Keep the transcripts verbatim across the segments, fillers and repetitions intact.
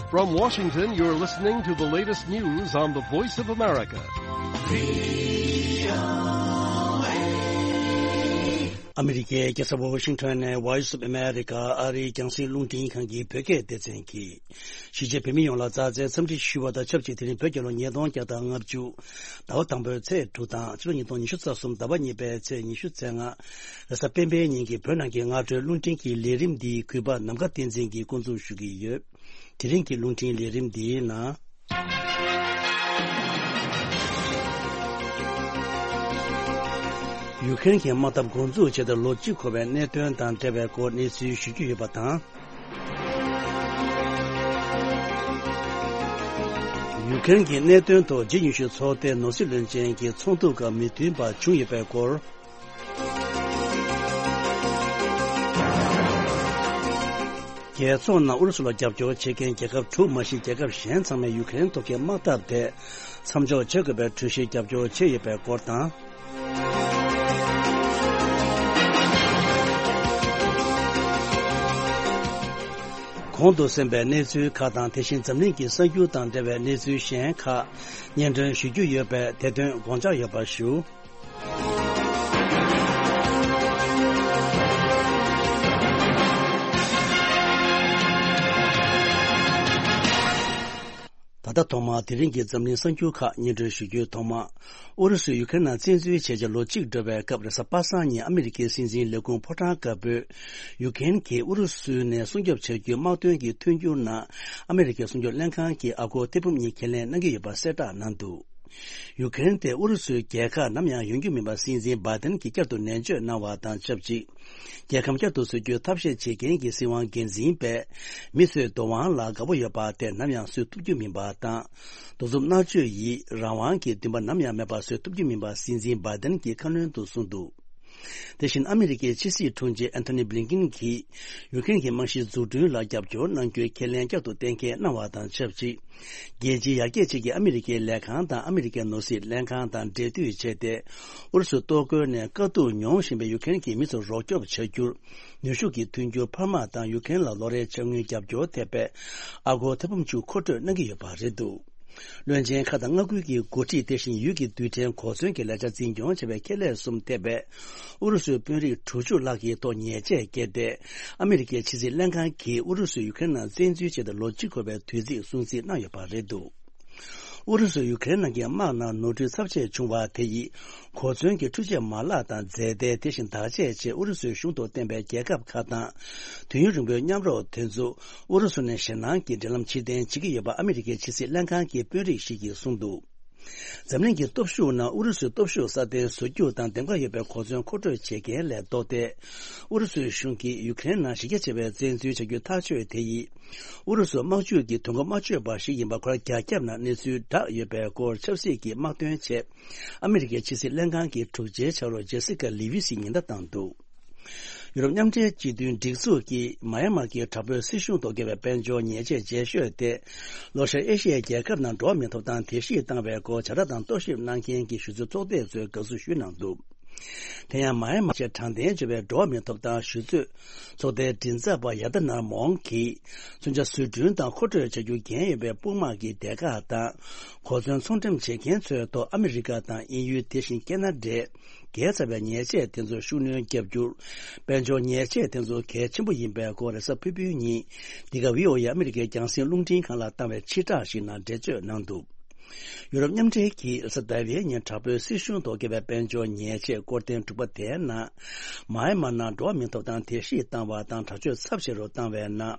From Washington, you're listening to the latest news on the Voice of America. ཨ་མི་རི་ཀའི་རྒྱལ་ས་ཝོ་ཤིང་ཊོན་ནས་Voice of America ཨ་རིའི་རྒྱང་སྲིང་རླུང་འཕྲིན་ཁང་གི་བོད་སྐད་སྡེ་ཚན་གྱིས། གཞིས་བྱེས་བོད་མི་ཡོངས་ལ་མཛའ་བརྩེའི་འཚམས་འདྲི་ཞུ་བ་དང་ཆབས་ཅིག་དེ་རིང་བོད་རྒྱལ་ལོ་ཉིས་སྟོང་བརྒྱ་དང་ལྔ་བཅུ། ཟླ་བ་དང་པོའི་ཚེས་དྲུག་དང་ཕྱི་ལོ་ཉིས་སྟོང་ཉི་ཤུ་རྩ་གསུམ་ཟླ་བ་གཉིས་པའི་ཚེས་ཉི་ཤུ་རྩ་ལྔ། རེས་གཟའ་སྤེན་པའི་ཉིན་གྱི་བོད་ནང་གི་སྔ་དྲོའི་རླུང་འཕྲིན་གྱི་ལས་རིམ་འདིའི་གུས་པ་ནམ་མཁའ་བསྟན་འཛིན་གྱིས་འགོ་འཛུགས་ཞུ་གི་ཡོད། དེ་རིང་གི་རླུང་འཕྲིན་ལས་རིམ་འདིའི་ནང་། ཡུ་ཀེ་རེན་གྱི་དམག་འཐབ་འགོ་འཛུགས་བྱས་ཏེ་ལོ་གཅིག་འཁོར་བའི་གནད་དོན་དང་འབྲེལ་བའི་སྐོར་གནས་ཚུལ་ཞུ་རྒྱུ་ཡོད་པ་དང་། ཡུ་ཀེ་རེན་གྱི་གནད་དོན་ཐོག་ཇི་ཉུང་ཤོས་ཚོགས་ཏེ་ནོར་སྲིད་བློན་ཆེན་གྱི་ཚོགས་འདུ་སྐབས་མི་མཐུན་པ་བྱུང་ཡོད་པའི་སྐོར། རྒྱལ་ཚོགས་ནང་ཨུ་རུ་སུ་ལ་རྒྱབ་སྐྱོར་བྱེད་མཁན་རྒྱལ་ཁབ་དྲུག་མ་ཞིག་རྒྱལ་ཁབ་གཞན་ཚང་མས་ཡུ་ཀེ་རེན་ཐོག་གི་དམག་འཐབ་དེ་མཚམས་འཇོག་བྱེད་དགོས་པའི་གྲོས་གཞིར་རྒྱབ་སྐྱོར་བྱས་ཡོད་པའི་སྐོར་དང་། གོང་དུ་གསན་པའི་གནས་ཚུལ་ཁག་དང་དེ་བཞིན་འཛམ་གླིང་གི་གསར་འགྱུར་དང་འབྲེལ་བའི་གནས་ཚུལ་གཞན་ཁག་སྙན་སྒྲོན་ཞུ་རྒྱུ་ཡོད་པས་དེ་དོན་དགོངས་འཇགས་ཡོད་པ་ཞུ། ད་ལྟ་ཐོག་མར་དེ་རིང་གི་འཛམ་གླིང་གསར་འགྱུར་ཁག་སྙན་སྒྲོན་ཞུ་རྒྱུའི་ཐོག་མ། ཨུ་རུ་སུས་ཡུ་ཀེ་རེན་ནང་བཙན་འཛུལ་བྱས་རྗེས་ལོ་གཅིག་འགྲོ་བའི་སྐབས་རེས་གཟའ་པ་སངས་ཉིན་ཨ་མི་རི་ཀའི་སྲིད་འཛིན་ལས་ཁུངས་ཕོ་བྲང་དཀར་པོས་ཡུ་ཀེ་རེན་གྱིས་ཨུ་རུ་སུ་ནས་སྲུང་སྐྱོབ་བྱ་རྒྱུའི་དམག་དོན་གྱི་མཐུན་འགྱུར་ནང་ཨ་མི་རི་ཀའི་སྲུང་སྐྱོབ་ལྷན་ཁང་གི་ཨ་སྒོར་ཐེར་འབུམ་གཉིས་ཁས་ལེན་གནང་གི་ཡོད་པ་གསལ་བསྒྲགས་གནང་འདུག་ཡུ་ཀེ་རེན་དེ་ཨུ་རུ་སུའི་རྒྱལ་ཁ་ནམ་ཡང་ཡོང་རྒྱུ་མིན་པ་སྲིད་འཛིན་བྷའི་ཏན་གྱིས་བསྐྱར་དུ་ནན་བརྗོད་གནང་བ་དང་ཆབས་ཅིག་རྒྱལ་ཁམས་བསྐྱར་དུ་བཟོ་རྒྱུའི་ཐབས་ཤེས་བྱེད་མཁན་གྱི་སྲིད་དབང་འགན་འཛིན་པས། མི་ཚོས་རྡོ་དབང་ལ་དགའ་པོ་ཡོད་པ་དེ་ནམ་ཡང་བཟོ་ཐུབ་རྒྱུ་མིན་པ་དང་། གདུང་སེམས་མནར་གཅོད་ཡིས་རང་དབང་གི་འདུན་པ་ནམ་ཡང་མེད་པ་བཟོ་ཐུབ་རྒྱུ་མིན་པ་སྲིད་འཛིན་བྷའི་ཏན་གྱིས་ཁ་སྣོན་དུ་གསུངས་འདུག་དེ་བཞིན་ཨ་མི་རི་ཀའི་ཕྱི་སྲིད་དྲུང་ཆེ་ཨན་ཐོ་ནི་བྷི་ལིན་ཀིན་གྱིས་ཡུ་ཀེ་རེན་གྱི་རྨང་གཞིའི་འཛུགས་སྐྲུན་ལ་རྒྱབ་སྐྱོར་གནང་རྒྱུའི་ཁས་ལེན་བསྐྱར་དུ་གཏན་འཁེལ་གནང་བ་དང་ཆབས་ཅིག་རྒྱལ་སྤྱིའི་ཡར་རྒྱས་ཆེད་ཀྱི་ཨ་མི་རི་ཀའི་ལས་ཁང་དང་ཨ་མི་རི་ཀའི་ནོར་སྲིད་ལྷན་ཁང་དང་འབྲེལ་མཐུད་བྱས་ཏེ། ཨུ་རུ་སུ་གཏོར་རྒོལ་ནས་དཀའ་སྡུག་མྱོང་བཞིན་པའི་ཡུ་ཀེ་རེན་གྱི་མི་ཚོར་རོགས་སྐྱོབ་བྱ་རྒྱུར། ནུས་ཤུགས་ཀྱི་མཐུན་འགྱུར་འཕར་མ་དང་ཡུ་ཀེ་རེན་ལ་ལོ་རེའི་ཆ་དངུལ་རྒྱབ་སྐྱོར་ཐེབས་པའི་ཨ་སྒོར་ཐེར་འབུམ་བཅུ་མཁོ་སྤྲོད་གནང་གི་ཡོད་པ་རེད་འདུག་བློན་ཆེན་ཁག་དང་མངའ་ཁུལ་གྱི་འགོ་ཁྲིད་དེ་བཞིན་ཡུལ་གྱི་རྡུལ་ཕྲན་གོ་མཚོན་གྱི་ལས་འཆར་འཛིན་སྐྱོང་བྱས་པའི་ཁེ་ལས་གསུམ་ཐེབས་པའི་ཨུ་རུ་སུའི་དཔོན་རིགས་དྲུག་ཅུ་ལྷག་གི་ཐོག་ཉེས་ཆད་བཀལ་ཏེ། ཨ་མི་རི་ཀའི་ཕྱི་སྲིད་ལྷན་ཁང་གིས་ཨུ་རུ་སུས་ཡུ་ཀེ་རེན་ནང་བཙན་འཛུལ་བྱས་ཏེ་ལོ་གཅིག་འཁོར་བའི་དུས་ཚིགས་སྲུང་བརྩི་གནང་ཡོད་པ་རེད་འདུག་ཨུ་རུ་སུས་ཡུ་ཀེ་རེན་ནང་གི་དམག་ནང་ནོར་འཁྲུལ་ཚབས་ཆེ་བྱུང་བ་དེ་ཡིས། གོ་མཚོན་གྱི་འཕྲུལ་ཆས་མ་ལག་དང་རྫས་མཐའི་དེ་བཞིན་བདག་གཅེས་ཆེད་ཨུ་རུ་སུའི་གཞུང་དུ་བསྟེན་པའི་རྒྱལ་ཁབ་ཁག་དང་། དུས་ཡུན་རིང་པོའི་མཉམ་རོགས་དེ་ཚོ་ཨུ་རུ་སུ་ནས་ཞེད་སྣང་གི་འབྲེལ་ལམ་ཕྱིར་འཐེན་བྱེད་ཀྱི་ཡོད་པ་ཨ་མི་རི་ཀའི་ཕྱི་སྲིད་ལྷན་ཁང་གི་དཔོན་རིགས་ཤིག་གིས་གསུངས་འདུག་འཛམ་གླིང་གི་སྟོབས་ཤུགས་ནང་ཨུ་རུ་སུའི་སྟོབས་ཤུགས་སྲ་བརྟན་བཟོ་རྒྱུ་དང་འདེམས་ཀ་ཡོད་པའི་གོ་མཚོན་མཁོ་སྤྲོད་བྱེད་མཁན་ལས་ལྡོག་སྟེ། ཨུ་རུ་སུའི་གཞུང་གིས་ཡུ་ཀེ་རེན་ནང་གཞི་རྒྱ་ཆེ་བའི་བཙན་འཛུལ་བྱ་རྒྱུའི་ཐག་གཅོད་དེ་ཡིས། ཨུ་རུ་སུ་དམག་ཇུས་ཀྱི་དོན་གོ་མ་ཆོད་པ་ཞིག་ཡིན་པ་ཁོ་རང་རྒྱ་ཁྱབ་ནང་གནས་ཚུལ་བསྒྲགས་ཡོད་པའི་སྐོར་ཆབ་སྲིད་ཀྱི་དམག་དོན་ཆེད་ཨ་མི་རི་ཀའི་ཕྱི་སྲིད་ལྷན་ཁང་གི་དྲུང་ཆེའི་ཕྱག་རོགས་ཇེ་སི་ཀ་ལི་ཝི་སིས་ཉེན་བརྡ་བཏང་འདུག་ཡུ་རོབ་མཉམ་འབྲེལ་སྤྱི་མཐུན་སྒྲིག་འཛུགས་ཀྱིས་མཱ་ཡན་མར་གྱི་དྲག་པོའི་སྲིད་གཞུང་ཐོག་བཀལ་བའི་དཔལ་འབྱོར་ཉེས་ཆད་ཇེ་ཤོས་དེ། ལྷོ་ཤར་ཨེ་ཤི་ཡའི་རྒྱལ་ཁབ་ནང་འགྲོ་བ་མིའི་ཐོབ་ཐང་དེ་བཤིག་བཏང་བའི་སྐོར་བྱ་བསྒྲགས་དང་རྟོག་ཞིབ་གནང་མཁན་གྱི་གཞི་རྩའི་ཚོགས་སྡེ་ཚོས་དགའ་བསུ་ཞུས་གནང་འདུག་དེ་ཡང་མཱ་ཡན་མར་ཆེས་དྲང་བདེན་བརྗོད་པའི་འགྲོ་བ་མིའི་ཐོབ་ཐང་ཞུ་གཙོས་ཚོགས་སྡེའི་མགྲིན་ཚབ་པ་ཡ་ད་ནར་མོང་གིས། མཚོན་ཆ་བཟོ་སྐྲུན་དང་མཁོ་སྤྲོད་བྱ་རྒྱུ་འགན་ཡོད་པའི་དཔུང་དམག་གི་སྡེ་ཁག་དང་། གོ་མཚོན་ཚོང་འགྲེམས་བྱེད་མཁན་ཚོའི་ཐོག་ཨ་མི་རི་ཀ་དང་དབྱིན་ཡུལ་དེ་བཞིན་ཁེ་ན་ཌས་བཀལ་ཚར་བའི་ཉེས་ཆད་དེ་ཚོར་ཤུགས་སྣོན་བརྒྱབ་རྒྱུར། དཔལ་འབྱོར་ཉེས་ཆད་དེ་ཚོ་གལ་ཆེན་པོ་ཡིན་པའི་སྐོར་རེས་གཟའ་ཕུར་བུའི་ཉིན། འདི་ག་བྷི་ཨོ་ཨེ་ཨ་མི་རི་ཀའི་རྒྱང་སྲིང་རླུང་འཕྲིན་ཁང་ལ་བཏང་བའི་ཕྱིར་བསྒྲགས་ཤིག་ནང་འགྲེལ་བརྗོད་གནང་འདུག་ཡུ་རོབ་མཉམ་འབྲེལ་གྱིས་རེས་གཟའ་ཟླ་བའི་ཉིན་དྲག་པོའི་སྲིད་གཞུང་ཐོག་བཀལ་བའི་དཔལ་འབྱོར་ཉེས་ཆད་སྐོར་ཐེངས་དྲུག་པ་དེའི་ནང་། མཱ་ཡན་མར་ནང་འགྲོ་བ་མིའི་ཐོབ་ཐང་དེ་བཤིག་བཏང་བ་དང་དྲག་སྤྱོད་ཚབས་ཆེ་རུ་བཏང་བའི་ནང་།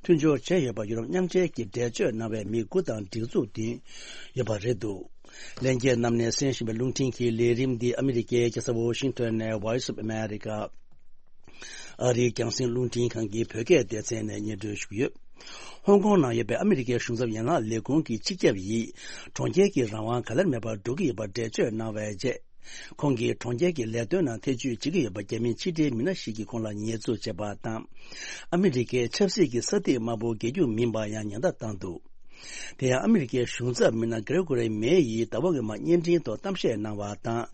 མཐུན་སྦྱོར་བྱས་ཡོད་པ་ཡུ་རོབ་མཉམ་འབྲེལ་གྱིས་འགྲེལ་བརྗོད་གནང་བའི་མི་དགུ་དང་སྒྲིག་འཛུགས་བདུན་ཡོད་པ་རེད་འདུག་ལྷན་རྒྱས་རྣམས་ནས་གསན་བཞིན་པའི་རླུང་འཕྲིན་གྱི་ལས་རིམ་འདི་ཨ་མི་རི་ཀའི་རྒྱལ་ས་ཝོ་ཤིང་ཊོན་ནས་Voice of America ཨ་རིའི་རྒྱང་སྲིང་རླུང་འཕྲིན་ཁང་གི་བོད་སྐད་སྡེ་ཚན་ནས་སྙན་སྒྲོན་ཞུ་གི་ཡོད། ཧོང་ཀོང་ནང་ཡོད་པའི་ཨ་མི་རི་ཀའི་གཞུང་ཚབ་ཡན་ལག་ལས་ཁུངས་ཀྱི་སྤྱི་ཁྱབ་ཡིས་གྲོང་ཁྱེར་གྱི་རང་དབང་ག་ལེར་མེད་པར་འགྲོ་གི་ཡོད་པར་འགྲེལ་བརྗོད་གནང་བའི་རྗེས། ཁོང་གིས་གྲོང་ཁྱེར་གྱི་ལས་དོན་ནང་ཐེ་བྱུས་བྱེད་ཀྱི་ཡོད་པ་རྒྱ་མིའི་ཕྱི་འབྲེལ་མི་སྣ་ཞིག་གིས་ཁོང་ལ་ཉེས་འཛུགས་བྱས་པ་དང་། ཨ་མི་རི་ཀའི་ཆབ་སྲིད་ཀྱི་ས་ཐིག་དམར་པོ་རྒྱལ་རྒྱུ་མིན་པ་ཡང་ཉེན་བརྡ་བཏང་འདུག་དེ་ཡང་ཨ་མི་རི་ཀའི་གཞུང་ཚབ་མི་སྣ་གྷི་རེ་གོ་རི་མེ་ཡིས་ཟླ་བ་སྔོན་མ་བརྙན་འཕྲིན་ཐོག་གཏམ་བཤད་གནང་བ་དང་།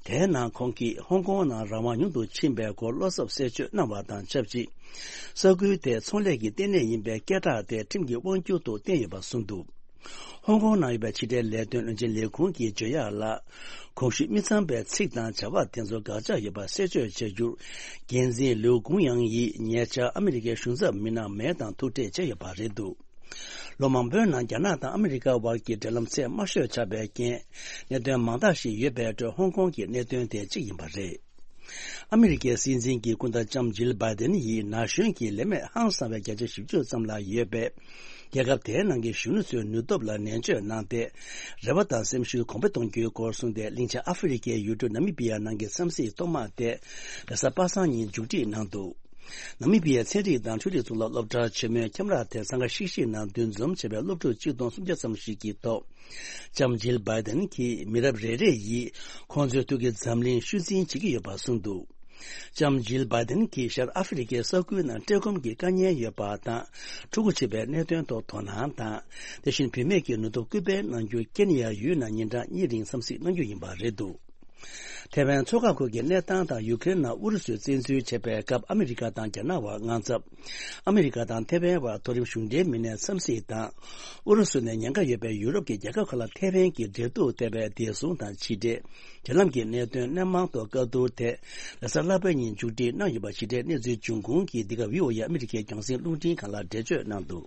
དེའི་ནང་ཁོང་གིས་ཧོང་ཀོང་ནང་རང་དབང་ཉུང་དུ་ཕྱིན་པའི་སྐོར་བློ་འཚབ་གསལ་བརྗོད་གནང་བ་དང་ཆབས་ཅིག་ས་ཁུལ་དེ་ཚོང་ལས་ཀྱི་ལྟེ་གནས་ཡིན་པའི་སྐད་གྲགས་དེ་ཁྲིམས་ཀྱི་དབང་སྒྱུར་དུ་བསྟན་ཡོད་པ་གསུངས་འདུག་ཧོང་ཀོང་ནང་ཡོད་པའི་ཕྱི་འབྲེལ་ལས་དོན་བློན་ཆེན་ལས་ཁུངས་ཀྱི་བརྗོད་ཡག་ལ། གོང་ཞུས་མི་ཚང་པའི་ཚིག་དང་བྱ་བ་དེ་ཚོ་དགག་བྱ་ཡོད་པ་གསལ་བརྗོད་བྱ་རྒྱུར། འགན་འཛིན་ལིའུ་ཀུང་ཡང་ཡིས་ཉེ་ཆར་ཨ་མི་རི་ཀའི་གཞུང་ཚབ་མི་སྣ་མེ་དང་ཐུག་འཕྲད་བྱས་ཡོད་པ་རེད་འདུག་ལོ་མང་པོའི་ནང་རྒྱ་ནག་དང་ཨ་མི་རི་ཀ་བར་གྱི་འབྲེལ་ལམ་ཚད་དམའ་ཤོས་ཆགས་པའི་རྐྱེན། གནད་དོན་མང་དག་ཞིག་ཡོད་པའི་ཁྲོད་ཧོང་ཀོང་གི་གནད་དོན་དེ་གཅིག་ཡིན་པ་རེད། ཨ་མི་རི་ཀའི་སྲིད་འཛིན་གྱི་སྐུ་ཟླ་ལྕམ་ཇིལ་བྷའི་ཏིན་ཡིས་ན་གཞོན་གྱི་ལས་མེད་ཧང་སང་བའི་བརྒྱ་ཆ་བཞི་བཅུ་ཙམ་ལ་ཡོད་པའི་རྒྱལ་ཁབ་དེའི་ནང་གི་གཞོན་ནུ་ཚོའི་ནུས་སྟོབས་ལ་ནན་བརྗོད་གནང་སྟེ། རེ་བ་དང་སེམས་ཤུགས་གོང་འཕེལ་གཏོང་རྒྱུའི་སྐོར་གསུངས་ཏེ། གླིང་ཆེན་ཨ་ཧྥེ་རི་ཀའི་ཡུལ་གྲུ་ནཱ་མི་པི་ཡ་ནང་གི་འཚམས་གཟིགས་ཐོག་མ་དེ་རེས་གཟའ་པ་སངས་ཉིན་མཇུག་སྒྲིལ་གནང་འདུག་ནཱ་མི་པི་ཡའི་ཚན་རིག་དང་འཕྲུལ་རིག་གཙུག་ལག་སློབ་གྲྭར་ཆེན་མོའི་ཁྱམས་ར་དེར་འཚང་ཁ་ཤིག་ཤིག་ངང་འདུ་འཛོམས་བྱས་པའི་སློབ་ཕྲུག་ཆིག་སྟོང་སུམ་བརྒྱ་ཙམ་ཞིག་གི་ཐོག་ལྕམ་ཇིལ་བྷའི་ཏིན་གྱིས་མི་རབས་རེ་རེ་ཡིས་ཁོང་ཚོའི་ཐུགས་ཀྱི་འཛམ་གླིང་ཤུལ་འཛིན་བྱེད་ཀྱི་ཡོད་པ་གསུངས་འདུག་ལྕམ་ཇིལ་བྷའི་ཏིན་གྱིས་ཤར་ཨ་ཧྥེ་རི་ཀའི་ས་ཁུལ་ནང་བཀྲེས་སྐོམ་གྱི་དཀའ་ངལ་ཡོད་པ་དང་། ཕྲུ་གུ་བྱེད་པའི་གནད་དོན་ཐོག་དོ་སྣང་དང་། དེ་བཞིན་བུད་མེད་ཀྱི་ནུས་སྟོབས་སྐུལ་སྤེལ་གནང་རྒྱུར་ཀེན་ཡ་ཡུལ་ནང་ཉིན་གྲངས་གཉིས་རིང་འཚམས་གཟིགས་གནང་རྒྱུ་ཡིན་པ་རེད་འདུག་ཐེ་ཝན་མཚོ་འགག་ཁུལ་གྱི་གནས་སྟངས་དང་ཡུ་ཀེ་རེན་ནང་ཨུ་རུ་སུས་བཙན་འཛུལ་བྱས་པའི་སྐབས་ཨ་མི་རི་ཀ་དང་རྒྱ་ནག་དབར་དངངས་འཚབ། ཨ་མི་རི་ཀ་དང་ཐེ་ཝན་དབར་མཐོ་རིམ་གཞུང་འབྲེལ་མི་སྣའི་འཚམས་གཟིགས་དང་། ཨུ་རུ་སུ་ནས་ཉེན་ཁ་ཡོད་པའི་ཡུ་རོབ་ཀྱི་རྒྱལ་ཁབ་ཁག་ལ་ཐེ་ཝན་གྱི་འབྲེལ་གཏུག་ལྟ་བའི་བདེ་སྲུང་དང་ཕྱི་འབྲེལ། འབྲེལ་ལམ་གྱི་གནད་དོན་སྣེ་མང་ཐོག་བཀའ་བསྡུར་དེ་རེས་གཟའ་ལྷག་པའི་ཉིན་མཇུག་སྒྲིལ་གནང་ཡོད་པ། ཕྱི་འབྲེལ་གནས་ཚུལ་འབྱུང་ཁུངས་ཀྱིས་འདི་ག་བྷི་ཨོ་ཨེ་ཨ་མི་རི་ཀའི་རྒྱང་སྲིང་རླུང་འཕྲིན་ཁང་ལ་འགྲེལ་བརྗོད་གནང་འདུག་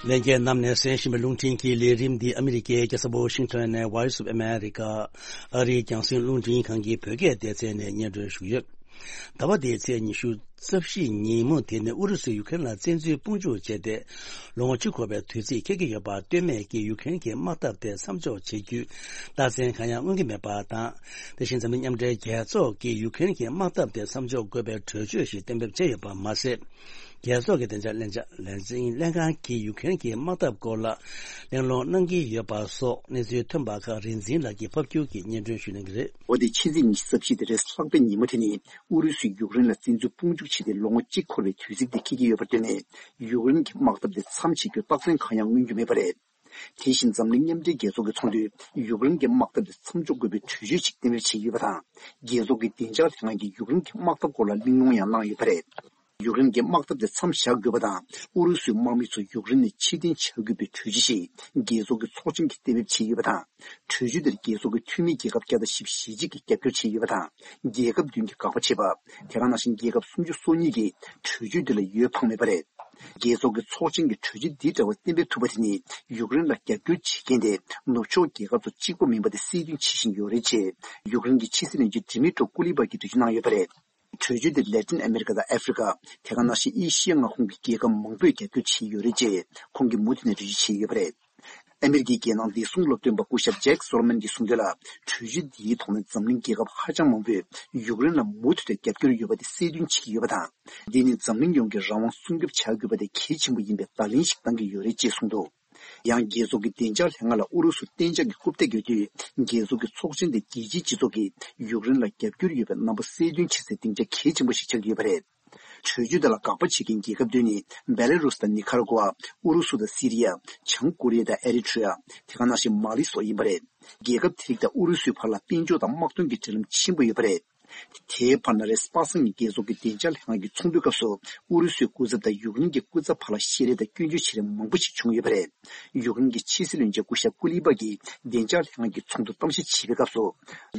ལྷན་རྒྱས་རྣམས་ནས་གསན་བཞིན་པའི་རླུང་འཕྲིན་གྱི་ལས་རིམ་འདི་ཨ་མི་རི་ཀའི་རྒྱལ་ས་ཝ་ཤིང་ཊོན་ནས་Voice of America ཨ་རིའི་རྒྱང་སྲིང་རླུང་འཕྲིན་ཁང་གི་བོད་སྐད་སྡེ་ཚན་ནས་སྙན་སྒྲོན་ཞུ་གི་ཡོད། ཟླ་བ་འདིའི་ཚེས་ཉི་ཤུ་རྩ་བཞི་ཉིན་མོ་དེ་ནི་ཨུ་རུ་སུས་ཡུ་ཀེ་རེན་ལ་བཙན་འཛུལ་དཔུང་འཇུག་བྱས་ཏེ། ལོ་ངོ་གཅིག་འཁོར་བའི་དུས་ཚིགས་འཁེལ་གྱི་ཡོད་པ་ལྟོས་མེད་ཀྱིས་ཡུ་ཀེ་རེན་གྱི་དམག་འཐབ་དེ་མཚམས་འཇོག་བྱེད་རྒྱུའི་རྟགས་མཚན་གང་ཡང་མངོན་གྱི་མེད་པ་དང་། དེ་བཞིན་འཛམ་གླིང་མཉམ་འབྲེལ་རྒྱལ་ཚོགས་ཀྱིས་ཡུ་ཀེ་རེན་གྱི་དམག་འཐབ་དེ་མཚམས་འཇོག་དགོས་པའི་གྲོས་ཆོད་ཞིག་གཏན་འབེབས་བྱས་ཡོད་པ་མ་ཟད། རྒྱལ་ཚོགས་ཀྱི་བདེ་འཇགས་ལྷན་ཚོགས་ལས་འཛིན་ལྷན་ཁང་གིས་ཡུ་ཀེ་རེན་གྱི་དམག་འཐབ་སྐོར་ལ་གླེང་སློང་གནང་གི་ཡོད་པ་སོགས་གནས་ཚུལ་ཐོན་པ་ཁག་རིག་འཛིན་ལགས་ཀྱིས་ཕབ་སྒྱུར་གྱིས་སྙན་སྒྲོན་ཞུ་གནང་གི་རེད། འོ་དེ་ཕྱི་ཚེས་ཉི་ཤུ་རྩ་བཞི་དེ་རེས་ལྷག་པའི་ཉིན་མོ་དེ་ནི་ཨུ་རུ་སུས་ཡུཀ་རེན་ལ་བཙན་འཛུལ་དཔུང་འཇུག་བྱས་ཏེ་ལོ་ངོ་གཅིག་འཁོར་བའི་དུས་ཚིགས་དེ་འཁེལ་གྱི་ཡོད་པར་བརྟེན་ནས་ཡུཀ་རེན་གྱི་དམག་འཐབ་དེ་མཚམས་ཆད་རྒྱུའི་རྟགས་མཚན་གང་ཡང་མངོན་རྒྱུ་མེད་པ་རེད། དེ་བཞིན་འཛམ་གླིང་མཉམ་འབྲེལ་རྒྱལ་ཚོགས་ཀྱི་ཚོགས་འདུས་ཡུཀ་རེན་གྱི་དམག་འཐབ་དེ་མཚམས་འཇོག་དགོས་པའི་གྲོས་ཆོད་ཅིག་གཏན་འབེབས་བྱས་ཡོད་པ་དང་། རྒྱལ་ཚོགས་ཀྱི་བདེ་འཇགས་ལྷན་ཁང་གིས་ཡུཀ་རེན་གྱི་དམག་འཐབ་སྐོར་ལ་གླེང་སློང་ཡང་གནང་ཡོད་པ་རེད། ཡུཀ་རེན་གྱི་དམག་འཐབ་དེ་མཚམས་བཞག་དགོས་པ་དང་། ཨུ་རུ་སུའི་དམག་མི་ཚོ་ཡུཀ་རེན་ནས་ཕྱིར་འཐེན་བྱ་དགོས་པའི་གྲོས་ཆོད་ཞིག་རྒྱལ་ཚོགས་ཀྱི་ཚོགས་ཆེན་གྱིས་གཏན་འབེབས་བྱས་ཡོད་པ་དང་། གྲོས་ཆོད་དེར་རྒྱལ་ཚོགས་ཀྱི་འཐུས་མི་རྒྱལ་ཁབ་བརྒྱ་དང་བཞི་བཅུ་ཞེ་གཅིག་གིས་རྒྱབ་སྐྱོར་བྱས་ཡོད་པ་དང་། རྒྱལ་ཁབ་བདུན་གྱིས་དགག་པ་བྱས་པ། དེ་ག་ནང་བཞིན་རྒྱལ་ཁབ་སུམ་ཅུ་སོ་གཉིས་ཀྱིས་གྲོས་ཆོད་དེ་ལ་འོས་འཕངས་མེད་པ་རེད། རྒྱལ་ཚོགས་ཀྱི་ཚོགས་ཆེན་གྱིས་གྲོས་ཆོད་འདི་འདྲ་བ་གཏན་འབེབས་ཐུབ་པ་དེ་ནི་ཡུཀ་རེན་ལ་རྒྱབ་སྐྱོར་བྱེད་མཁན་དེ་ནུབ་ཕྱོགས་རྒྱལ་ཁབ་ཚོ་གཅིག་པ་མིན་པ་དེ་གསལ་སྟོན་བྱེད་བཞིན་ཡོད་རེད་ཅེས་ཡུཀ་རེན་གྱི་ཕྱི་སྲིད་བློན་ཆེན་ཌི་མི་ཏྲོ་ཀུ་ལི་པ་གྱིས་འགྲེལ་བརྗོད་གནང་ཡོད་པ་རེད། གྲོས་ཆོད་དེར་ལེ་ཏིན་ཨ་མེ་རི་ཀ་དང་ཨ་ཧྥེ་རི་ཀ། དེ་ག་ནང་བཞིན་ཨེ་ཤི་ཡ་མངའ་ཁོངས་ཀྱི་རྒྱལ་ཁབ་མང་པོས་རྒྱབ་སྐྱོར་བྱས་ཡོད་རེད་ཅེས་ཁོང་གིས་མུ་མཐུད་ནས་འགྲེལ་བརྗོད་བྱས་ཡོད་པ་རེད། ཨ་མེ་རི་ཀའི་རྒྱལ་ནང་བདེ་སྲུང་སློབ་སྟོན་པ་སྐུ་ཞབས་ཇེག་སོ་ལོ་མན་གྱིས་གསུངས་དོན་ལ། གྲོས་ཆོད་འདིའི་ཐོག་ནས་འཛམ་གླིང་རྒྱལ་ཁབ་ཧ་ཅང་མང་པོས་ཡུཀ་རེན་ལ་མུ་མཐུད་དུ་རྒྱབ་སྐྱོར་ཡོད་པ་དེ་གསལ་སྟོན་བྱེད་ཀྱི་ཡོད་པ་དང་། འདི་ནི་འཛམ་གླིང་ཡོངས་ཀྱི་རང་དབང་སྲུང་སྐྱོབ་བྱ་དགོས་པ་དེ་གལ་ཆེན་པོ་ཡིན་པའི་བརྡ་ལན་ཞིག་བཏང་གི་ཡོད་རེད་ཅེས་གསུངས་འདུག་ཡང་རྒྱལ་ཚོགས་ཀྱི་བདེ་འཇགས་ལྷན་ཁང་ལ་ཨུ་རུ་སུ་གཏན་འཇགས་ཀྱི་རྐུབ་སྟེགས་ཡོད་དུས། རྒྱལ་ཚོགས་ཀྱི་ཚོགས་ཆེན་དེ་རྒྱལ་སྤྱིའི་སྤྱི་ཚོགས་ཀྱིས་ཡུཀ་རེན་ལ་རྒྱབ་སྐྱོར་ཡོད་པའི་རྣམ་པ་གསལ་སྟོན་བྱེད་སའི་སྡིངས་ཆ་གལ་ཆེན་པོ་ཞིག་ཆགས་ཀྱི་ཡོད་པ་རེད། གྲོས་ཆོད་དེ་ལ་དགག་པ་བྱེད་མཁན་རྒྱལ་ཁབ་བདུན་ནི། བེ་ལ་རུས་དང་ནི་ཁ་ར་གུ་ཝ། ཨུ་རུ་སུ་དང་སི་རི་ཡ། བྱང་ཀོ་རི་ཡ་དང་ཨེ་རི་ཐི་རི་ཡ། དེ་ག་ནང་བཞིན་མ་ལི་སོགས་ཡིན་པ་རེད། རྒྱལ་ཁབ་དེ་རིགས་དང་ཨུ་རུ་སུའི་བར་ལ་དཔལ་འབྱོར་དང་དམག་དོན་གྱི་འབྲེལ་ལམ་ཆེན་པོ་ཡོད་པ་རེད། དེའི་བར་ན་རེས་གཟའ་པ་སངས་ཉིན་རྒྱལ་ཚོགས་ཀྱི་བདེ་འཇགས་ལྷན་ཁང་གི་ཚོགས་འདུའི་སྐབས་སུ། ཨུ་རུ་སུའི་སྐུ་ཚབ་དང་ཡུཀ་རེན་གྱི་སྐུ་ཚབ་བར་ལ་བཤད་རེས་དང་སྐྱོན་བརྗོད་བྱེད་རེས་མང་པོ་ཞིག་བྱུང་ཡོད་པ་རེད། ཡུཀ་རེན་གྱི་ཕྱི་སྲིད་བློན་ཆེན་སྐུ་ཞབས་ཀུ་ལི་པ་གྱིས་བདེ་འཇགས་ལྷན་ཁང་གི་ཚོགས་འདུ་གཏམ་བཤད་བྱེད་པའི་སྐབས་སུ།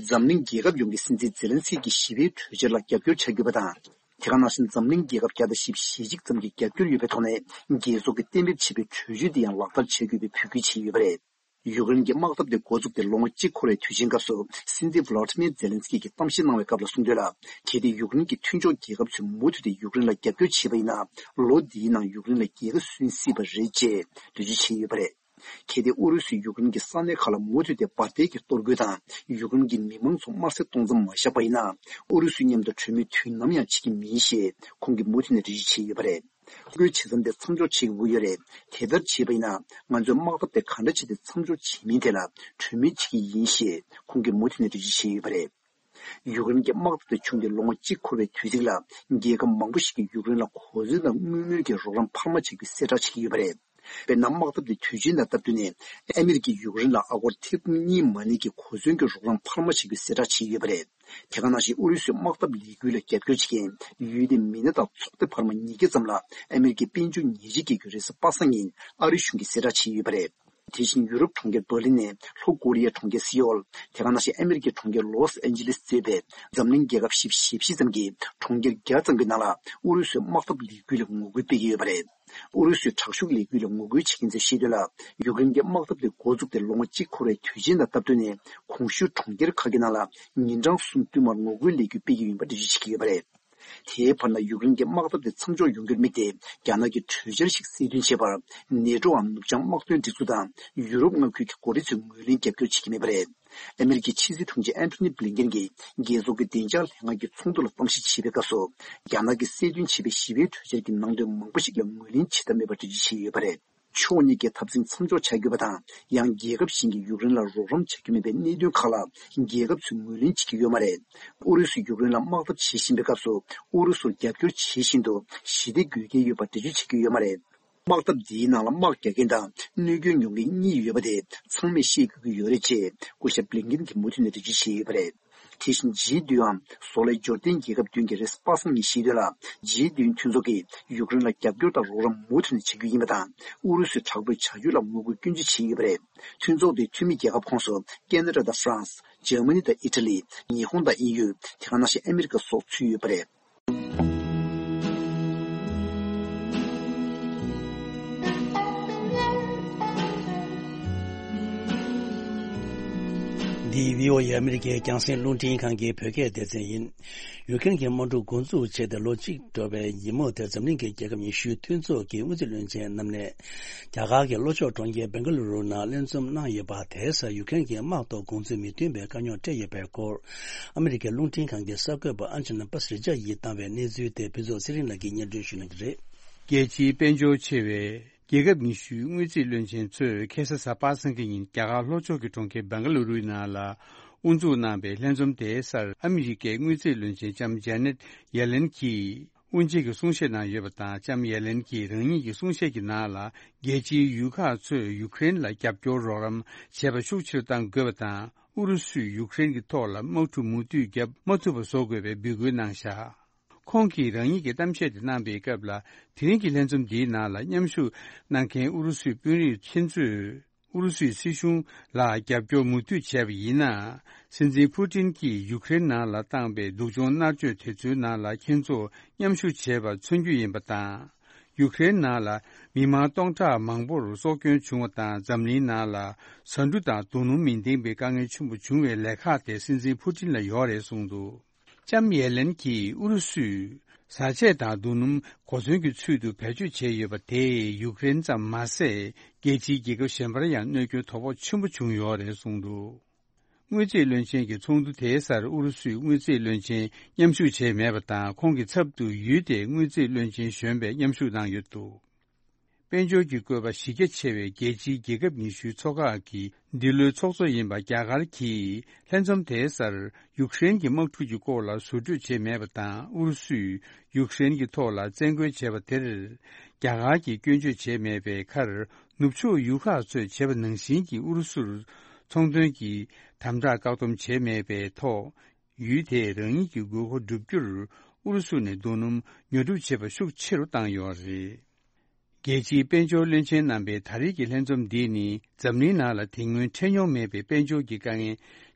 འཛམ་གླིང་རྒྱལ་ཁབ་ཡོངས་ཀྱི་སྲིད་འཛིན་ཛེ་ལན་སི་ཀི་ཞི་བའི་གྲོས་འཆར་ལ་རྒྱབ་སྐྱོར་བྱ་དགོས་པ་དང་། དེ་ག་ནང་བཞིན་འཛམ་གླིང་རྒྱལ་ཁབ་བརྒྱ་དང་བཞི་བཅུ་ཞེ་གཅིག་ཙམ་གྱིས་རྒྱབ་སྐྱོར་ཡོད་པའི་ཐོག་ནས་རྒྱལ་ཚོགས་ཀྱིས་གཏན་འབེབས་བྱས་པའི་གྲོས་ཆོད་དེ་ཡང་ལག་བསྟར་བྱ་དགོས་པའི་འབོད་སྐུལ་བྱས་ཡོད་པ་རེད། ཡུཀ་རེན་གྱི་དམག་འཐབ་དེ་འགོ་བཙུགས་ཏེ་ལོ་ངོ་གཅིག་འཁོར་བའི་དུས་ཆེན་སྐབས་སུ་སྲིད་འཛིན་ཝ་ལོ་ཏི་མེར་ཛེ་ལན་སི་ཀི་གིས་གཏམ་བཤད་གནང་བའི་སྐབས་ལ་གསུངས་དོན་ལ། གལ་ཏེ་ཡུཀ་རེན་གྱི་མཐུན་ཕྱོགས་རྒྱལ་ཁབ་ཚོས་མུ་མཐུད་དེ་ཡུཀ་རེན་ལ་རྒྱབ་སྐྱོར་བྱས་པ་ཡིན་ན། ལོ་འདིའི་ནང་ཡུཀ་རེན་ལ་རྒྱལ་ཁ་སོན་སྲིད་པ་རེད་ཅེས་འགྲེལ་བརྗོད་བྱས་ཡོད་པ་རེད། གལ་ཏེ་ཨུ་རུ་སུས་ཡུཀ་རེན་གྱི་ས་གནས་ཁག་ལ་མུ་མཐུད་དེ་འབར་མདེལ་གྱིས་གཏོར་རྒོལ་དང་ཡུཀ་རེན་གྱི་མི་མང་ཚོ་དམར་གསོད་གཏོང་མཚམས་མ་བཞག་པ་ཡིན་ན། ཨུ་རུ་སུའི་མཉམ་དུ་གྲོས་མོལ་དུས་ནམ་ཡང་བྱེད་ཀྱི་མིན་ཞེས་ཁོང་གིས་མུ་མཐུད་ནས་འགྲེལ་བརྗོད་བྱས་ཡོད་པ་རེད། ཐོ་འགོད་བྱེད་མཚམས་དེ་མཚམས་འཇོག་བྱེད་དགོས་ཀྱི་ཡོད་རེད། དེ་ལྟར་བྱས་པ་ཡིན་ན། ང་ཚོས་དམག་འཐབ་དེ་ག་འདྲ་བྱས་ཏེ་མཚམས་འཇོག་བྱེད་མིན་ཐད་ལ་གྲོས་མོལ་བྱེད་ཀྱི་ཡིན་ཞེས་ཁོང་གིས་མུ་མཐུད་ནས་འགྲེལ་བརྗོད་བྱས་ཡོད་པ་རེད། ཡུཀ་རེན་གྱི་དམག་འཐབ་དེ་བྱུང་སྟེ་ལོ་ངོ་གཅིག་འཁོར་བའི་དུས་ཚིགས་ལ། རྒྱལ་ཁབ་མང་པོ་ཞིག་གིས་ཡུཀ་རེན་ལ་གོ་མཚོན་དང་དངུལ་དངོས་ཀྱི་རོགས་རམ་འཕར་མ་བྱ་རྒྱུའི་གསལ་བསྒྲགས་བྱེད་ཀྱི་ཡོད་པ་རེད། དཔེར་ན། དམག་འཐབ་དེ་དུས་ཆེན་དང་སྟབས་བསྟུན་ནས། ཨ་མི་རི་ཀས་ཡུཀ་རེན་ལ་ཨ་སྒོར་ཐེར་འབུམ་གཉིས་མ་ནི་གི་གོ་མཚོན་གྱི་རོགས་རམ་འཕར་མ་བྱ་རྒྱུའི་གསལ་བསྒྲགས་བྱས་ཡོད་པ་རེད། དེ་ག་ནང་བཞིན་ཨུ་རུ་སུའི་དམག་འཐབ་ལས་འགུལ་ལ་རྒྱབ་སྐྱོར་བྱེད་མཁན་ཡུལ་དེའི་མི་སྣ་དང་ཚོགས་སྡེ་བར་མ་ཉིས་བརྒྱ་ཙམ་ལ་ཨ་མི་རི་ཀའི་དཔལ་འབྱོར་ཉེས་ཆད་བཀལ་རྒྱུ་རེད་ཟེར་པ་སངས་ཉིན་ཨ་རིའི་གཞུང་གིས་གསལ་བསྒྲགས་བྱས་ཡོད་པ་རེད། དེ་བཞིན་ཡུ་རོབ་གྲོང་ཁྱེར་འབར་ལིན་ནས་ལྷོ་ཀོ་རི་ཡའི་གྲོང་ཁྱེར་སི་ཨོལ། དེ་ག་ནང་བཞིན་ཨ་མི་རི་ཀའི་གྲོང་ཁྱེར་ལོས་ཨན་ཇི་ལེས་གཙོས་པའི་འཛམ་གླིང་རྒྱལ་ཁབ་བཞི་བཅུ་ཞེ་བཞི་ཙམ་གྱིས་གྲོང་ཁྱེར་བརྒྱ་ཙམ་གྱི་ནང་ལ་ཨུ་རུ་སུའི་དམག་འཐབ་ལས་འགུལ་ལ་ངོ་རྒོལ་སྤེལ་གྱི་ཡོད་པ་རེད། ཨུ་རུ་སུའི་དྲག་ཤུགས་ལས་འགུལ་ལ་ངོ་རྒོལ་བྱེད་མཁན་ཚོས་བཤད་དོན་ལ། ཡུཀ་རེན་གྱི་དམག་འཐབ་དེ་འགོ་བཙུགས་ཏེ་ལོ་ངོ་གཅིག་འཁོར་བའི་དུས་ཆེན་དང་སྟབས་བསྟུན་ནས། གོང་ཞུས་གྲོང་ཁྱེར་ཁག་གི་ནང་ལ་ཉིན་གྲངས་གསུམ་བསྟུད་མར་ངོ་རྒོལ་ལས་འགུལ་སྤེལ་གྱི་ཡིན་པ་འགྲེལ་བརྗོད་བྱེད་ཀྱི་ཡོད་པ་རེད། དེའི་བར་ན་ཡུཀ་རེན་གྱི་དམག་འཐབ་དེ་མཚམས་འཇོག་ཡོང་རྒྱུར་དམིགས་ཏེ། རྒྱ་ནག་གིས་གྲོས་འཆར་ཞིག་གསལ་སྟོན་བྱས་པར། ནེ་ཊོའམ་ནུབ་བྱང་དམག་དོན་སྒྲིག་འཛུགས་དང་ཡུ་རོབ་མངའ་ཁུལ་གྱི་འགོ་ཁྲིད་ཚོས་ངོས་ལེན་རྒྱབ་སྐྱོར་བྱེད་ཀྱི་མེད་པ་རེད། ཨ་མི་རི་ཀའི་ཕྱི་སྲིད་དྲུང་ཆེ་ཨན་ཐོ་ནི་བྷི་ལིན་ཀེན་གྱིས་རྒྱལ་ཚོགས་ཀྱི་བདེ་འཇགས་ལྷན་ཁང་གི་ཚོགས་འདུ་ལ་གཏམ་བཤད་བྱེད་པའི་སྐབས་སུ། རྒྱ་ནག་གིས་གསལ་སྟོན་བྱས་པའི་ཞི་བའི་གྲོས་འཆར་གྱི་ནང་དོན་མང་པོ་ཞིག་ལ་ངོས་ལེན་བྱེད་ཐབས་མེད་པར་འགྲེལ་བརྗོད་བྱས་ཡོད་པ་རེད། ཕྱོགས་གཉིས་ཀས་འཐབ་འཛིང་མཚམས་འཇོག་བྱ་དགོས་པ་དང་། ཡང་རྒྱལ་ཁབ་གཞན་གྱིས་ཡུཀ་རེན་ལ་རོགས་རམ་བྱ་རྒྱུ་མེད་པའི་གནད་དོན་ཁག་ལ་རྒྱལ་ཁབ་ཚོས་ངོས་ལེན་བྱེད་ཀྱི་ཡོད་མ་རེད། ཨུ་རུ་སུས་ཡུཀ་རེན་ལ་དམག་འཐབ་བྱེད་བཞིན་པའི་སྐབས་སུ། ཨུ་རུ་སུར་རྒྱབ་སྐྱོར་བྱེད་བཞིན་དུ་ཞི་བདེ་དགོས་གལ་ཡོད་པར་འགྲེལ་བརྗོད་བྱེད་ཀྱི་ཡོད་མ་རེད། དམག་འཐབ་འདིའི་ནང་ལ་དམག་རྒྱག་མཁན་དང་གནོད་སྐྱོན་མྱོང་མཁན་གཉིས་ཡོད་པ་དེ་ཚང་མས་ཤེས་དགོས་ཀྱི་ཡོད་རེད་ཅེས་སྐུ་ཞབས་བྷི་ལིན་ཀེན་གྱིས་མུ་མཐུད་ནས་འགྲེལ་བརྗོད་བྱས་ཡོད་པ་རེད། དེ་བཞིན་ཇི་བདུན་འམ་བཟོ་ལས་འབྱོར་ལྡན་རྒྱལ་ཁབ་བདུན་གྱིས་རེས་པ་སངས་ཉིན་བཤད་དོན་ལ། ཇི་བདུན་མཐུན་ཚོགས་ཀྱིས་ཡུཀ་རེན་ལ་རྒྱབ་སྐྱོར་དང་རོགས་རམ་མུ་མཐུད་ནས་བྱ་རྒྱུ་ཡིན་པ་དང་། ཨུ་རུ་སུས་དྲག་པོའི་བྱ་སྤྱོད་ལ་ངོ་རྒོལ་སྐྱོན་བརྗོད་བྱས་ཡོད་པ་རེད། མཐུན་ཚོགས་དེའི་འཐུས་མི་རྒྱལ་ཁབ་ཁོངས་སུ་ཁེ་ན་ཌ་དང་ཧྥ་རན་སི། འཇར་མ་ནི་དང་ཨི་ཊ་ལི། ཉི་ཧོང་དང་དབྱིན་ཡུལ། དེ་ག་ནང་བཞིན་ཨ་མི་རི་ཀ་སོགས་ཚུད་ཡོད་པ་རེད། འདི་བྷི་ཨོ་ཨེ་ཨ་མི་རི་ཀའི་རྒྱང་སྲིང་རླུང་འཕྲིན་ཁང་གི་བོད་སྐད་སྡེ་ཚན་ཡིན། ཡུཀ་རེན་གྱི་དམག་འཁྲུག་འགོ་འཛུགས་བྱས་ཏེ་ལོ་གཅིག་འགྲོ་བའི་ཉིན་མོ་དེར་འཛམ་གླིང་གི་རྒྱལ་ཁབ་ཉི་ཤུའི་མཐུན་ཚོགས་ཀྱི་དངུལ་རྩིས་བློན་ཆེན་རྣམས་ནས། རྒྱ་གར་གྱི་ལྷོ་ཕྱོགས་གྲོང་ཁྱེར་སྦེང་ག་ལུ་རུ་ནང་ལྷན་འཛོམས་གནང་ཡོད་པ། དེའི་སར་ཡུཀ་རེན་གྱི་དམག་ཐོག་དགོངས་ཚུལ་མི་མཐུན་པའི་དཀའ་རྙོག་འཕྲད་ཡོད་པའི་སྐོར། ཨ་མི་རི་ཀའི་རླུང་འཕྲིན་ཁང་གི་གསར་འགོད་པ་ཨན་ཇི་ན་པ་སི་རི་ཇ་ཡིས་བཏང་བའི་གནས་ཚུལ་དེ་ཕུན་ཚོགས་ཚེ་རིང་ལགས་ཀྱིས་སྙན་སྒྲོན་ཞུ་གནང་གི་རེད། རྒྱལ་སྤྱིའི་དཔལ་འབྱོར་ཆེ་བའི་རྒྱལ་ཁབ་ཉི་ཤུའི་དངུལ་རྩིས་བློན་ཆེན་ཚོས་ཁ་སང་གཟའ་པ་སངས་ཀྱི་ཉིན་རྒྱ་གར་ལྷོ་ཕྱོགས་ཀྱི་གྲོང་ཁྱེར་སྦེང་ག་ལུ་རུའི་ནང་ལ་དབུ་འཛུགས་གནང་བའི་ལྷན་འཛོམས་དེའི་སར་ཨ་མི་རི་ཀའི་དངུལ་རྩིས་བློན་ཆེན་ལྕམ་ཇེ་ནེད་ཡེ་ལེན་གྱིས། དབུ་འབྱེད་ཀྱི་གསུང་བཤད་གནང་ཡོད་པ་དང་། ལྕམ་ཡེ་ལེན་གྱིས་རང་ཉིད་ཀྱི་གསུང་བཤད་ཀྱི་ནང་ལ། རྒྱལ་སྤྱིའི་ཡུལ་ཁག་ཚོས་ཡུཀ་རེན་ལ་རྒྱབ་སྐྱོར་རོགས་རམ་བྱེད་པ་ཤུགས་ཆེ་རུ་གཏང་དགོས་པ་དང་། ཨུ་རུ་སུས་ཡུཀ་རེན་གྱི་ཐོག་ལ་དམག་འཁྲུག་མུ་མཐུད་བརྒྱབ་མ་ཐུབ་པ་བཟོ་དགོས་པའི་འབོད་སྐུལ་གནང་བཞག་ཁོང་གིས་རང་ཉིད་ཀྱི་གཏམ་བཤད་དེ་གནང་པའི་སྐབས་ལ། དེ་རིང་གི་ལྷན་འཛོམས་འདིའི་ནང་ལ་མཉམ་ཞུགས་གནང་མཁན་ཨུ་རུ་སུའི་དཔོན་རིགས་མཁན་ཚོས། ཨུ་རུ་སུའི་སྲིད་གཞུང་ལ་རྒྱབ་སྐྱོར་མུ་མཐུད་བྱས་པ་ཡིན་ན། སྲིད་འཛིན་ཕུ་ཏིན་གྱིས་ཡུཀ་རེན་ནང་ལ་བཏང་པའི་སྡུག་སྦྱོང་མནར་གཅོད་དེ་ཚོའི་ནང་ལ་ཁྱེད་ཚོ་མཉམ་ཞུགས་བྱས་པ་མཚོན་རྒྱུ་ཡིན་པ་དང་། ཡུཀ་རེན་ནང་ལ་མི་མང་སྟོང་ཕྲག་མང་པོར་སྲོག་སྐྱོན་བྱུང་བ་དང་། འཛམ་གླིང་ནང་ལ་ཟ་འབྲུ་དང་རྡོ་སྣུམ་མི་ལྡན་པའི་དཀའ་ངལ་ཆེན་པོ་བྱུང་བའི་ལས་ཁག་དེ་སྲིད་འཛིན་ཕུ་ཏིན་ལ་ཡོད་རེད་གསུངས་འདུག་ལྕམ་ཡེ་ལེན་གྱིས་ཨུ་རུ་སུས་བཟའ་ཆས་དང་རྡོ་སྣུམ་གོ་མཚོན་གྱི་ཚུལ་དུ་བེད་སྤྱོད་བྱས་ཡོད་པ་དེས་ཡུཀ་རེན་ཙམ་མ་ཟད། རྒྱལ་སྤྱིའི་རྒྱལ་ཁབ་གཞན་པར་ཡང་གནོད་སྐྱོན་དོ་ཕོག་ཆེན་པོ་བྱུང་ཡོད་རེད་གསུངས་འདུག་དངུལ་རྩིས་བློན་ཆེན་གྱི་ཚོགས་འདུ་དེའི་སར་ཨུ་རུ་སུའི་དངུལ་རྩིས་བློན་ཆེན་མཉམ་ཞུགས་བྱས་མེད་པ་དང་། ཁོང་གི་ཚབ་ཏུ་ཡུལ་དེའི་དངུལ་རྩིས་བློན་ཆེན་གཞོན་པས་མཉམ་ཞུགས་གནང་ཡོད་འདུག་དཔལ་འབྱོར་གྱི་བཀོད་པ་གཞི་རྒྱ་ཆེ་བའི་རྒྱལ་སྤྱིའི་རྒྱལ་ཁབ་ཉི་ཤུའི་ཚོགས་ཁག་གི་འདི་ལོའི་ཚོགས་གཙོ་ཡིན་པ་རྒྱ་གར་གྱིས་ལྷན་འཛོམས་དེའི་སར་ཡུཀ་རེན་གྱི་དམག་འཁྲུག་གི་སྐོར་ལ་ཟུར་འགྲོས་བྱས་མེད་པ་དང་། ཨུ་རུ་སུས་ཡུཀ་རེན་གྱི་ཐོག་ལ་བཙན་རྒོལ་བྱས་པ་དེར་རྒྱ་གར་གྱིས་སྐྱོན་བརྗོད་བྱས་མེད་པའི་ཁར། ནུབ་ཕྱོགས་ཡུལ་ཁག་ཚོས་བྱས་པ་ནང་བཞིན་གྱི་ཨུ་རུ་སུར་ཚོང་དོན་གྱི་དམ་དྲག་བཀག་སྡོམ་བྱས་མེད་པའི་ཐོག་ཡུལ་དེས་རང་ཉིད་ཀྱི་དགོས་མཁོ་བསྒྲུབ་རྒྱུར་ཨུ་རུ་སུ་ནས་རྡོ་སྣུམ་ཉོ་སྒྲུབ་བྱེད་པ་ཤུགས་ཆེ་རུ་བཏང་ཡོད་རེད། རྒྱལ་སྤྱིའི་དཔལ་འབྱོར་བློན་ཆེན་རྣམ་པའི་ད་རེས་ཀྱི་ལྷན་འཛོམས་འདི་ནི་འཛམ་གླིང་ནང་ལ་དེ་སྔོན་འཕྲད་མྱོང་མེད་པའི་དཔལ་འབྱོར་གྱི་དཀའ་ངལ་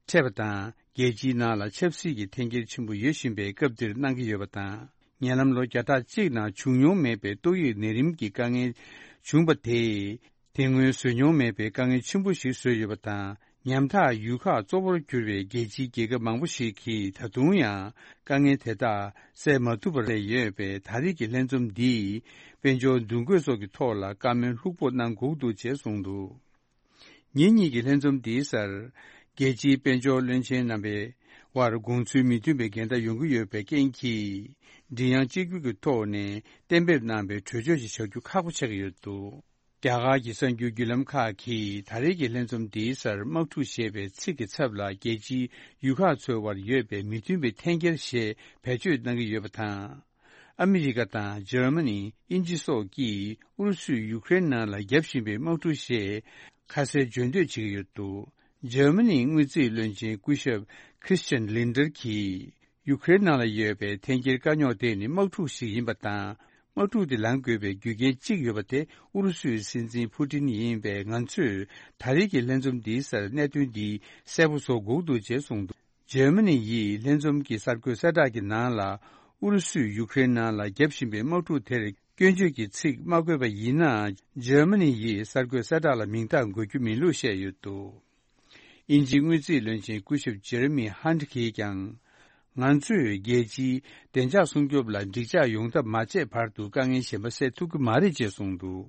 འཕྲད་པ་དང་། རྒྱལ་སྤྱིའི་ནང་ལ་ཆབ་སྲིད་ཀྱི་འཐེན་འཁྱེར་ཆེན་པོ་ཡོད་བཞིན་པའི་སྐབས་འདིར་གནང་གི་ཡོད་པ་དང་། ཉེ་ལམ་ལོ་བརྒྱ་ཕྲག་གཅིག་ནང་བྱུང་མྱོང་མེད་པའི་ཏོག་དབྱིབས་ནད་རིམས་ཀྱི་དཀའ་ངལ་བྱུང་བ་དེས། དེ་སྔོན་བཟོས་མྱོང་མེད་པའི་དཀའ་ངལ་ཆེན་པོ་ཞིག་བཟོས་ཡོད་པ་དང་། ཉམ་ཐག་ཡུལ་ཁག་གཙོ་བོར་གྱུར་པའི་རྒྱལ་སྤྱིའི་རྒྱལ་ཁབ་མང་པོ་ཞིག་གིས་ད་དུང་ཡང་དཀའ་ངལ་དེ་དག་སེལ་མ་ཐུབ་པར་སླེབས་ཡོད་པས། ད་རེས་ཀྱི་ལྷན་འཛོམས་འདིས་དཔལ་འབྱོར་འདུ་འགོད་སོགས་ཀྱི་ཐོག་ལ་བཀའ་མོལ་ལྷུག་པོ་གནང་དགོས་འདུག་ཅེས་གསུངས་འདུག་ཉིན་གཉིས་ཀྱི་ལྷན་འཛོམས་འདིའི་སར། རྒྱལ་སྤྱིའི་དཔལ་འབྱོར་བློན་ཆེན་རྣམ་པའི་དབར་དགོངས་ཚུལ་མི་མཐུན་པའི་འགལ་ཟླ་ཡོང་གི་ཡོད་པའི་རྐྱེན་གྱིས། མགྲིན་དབྱངས་གཅིག་གྱུར་གྱི་ཐོག་ནས་གཏན་འབེབས་གནང་བའི་གྲོས་ཆོད་ཅིག་བཞག་རྒྱུ་ཁག་པོ་ཆགས་ཀྱི་ཡོད་འདུག་རྒྱ་གར་གྱི་གསར་འགྱུར་བརྒྱུད་ལམ་ཁག་གིས་ད་རེས་ཀྱི་ལྷན་འཛོམས་འདིའི་སར་དམག་འཁྲུག་ཞེས་པའི་ཚིག་གི་ཚབ་ལ་རྒྱལ་སྤྱིའི་ཡུལ་ཁག་ཚོའི་དབར་ཡོད་པའི་མི་མཐུན་པའི་འཐེན་འཁྱེར་ཞེས་བེད་སྤྱོད་གནང་གི་ཡོད་པ་དང་། ཨ་མི་རི་ཀ་དང་འཇར་མ་ནི། དབྱིན་ཇི་སོགས་ཀྱིས་ཨུ་རུ་སུས་ཡུཀ་རེན་ནང་ལ་བརྒྱབ་བཞིན་པའི་དམག་འཁྲུག་ཞེས་ཁ་གསལ་བརྗོད་འདོད་བྱེད་ཀྱི་ཡོད་འདུག་འཇར་མ་ནིའི་དངུལ་རྩིས་བློན་ཆེན་སྐུ་ཞབས་Christian Lindner་གྱིས། ཡུཀ་རེན་ནང་ལ་ཡོད་པའི་འཐེན་འཁྱེར་དཀའ་རྙོག་དེ་ནི་དམག་འཁྲུག་ཞིག་ཡིན་པ་དང་། དམག་འཁྲུག་དེ་ལངས་དགོས་པའི་རྒྱུ་རྐྱེན་གཅིག་ཡོད་པ་དེ་ཨུ་རུ་སུའི་སྲིད་འཛིན་ཕུ་ཏིན་ཡིན་པས། ང་ཚོས་ད་རེས་ཀྱི་ལྷན་འཛོམས་འདིའི་སར་གནད་དོན་འདི་གསལ་པོ་བཟོ་དགོས་འདུག་ཅེས་གསུངས་འདུག་འཇར་མ་ནི་ཡིས་ལྷན་འཛོམས་ཀྱི་གསར་འགོད་གསལ་བསྒྲགས་ཀྱི་ནང་ལ། ཨུ་རུ་སུས་ཡུཀ་རེན་ནང་ལ་བརྒྱབ་བཞིན་པའི་དམག་འཁྲུག་དེར་སྐྱོན་བརྗོད་ཀྱི་ཚིག་མ་བཀོད་པ་ཡིན་ནའང་། འཇར་མ་ནི་ཡིས་གསར་འགོད་གསལ་བསྒྲགས་ལ་མིང་རྟགས་འགོད་རྒྱུ་མིན་ལུགས་བཤད་ཡོད་འདུག་དབྱིན་ཇིའི་དངུལ་རྩིས་བློན་ཆེན་སྐུ་ཞབས་ཇེ་རེ་མི་ཧན་གྱིས་ཀྱང་། ང་ཚོས་རྒྱལ་སྤྱིའི་བདེ་འཇགས་སྲུང་སྐྱོབ་ལ་འགྲིག་འཇགས་ཡོང་ཐབས་མ་བྱས་བར་དུ་དཀའ་ངལ་གཞན་པ་སེལ་ཐུབ་ཀྱི་མ་རེད་ཅེས་གསུངས་འདུག་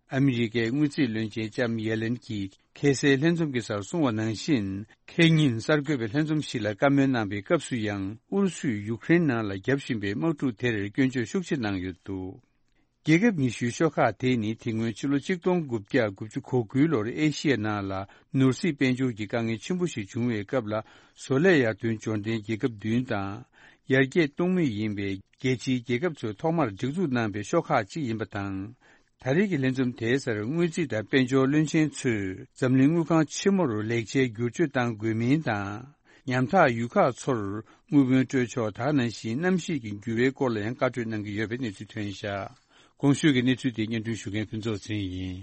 ཨ་མི་རི་ཀའི་དངུལ་རྩིས་བློན་ཆེན་ལྕམ་ཡེ་ལེན་གྱིས་ཁ་སའི་ལྷན་འཛོམས་ཀྱི་སར་གསུངས་པ་ནང་བཞིན། ཁེ་ཉིན་གསར་འགོད་པའི་ལྷན་འཛོམས་ཤིག་ལ་བཀའ་མོལ་གནང་བའི་སྐབས་སུ་ཡང་། ཨུ་རུ་སུས་ཡུཀ་རེན་ནང་ལ་བརྒྱབ་བཞིན་པའི་དམག་འཁྲུག་དེར་སྐྱོན་བརྗོད་ཤུགས་ཆེ་གནང་ཡོད་འདུག་རྒྱལ་ཁབ་ཉི་ཤུའི་ཤོག་ཁག་དེ་ནི་དེ་སྔོན་ཕྱི་ལོ་ཆིག་སྟོང་དགུ་བརྒྱ་དགུ་བཅུ་གོ་དགུའི་ལོར་ཨེ་ཤི་ཡའི་ནང་ལ་ནོར་སྲིད་དཔལ་འབྱོར་གྱི་དཀའ་ངལ་ཆེན་པོ་ཞིག་བྱུང་བའི་སྐབས་ལ། བཟོ་ལས་ཡར་ཐོན་འབྱོར་ལྡན་རྒྱལ་ཁབ་བདུན་དང་། ཡར་རྒྱས་གཏོང་མུས་ཡིན་པའི་རྒྱལ་སྤྱིའི་རྒྱལ་ཁབ་ཚོས་ཐོག་མར་སྒྲིག་འཛུགས་གནང་བའི་ཤོག་ཁག་ཅིག་ཡིན་པ་དང་། ད་རེས་ཀྱི་ལྷན་འཛོམས་དེའི་སར་དངུལ་རྩིས་དང་དཔལ་འབྱོར་བློན་ཆེན་ཚོས་འཛམ་གླིང་དངུལ་ཁང་ཆེན་མོར་ལེགས་ཆའི་བསྒྱུར་བཅོས་གཏང་དགོས་མིན་དང་། ཉམ་ཐག་ཡུལ་ཁག་ཚོར་དངུལ་བུན་སྤྲོད་ཕྱོགས་དག་ནང་བཞིན་གནམ་གཤིས་ཀྱི་འགྱུར་བའི་སྐོར་ལ་ཡང་བཀའ་གྲོས་གནང་གི་ཡོད་པའི་གནས་ཚུལ་ཐོན་བཞག་གོང་ཞུས་ཀྱི་གནས་ཚུལ་དེ་སྙན་སྒྲོན་ཞུ་མཁན་ཕུན་ཚོགས་ཚེ་རིང་ཡིན།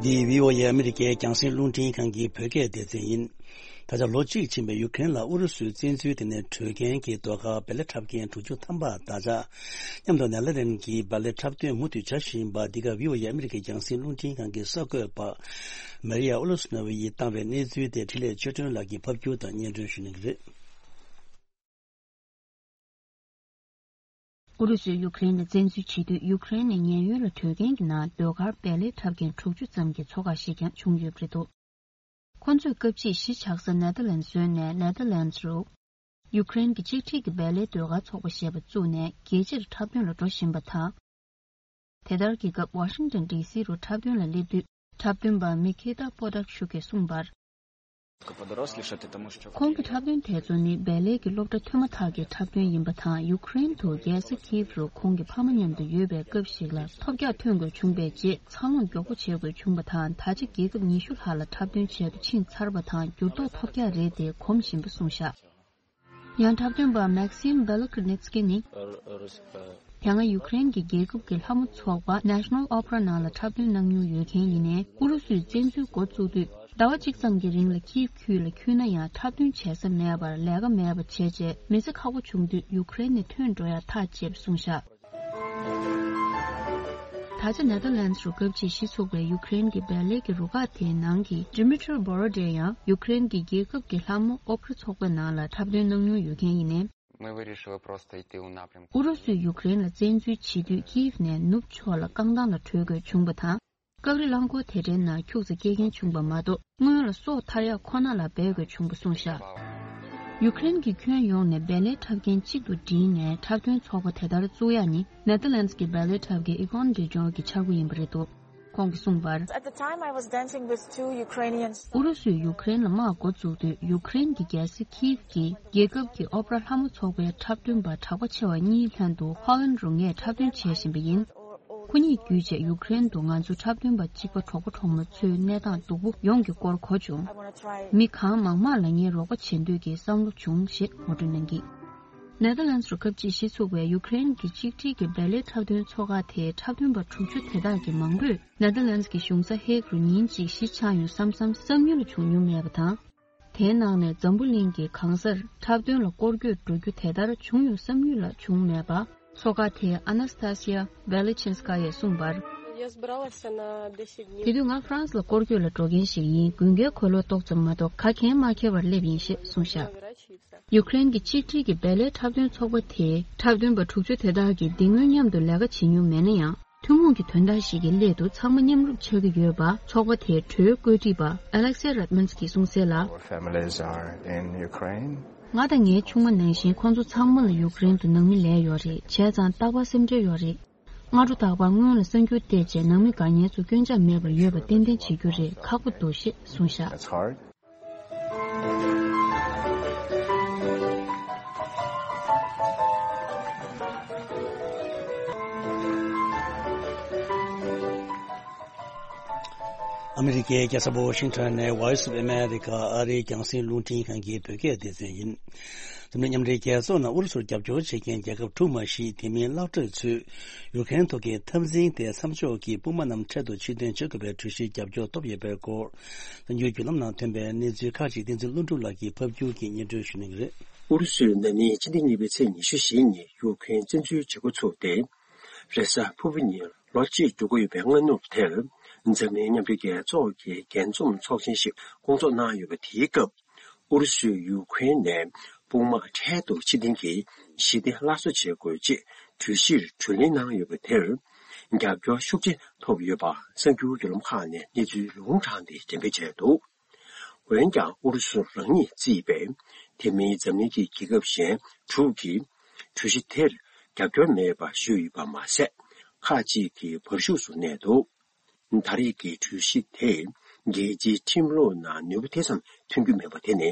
འདི་བྷི་ཨོ་ཨེ་ཨ་མི་རི་ཀའི་རྒྱང་སྲིང་རླུང་འཕྲིན་ཁང་གི་བོད་སྐད་སྡེ་ཚན་ཡིན། ད་ཆ་ལོ་གཅིག་ཕྱིན་པའི་ཡུཀ་རེན་ལ་ཨུ་རུ་སུའི་བཙན་འཛུལ་དེ་ནས་བྲོས་མཁན་གྱི་ཟློས་གར་བེ་ལེ་འཁྲབ་མཁན་དྲུག་ཅུ་ཐམ་པ་དང་ཆ་མཉམ་དུ་ནེ་ལ་ལན་གྱི་བེ་ལེ་འཁྲབ་སྟོན་མུ་མཐུད་བྱ་བཞིན་པ། འདི་ག་བྷི་ཨོ་ཨེ་ཨ་མི་རི་ཀའི་རྒྱང་སྲིང་རླུང་འཕྲིན་ཁང་གི་གསར་འགོད་པ་མ་རི་ཡ་ཨུ་ལུ་སི་ནོ་ཝི་ཡིས་བཏང་བའི་གནས་ཚུལ་དེ་འཕྲིན་ལས་ཆོས་སྒྲོན་ལགས་ཀྱིས་ཕབ་སྒྱུར་དང་སྙན་སྒྲོན་ཞུ་གནང་གི་རེད། ཨུ་རུ་སུས་ཡུཀ་རེན་ལ་བཙན་འཛུལ་བྱེད་དུས། ཡུཀ་རེན་ནས་ཉེན་གཡོལ་ལ་བྲོས་མཁན་གྱི་ནང་ཟློས་གར་བེ་ལེ་འཁྲབ་མཁན་དྲུག་ཅུ་ཙམ་གྱི་ཚོགས་ཁག་ཞིག་ཀྱང་བྱུང་ཡོད་པ་རེད་འདུག་ཁོ་ཚོས་སྐབས་ཕྱིས་གཞིས་ཆགས་ས་ནེ་ཐར་ལན་བཟོས་ནས། ནེ་ཐར་ལན་རུ་ཡུཀ་རེན་གྱི་གཅིག་སྒྲིལ་གྱི་བེ་ལེ་ཟློས་གར་ཚོགས་པ་ཞེས་པ་བཙུགས་ནས་རྒྱལ་སྤྱིར་འཁྲབ་སྟོན་ལ་འགྲོ་བཞིན་པ་དང་། དེ་ལྟར་གྱི་སྐབས་ཝ་ཤིང་ཏོན་ཌི་སི་རུ་འཁྲབ་སྟོན་ལ་སླེབས་དུས། འཁྲབ་སྟོན་པ་མི་ཁེ་ཏ་པོ་ཏག་ཤུ་གིས་གསུངས་པར། ཁོང་གི་འཁྲབ་སྟོན་དེ་ཚོ་ནི་བེ་ལེ་གི་སློབ་གྲྭ་ཐོན་མ་ཐག་གི་འཁྲབ་སྟོན་ཡིན་པ་དང་། ཡུཀ་རེན་དུ་རྒྱལ་ས་ཁིབ་རུ་ཁོང་གི་ཕ་མ་མཉམ་དུ་ཡོད་པའི་སྐབས་ཤིག་ལ་ཐོལ་རྒྱག་ཐོན་དགོས་བྱུང་བའི་རྗེས། འཚར་ལོངས་མགྱོགས་པོ་བྱེད་དགོས་བྱུང་བ་དང་། ད་ཆ་རྒྱལ་ཁབ་ཉི་ཤུ་ལྷག་ལ་འཁྲབ་སྟོན་བྱས་དུ་ཕྱིན་ཚར་བ་དང་། འགྱུར་ལྡོག་ཐོབ་རྒྱག་རེད་དེ་གོམས་བཞིན་པ་གསུངས་བཞག་ཡང་འཁྲབ་སྟོན་པ་མེག་སིམ་བེ་ལོ་ཀི་ནེ་ཚི་ཀི་ནི། དེ་སྔ་ཡུཀ་རེན་གྱི་རྒྱལ་ཁབ་ཀྱི་ལྷ་མོ་ཚོགས་པ་National Opera ནང་ལ་འཁྲབ་སྟོན་གནང་མྱོང་ཡོད་མཁན་ཡིན་ནའི། ཨུ་རུ་སུས་བཙན་འཛུལ་འགོ་བཙུགས་དུས། ཟླ་བ་གཅིག་ཙམ་གྱི་རིང་ལ་ཁིབ་ཁུལ་ལ་འཁྱུད་ན་ཡང་། འཁྲབ་སྟོན་བྱེད་ས་མེད་པར་ལས་ཀ་མེད་པ་བྱས་རྗེས། མི་ཚེ་ཁག་པོ་བྱུང་དུས། ཡུཀ་རེན་ནས་ཐོན་འགྲོ་ཡ་ཐག་བཅད་པ་གསུངས་བཞག་ད་ཆ་ནེ་ཐར་ལན་རུ་སྐབས་ཕྱིས་གཞི་ཚུགས་པའི་ཡུཀ་རེན་གྱི་བེ་ལེ་གི་རུ་ཁག་དེའི་ནང་གི་ཌི་མི་ཊྲི་བྷོ་རོ་ཌེ་ཡང་། ཡུཀ་རེན་གྱི་རྒྱལ་ཁབ་ཀྱི་ལྷ་མོ་ཨོ་པེ་ར་ཚོགས་པའི་ནང་ལ་འཁྲབ་སྟོན་གནང་མྱོང་ཡོད་མཁན་ཡིན་ནའི། Мы вирішили просто йти у напрямку. ཨུ་རུ་སུས་ཡུཀ་རེན་ལ་བཙན་འཛུལ་བྱེད་དུས། ཀིབ་ནས་ནུབ་ཕྱོགས་ལ་རྐང་ཐང་ལ་བྲོས་དགོས་བྱུང་བ་དང་། སྐབས་རེ་རླངས་འཁོར་དེ་འདྲའི་ནང་ཁྱུག་ཙམ་སྐྱེལ་མཁན་བྱུང་བ་མ་གཏོགས། སྔོན་ལ་སྲོག་ཐར་ཡག་ཁོ་ན་ལ་འབད་དགོས་བྱུང་བ་གསུངས་བཞག་ཡུཀ་རེན་གྱི་ཁྱོན་ཡོངས་ནས་བེ་ལེ་འཁྲབ་མཁན་གཅིག་ཏུ་བསྒྲིལ་ནས་འཁྲབ་སྟོན་ཚོགས་པ་དེ་ལྟར་བཙུགས་ཡག་ནི། ནེ་ཐར་ལན་ཌི་གི་བེ་ལེ་འཁྲབ་མཁན་ཨི་ཀོན་ཌི་ཇོར་གྱི་ཕྱག་དབུ་ཡིན་པ་རེད་འདུག་ཁོང་གིས་གསུངས་པར། At the time, I was dancing with two Ukrainian ཨུ་རུ་སུས་ཡུཀ་རེན་ལ་དམག་འགོ་བཙུགས་དུས། ཡུཀ་རེན་གྱི་རྒྱལ་ས་ཁིབ་ཀྱི་རྒྱལ་ཁབ་ཀྱི་ཨོ་པེ་ར་ལྷ་མོ་ཚོགས་པའི་འཁྲབ་སྟོན་པ་གྲགས་པ་ཆེ་བ་གཉིས་ལྷན་དུ་ཧོ་ལན་རུ་ངས་འཁྲབ་སྟོན་བྱེད་བཞིན་པ་ཡིན། ཁོ་གཉིས་བརྒྱུད་བྱས་ཡུཀ་རེན་དུ་ང་ཚོ་འཁྲབ་སྟོན་པ་གཅིག་པ་གྲོགས་པོ་གྲོགས་མོ་ཚོའི་གནས་སྟངས་སྡུག་པོ་ཡོངས་ཀྱི་སྐོར་གོ་བྱུང་། མི་གང་མང་མང་ལ་ངས་རོགས་པ་བྱེད་འདོད་ཀྱི་བསམ་བློ་བྱུང་ཞེས་ངོ་སྤྲོད་གནང་གིས། ནེ་ཐར་ལན་ཌི་རུ་སྐབས་ཕྱིས་གཞི་ཚུགས་པའི་ཡུཀ་རེན་གྱི་གཅིག་སྒྲིལ་གྱི་བེ་ལེ་འཁྲབ་སྟོན་ཚོགས་ཁག་དེའི་འཁྲབ་སྟོན་པ་དྲུག་ཅུ་དེ་དག་གི་མང་པོས་ནེ་ཐར་ལན་ཌི་གི་གཞུང་ས་ཧེག་རུ་ཉིན་གཅིག་གཞིས་ཆགས་ཡོང་བསམ་བསམ་བསམ་ཡུལ་ལ་བྱུང་མྱོང་མེད་པ་དང་། དེའི་ནང་ནས་འཛམ་བུ་གླིང་གི་གང་སར་འཁྲབ་སྟོན་ལ་སྐོར་སྐྱོད་འགྲོ་རྒྱུ་དེ་ལྟར་བྱུང་ཡོང་བསམ་ཡུལ་ལ་བྱུང་མེད་པ། ཚོགས་ཁག་དེའི་ཨ་ན་སི་ཐ་སི་ཡ་བེ་ལེ་ཆིན་སི་ཀ་ཡས་གསུངས་པར། Я собиралась на десять дней. དེ་དུས་ང་ཧྥ་རན་སི་ལ་སྐོར་སྐྱོད་ལ་འགྲོ་མཁན་ཞིག་ཡིན། དགུན་ཁའི་གོས་ལོག་ཏོག་ཙམ་མ་གཏོགས་ག་གེ་མ་འཁྱེར་བར་སླེབས་ཡིན་ཞེས་གསུངས་བཞག་ཡུཀ་རེན་གྱི་གཅིག་སྒྲིལ་གྱི་བེ་ལེ་འཁྲབ་སྟོན་ཚོགས་པ་དེའི་འཁྲབ་སྟོན་པ་དྲུག་ཅུ་དེ་དག་གིས་འདི་སྔོན་མཉམ་དུ་ལས་ཀ་བྱེད་མྱོང་མེད་ན་ཡང་། ཐུན་མོང་གི་དོན་དག་ཞིག་གི་སླད་དུ་ཚང་མ་མཉམ་རུབ་ཆགས་ཀྱི་ཡོད་པ། ཚོགས་པ་དེའི་གྲོས་བཀོད་སྒྲིག་པ་Alexei Redmans གྱིས་གསུངས་གསལ་ལ། Our families are in Ukraine. ང་དང་ངའི་ཆུང་མ་ནང་བཞིན་ཁོང་ཚོ་ཚང་མ་ལ་ཡུཀ་རེན་དུ་ནང་མི་ལས་ཡོད་རེད། བྱས་ཙང་རྟག་པར་སེམས་ཁྲལ་ཡོད་རེད། སྔ་དྲོ་རྟག་པར་སྔོན་ལ་གསར་འགྱུར་བལྟས་རྗེས་ནང་མི་དགའ་ཉེ་ཚོ་སྐྱོན་ཆ་མེད་པར་ཡོད་པ་ཏན་ཏན་བྱེད་རྒྱུ་རེད། ཁག་པོ་འདུག་ཞེས་གསུངས་བཞག That's hard. ཨ་མི་རི་ཀའི་རྒྱལ་ས་ཝ་ཤིང་ཊོན་ནས་Voice of America ཨ་རིའི་རྒྱང་སྲིང་རླུང་འཕྲིན་ཁང་གི་བོད་སྐད་སྡེ་ཚན་ཡིན། འཛམ་གླིང་མཉམ་འབྲེལ་རྒྱལ་ཚོགས་ནང་ཨུ་རུ་སུར་རྒྱབ་སྐྱོར་བྱེད་མཁན་རྒྱལ་ཁབ་དྲུག་མ་ཞིག་དེ་མིན་གློག་དྲག་ཚོས་ཡུཀ་རེན་ཐོག་གི་འཐབ་འཛིང་དེ་མཚམས་འཇོག་གིས་དཔུང་དམག་རྣམས་འཕྲལ་དུ་ཕྱིར་འཐེན་བྱེད་དགོས་པའི་གྲོས་གཞིར་རྒྱབ་སྐྱོར་ཐོབ་ཡོད་པའི་སྐོར། གསར་འགྱུར་བརྒྱུད་ལམ་ནང་ཐོན་པའི་གནས་ཚུལ་ཁག་ཅིག་བསྟན་འཛིན་ཀླུ་སྒྲུབ་ལགས་ཀྱིས་ཕབ་སྒྱུར་གྱིས་སྙན་སྒྲོན་ཞུ་གནང་གི་རེད། ཨུ་རུ་སུས་ན་ནིང་སྤྱི་ཟླ་གཉིས་པའི་ཚེས་ཉི་ཤུ་བཞི་ཉིན་ཡུཀ་རེན་བཙན་འཛུལ་བྱེད་འགོ་ཚུགས་ཏེ། རེས་གཟའ་ཕུར་བུ་ཉིན་ལོ་གཅིག་འགྲོ་གི་ཡོད་པའི་སྔ་ནུབ་དེར། འཛམ་གླིང་མཉམ་འབྲེལ་རྒྱལ་ཚོགས་ཀྱི་རྒྱས་འཛོམས་ཚོགས་ཆེན་ཞིག་སྐོང་ཚོགས་གནང་ཡོད་པ་དེའི་སྐབས། ཨུ་རུ་སུས་ཡུཀ་རེན་ནས་དཔུང་དམག་འཕྲལ་དུ་ཕྱིར་འཐེན་གྱིས་ཞི་བདེ་སླར་གསོ་བྱེད་དགོས་ཅེས་གྲོས་གཞིར་གྲོས་གླེང་གནང་ཡོད་པ་དེར། རྒྱབ་སྐྱོར་ཤུགས་ཆེ་ཐོབ་ཡོད་པ་གསར་འགྱུར་བརྒྱུད་ལམ་ཁག་ནས་གནས་ཚུལ་ལུང་དྲངས་ཏེ་འགྲེམས་སྤེལ་བྱས་འདུག་འོན་ཀྱང་ཨུ་རུ་སུ་རང་ཉིད་བརྩིས་པའི་དེ་མིན་འཛམ་གླིང་གི་རྒྱལ་ཁབ་གཞན་དྲུག་གིས་གྲོས་གཞི་དེར་རྒྱབ་སྐྱོར་མེད་པ་ཞུས་ཡོད་པ་མ་ཟད། ཁག་ཅིག་གིས་བར་ཤུགས་སུ་གནས་འདུག་ད་རེས་ཀྱི་གྲོས་གཞི་དེས་རྒྱལ་སྤྱིའི་ཁྲིམས་ལུགས་ནང་ནུས་པ་དེ་ཙམ་ཐོན་རྒྱུ་མེད་པ་དེ་ནི།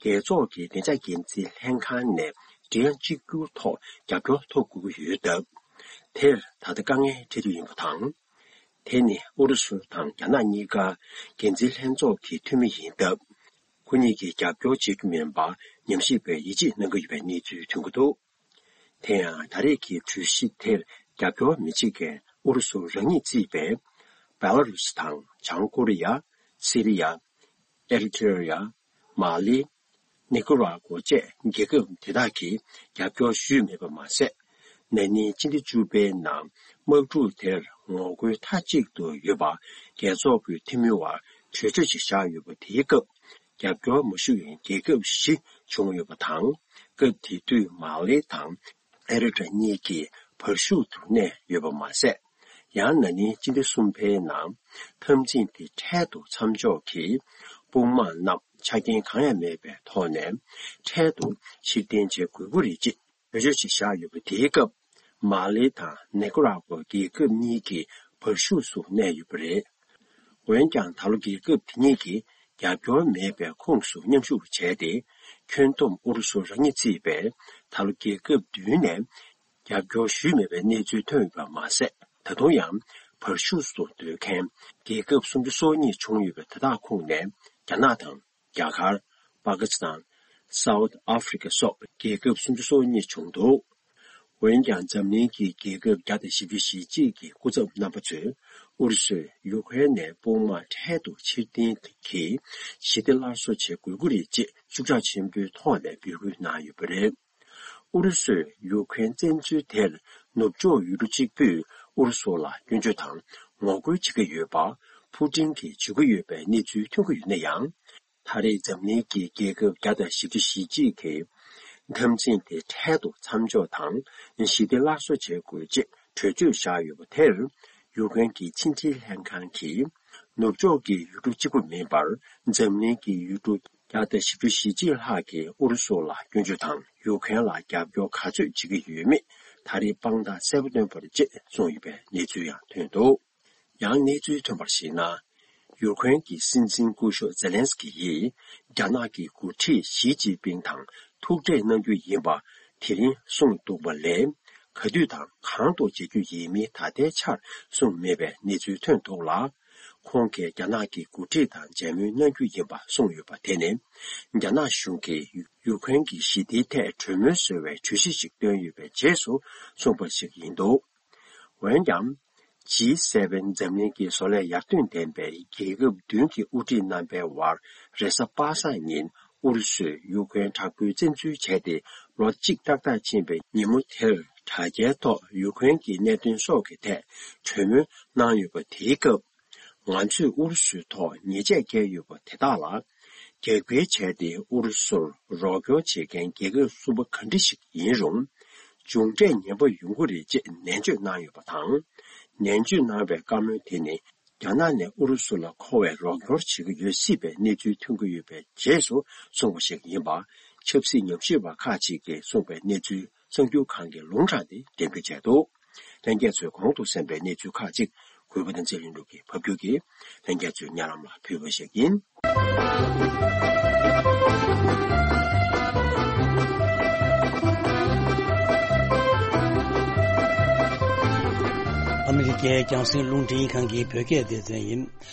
རྒྱལ་ཚོགས་ཀྱི་བདེ་འཇགས་འགན་འཛིན་ལྷན་ཁང་ནས་འབྲེལ་ཡང་གཅིག་གྱུར་ཐོག་རྒྱབ་སྐྱོར་ཐོབ་དགོས་ཀྱི་ཡོད་སྟབས། དེར་ད་ལྟ་དཀའ་ངལ་འཕྲད་དུས་ཡིན་པ་དང་། དེ་ནི་ཨུ་རུ་སུ་དང་རྒྱ་ནག་གཉིས་ཀ་འགན་འཛིན་ལྷན་ཚོགས་ཀྱི་འཐུས་མི་ཡིན་སྟབས། ཁོ་གཉིས་ཀྱིས་རྒྱབ་སྐྱོར་བྱེད་རྒྱུ་མིན་པར་ཉམས་ཞིབ་པས་ཡིད་ཆེས་གནང་གི་ཡོད་པའི་གནས་ཚུལ་ཐོན་གྱི་འདུག་དེ་ཡང་ད་རེས་ཀྱི་གྲོས་གཞི་དེར་རྒྱབ་སྐྱོར་མི་བྱེད་མཁན་ཨུ་རུ་སུ་རང་ཉིད་བརྩིས་པའི་བེ་ལ་རུ་སི་དང་བྱང་ཀོ་རི་ཡ། སི་རི་ཡ། ཨེ་རི་ཐི་རི་ཡ། མ་ལི། ནི་ཀུ་ར་གོ་བཅས་རྒྱལ་ཁབ་དེ་དག་གིས་རྒྱབ་སྐྱོར་ཞུས་མེད་པ་མ་ཟད། ན་ནིང་སྤྱི་ཟླ་བཅུ་པའི་ནང་དམག་འཁྲུག་དེར་ངོ་རྒོལ་མཐའ་གཅིག་ཏུ་ཡོད་པ་རྒྱལ་ཚོགས་ཀྱི་འཐུས་མིའི་དབར་གྲོས་ཆོད་ཅིག་བཞག་ཡོད་པ་དེའི་སྐབས། རྒྱབ་སྐྱོར་མ་ཞུ་བའི་རྒྱལ་ཁབ་བཞི་བྱུང་ཡོད་པ་དང་། སྐབས་དེ་དུས་མ་ལེ་དང་ཨེ་རི་ཊ་གཉིས་ཀྱིས་བར་ཤུགས་སུ་གནས་ཡོད་པ་མ་ཟད། ཡང་ན་ནིང་སྤྱི་ཟླ་གསུམ་པའི་ནང་འཐབ་འཛིང་དེ་འཕྲལ་དུ་མཚམས་འཇོག་གིས་དཔུང་དམག་རྣམས་ཆ་རྐྱེན་གང་ཡང་མེད་པའི་ཐོག་ནས་འཕྲལ་དུ་ཕྱིར་འཐེན་བྱེད་དགོས་ཀྱི་རེད་ཅེས་གྲོས་ཆོད་ཅིག་བཞག་ཡོད་པ་དེའི་སྐབས། མ་ལེ་དང་ནི་ཀུ་ར་གོ་རྒྱལ་ཁབ་གཉིས་ཀྱིས་བར་ཤུགས་སུ་གནས་ཡོད་པ་རེད། འོན་ཀྱང་ད་ལོ་རྒྱལ་ཁབ་དེ་གཉིས་ཀྱིས་རྒྱབ་སྐྱོར་མེད་པའི་ཁོངས་སུ་མཉམ་ཞུགས་བྱས་ཏེ། ཁྱོན་བསྡོམས་ཨུ་རུ་སུ་རང་ཉིད་བརྩིས་པའི་ད་ལོ་རྒྱལ་ཁབ་བདུན་ནས་རྒྱབ་སྐྱོར་ཞུས་མེད་པའི་གནས་ཚུལ་ཐོན་ཡོད་པ་མ་ཟད། ད་དུང་ཡང་བར་ཤུགས་སུ་སྡོད་མཁན་རྒྱལ་ཁབ་སུམ་ཅུ་སོ་གཉིས་བྱུང་ཡོད་པའི་དེ་དག་ཁོངས་ནས་རྒྱ་ནག་དང་། རྒྱ་གར། པ་ཀི་སི་ཐན། South Africa སོགས་རྒྱལ་ཁབ་སུམ་ཅུ་སོ་གཉིས་བྱུང་འདུག་འོན་ཀྱང་འཛམ་གླིང་གི་རྒྱལ་ཁབ་བརྒྱ་དང་བཞི་བཅུ་ཞེ་གཅིག་གི་སྐུ་ཚབ་རྣམ་པ་ཚོས་ཨུ་རུ་སུས་ཡུ་ཀེ་རེན་ནས་དཔུང་དམག་འཕྲལ་དུ་ཕྱིར་འཐེན་གྱིས་ཞི་བདེ་སླར་གསོ་བྱེད་དགོས་ཀྱི་རེད་ཅེས་ཤུགས་རྒྱག་ཆེན་པོའི་ཐོག་ནས་འབོད་སྐུལ་གནང་ཡོད་པ་རེད། ཨུ་རུ་སུས་ཡུ་ཀེ་རེན་བཙན་འཛུལ་དེར་ནུབ་ཕྱོགས་ཡུལ་གྲུ་གཅིག་པུས་ཨུ་རུ་སུ་ལ་སྐྱོན་བརྗོད་དང་ངོ་རྒོལ་བྱེད་ཀྱི་ཡོད་པ་ཕུ་ཀྲིན་གྱིས་བརྗོད་ཀྱི་ཡོད་པའི་གནས་ཚུལ་ཐོན་གྱི་ཡོད་ན་ཡང་། ད་རེས་འཛམ་གླིང་གི་རྒྱལ་ཁབ་བརྒྱ་དང་བཞི་བཅུ་ཞེ་གཅིག་གིས་འཐབ་འཛིང་དེ་འཕྲལ་དུ་མཚམས་འཇོག་དང་ཞི་བདེ་སླར་གསོ་བྱེད་དགོས་ཅེས་གྲོས་ཆོད་བཞག་ཡོད་པ་དེར། ཡུ་ཀེ་རེན་གྱི་ཕྱི་འབྲེལ་ལྷན་ཁང་གིས་ནུབ་ཕྱོགས་ཀྱི་ཡུལ་གྲུ་གཅིག་པུ་མིན་པར་འཛམ་གླིང་གི་ཡུལ་གྲུ་བརྒྱ་དང་བཞི་བཅུ་ཞེ་གཅིག་ལྷག་གིས་ཨུ་རུ་སུ་ལ་སྐྱོན་བརྗོད་དང་ཡུ་ཀེ་རེན་ལ་རྒྱབ་སྐྱོར་ག་ཚོད་བྱེད་ཀྱི་ཡོད་མེད་ད་རེས་དཔང་རྟགས་གསལ་པོ་སྟོན་པ་རེད་ཅེས་གསུངས་ཡོད་པའི་གནས་ཚུལ་ཡང་ཐོན་འདུག་ཡང་གནས་ཚུལ་ཐོན་པར་གཞིགས་ན། ཡུ་ཀེ་རེན་གྱི་སྲིད་འཛིན་སྐུ་ཞབས་ཛེ་ལན་སི་ཀི་ཡིས་རྒྱ་ནག་གི་འགོ་ཁྲིད་ཞི་ཅིན་ཕིང་དང་ཐུག་འཕྲད་གནང་རྒྱུ་ཡིན་པ་དེ་རིང་གསུངས་འདུག་པ་ལས། ག་དུས་དང་གང་དུ་མཇལ་རྒྱུ་ཡིན་མིན་ད་ལྟའི་ཆར་གསུངས་མེད་པའི་གནས་ཚུལ་ཐོན་འདུག་ལ། ཁོང་གིས་རྒྱ་ནག་གི་འགོ་ཁྲིད་དང་མཇལ་མོལ་གནང་རྒྱུ་ཡིན་པ་གསུངས་ཡོད་པ་དེ་ནི། རྒྱ་ནག་གཞུང་གིས་ཡུ་ཀེ་རེན་གྱི་ཞི་བདེའི་ཐད་གྲོས་མོལ་བཟོ་བའི་གྲོས་གཞི་ཞིག་བཏོན་ཡོད་པའི་རྗེས་སུ་གསུངས་པ་ཞིག་ཡིན་འདུག་འོན་ཀྱང་། ཇི་སེ་བེན་འཛམ་གླིང་གི་བཟོ་ལས་ཡར་ཐོན་ལྡན་པའི་རྒྱལ་ཁབ་བདུན་གྱི་དབུ་ཁྲིད་རྣམ་པའི་དབར་རེས་གཟའ་པ་སངས་ཉིན་ཨུ་རུ་སུས་ཡུ་ཀེ་རེན་དྲག་པོའི་བཙན་འཛུལ་བྱས་ཏེ་ལོ་གཅིག་ཏག་ཏག་ཕྱིན་པའི་ཉིན་མོ་དེར་དྲ་རྒྱའི་ཐོག་ཡུ་ཀེ་རེན་གྱི་གནད་དོན་སོགས་ཀྱི་ཐད་གྲོས་མོལ་གནང་ཡོད་པ་དེའི་སྐབས། ང་ཚོས་ཨུ་རུ་སུའི་ཐོག་ཉེས་ཆད་བཀལ་ཡོད་པ་དེ་དག་ལ་རྒྱབ་འགལ་བྱས་ཏེ་ཨུ་རུ་སུར་རོགས་སྐྱོར་བྱེད་མཁན་རྒྱལ་ཁབ་གསུམ་པ་ག་འདྲ་ཞིག་ཡིན་རུང་། མཇུག་འབྲས་ངན་པ་ཡོང་གི་རེད་ཅེས་ནན་བརྗོད་གནང་ཡོད་པ་དང་། ནན་བརྗོད་གནང་བའི་བཀའ་མོལ་དེ་ནི། རྒྱ་ནག་ནས་ཨུ་རུ་སུ་ལ་མཁོ་བའི་རོགས་སྐྱོར་བྱེད་ཀྱི་ཡོད་སྲིད་པའི་གནས་ཚུལ་ཐོན་གྱི་ཡོད་པའི་རྗེས་སུ་གསུངས་པ་ཞིག་ཡིན་པ། ཆབ་སྲིད་ཉམས་ཞིབ་པ་ཁག་ཅིག་གིས་གསུངས་པའི་གནས་ཚུལ་གསར་འགྱུར་ཁང་གི་ལུང་དྲངས་ཏེ་འགྲེམས་སྤེལ་བྱས་འདུག། ལྷན་རྒྱས་ཚོས་གོང་དུ་གསན་པའི་གནས་ཚུལ་ཁག་ཅིག་གུས་པ་དང་ཚེ་རིང་ལུགས་ཀྱིས་ཕབ་སྒྱུར་གྱིས་ལྷན་རྒྱས་ཚོའི་སྙན་ལམ་ལ་ཕུལ་བ་ཞིག་ཡིན། ཨ་མི་རི་ཀའི་རྒྱང་སྲིང་རླུང་འཕྲིན་ཁང་གི་བོད་སྐད་སྡེ་ཚན་ཡིན།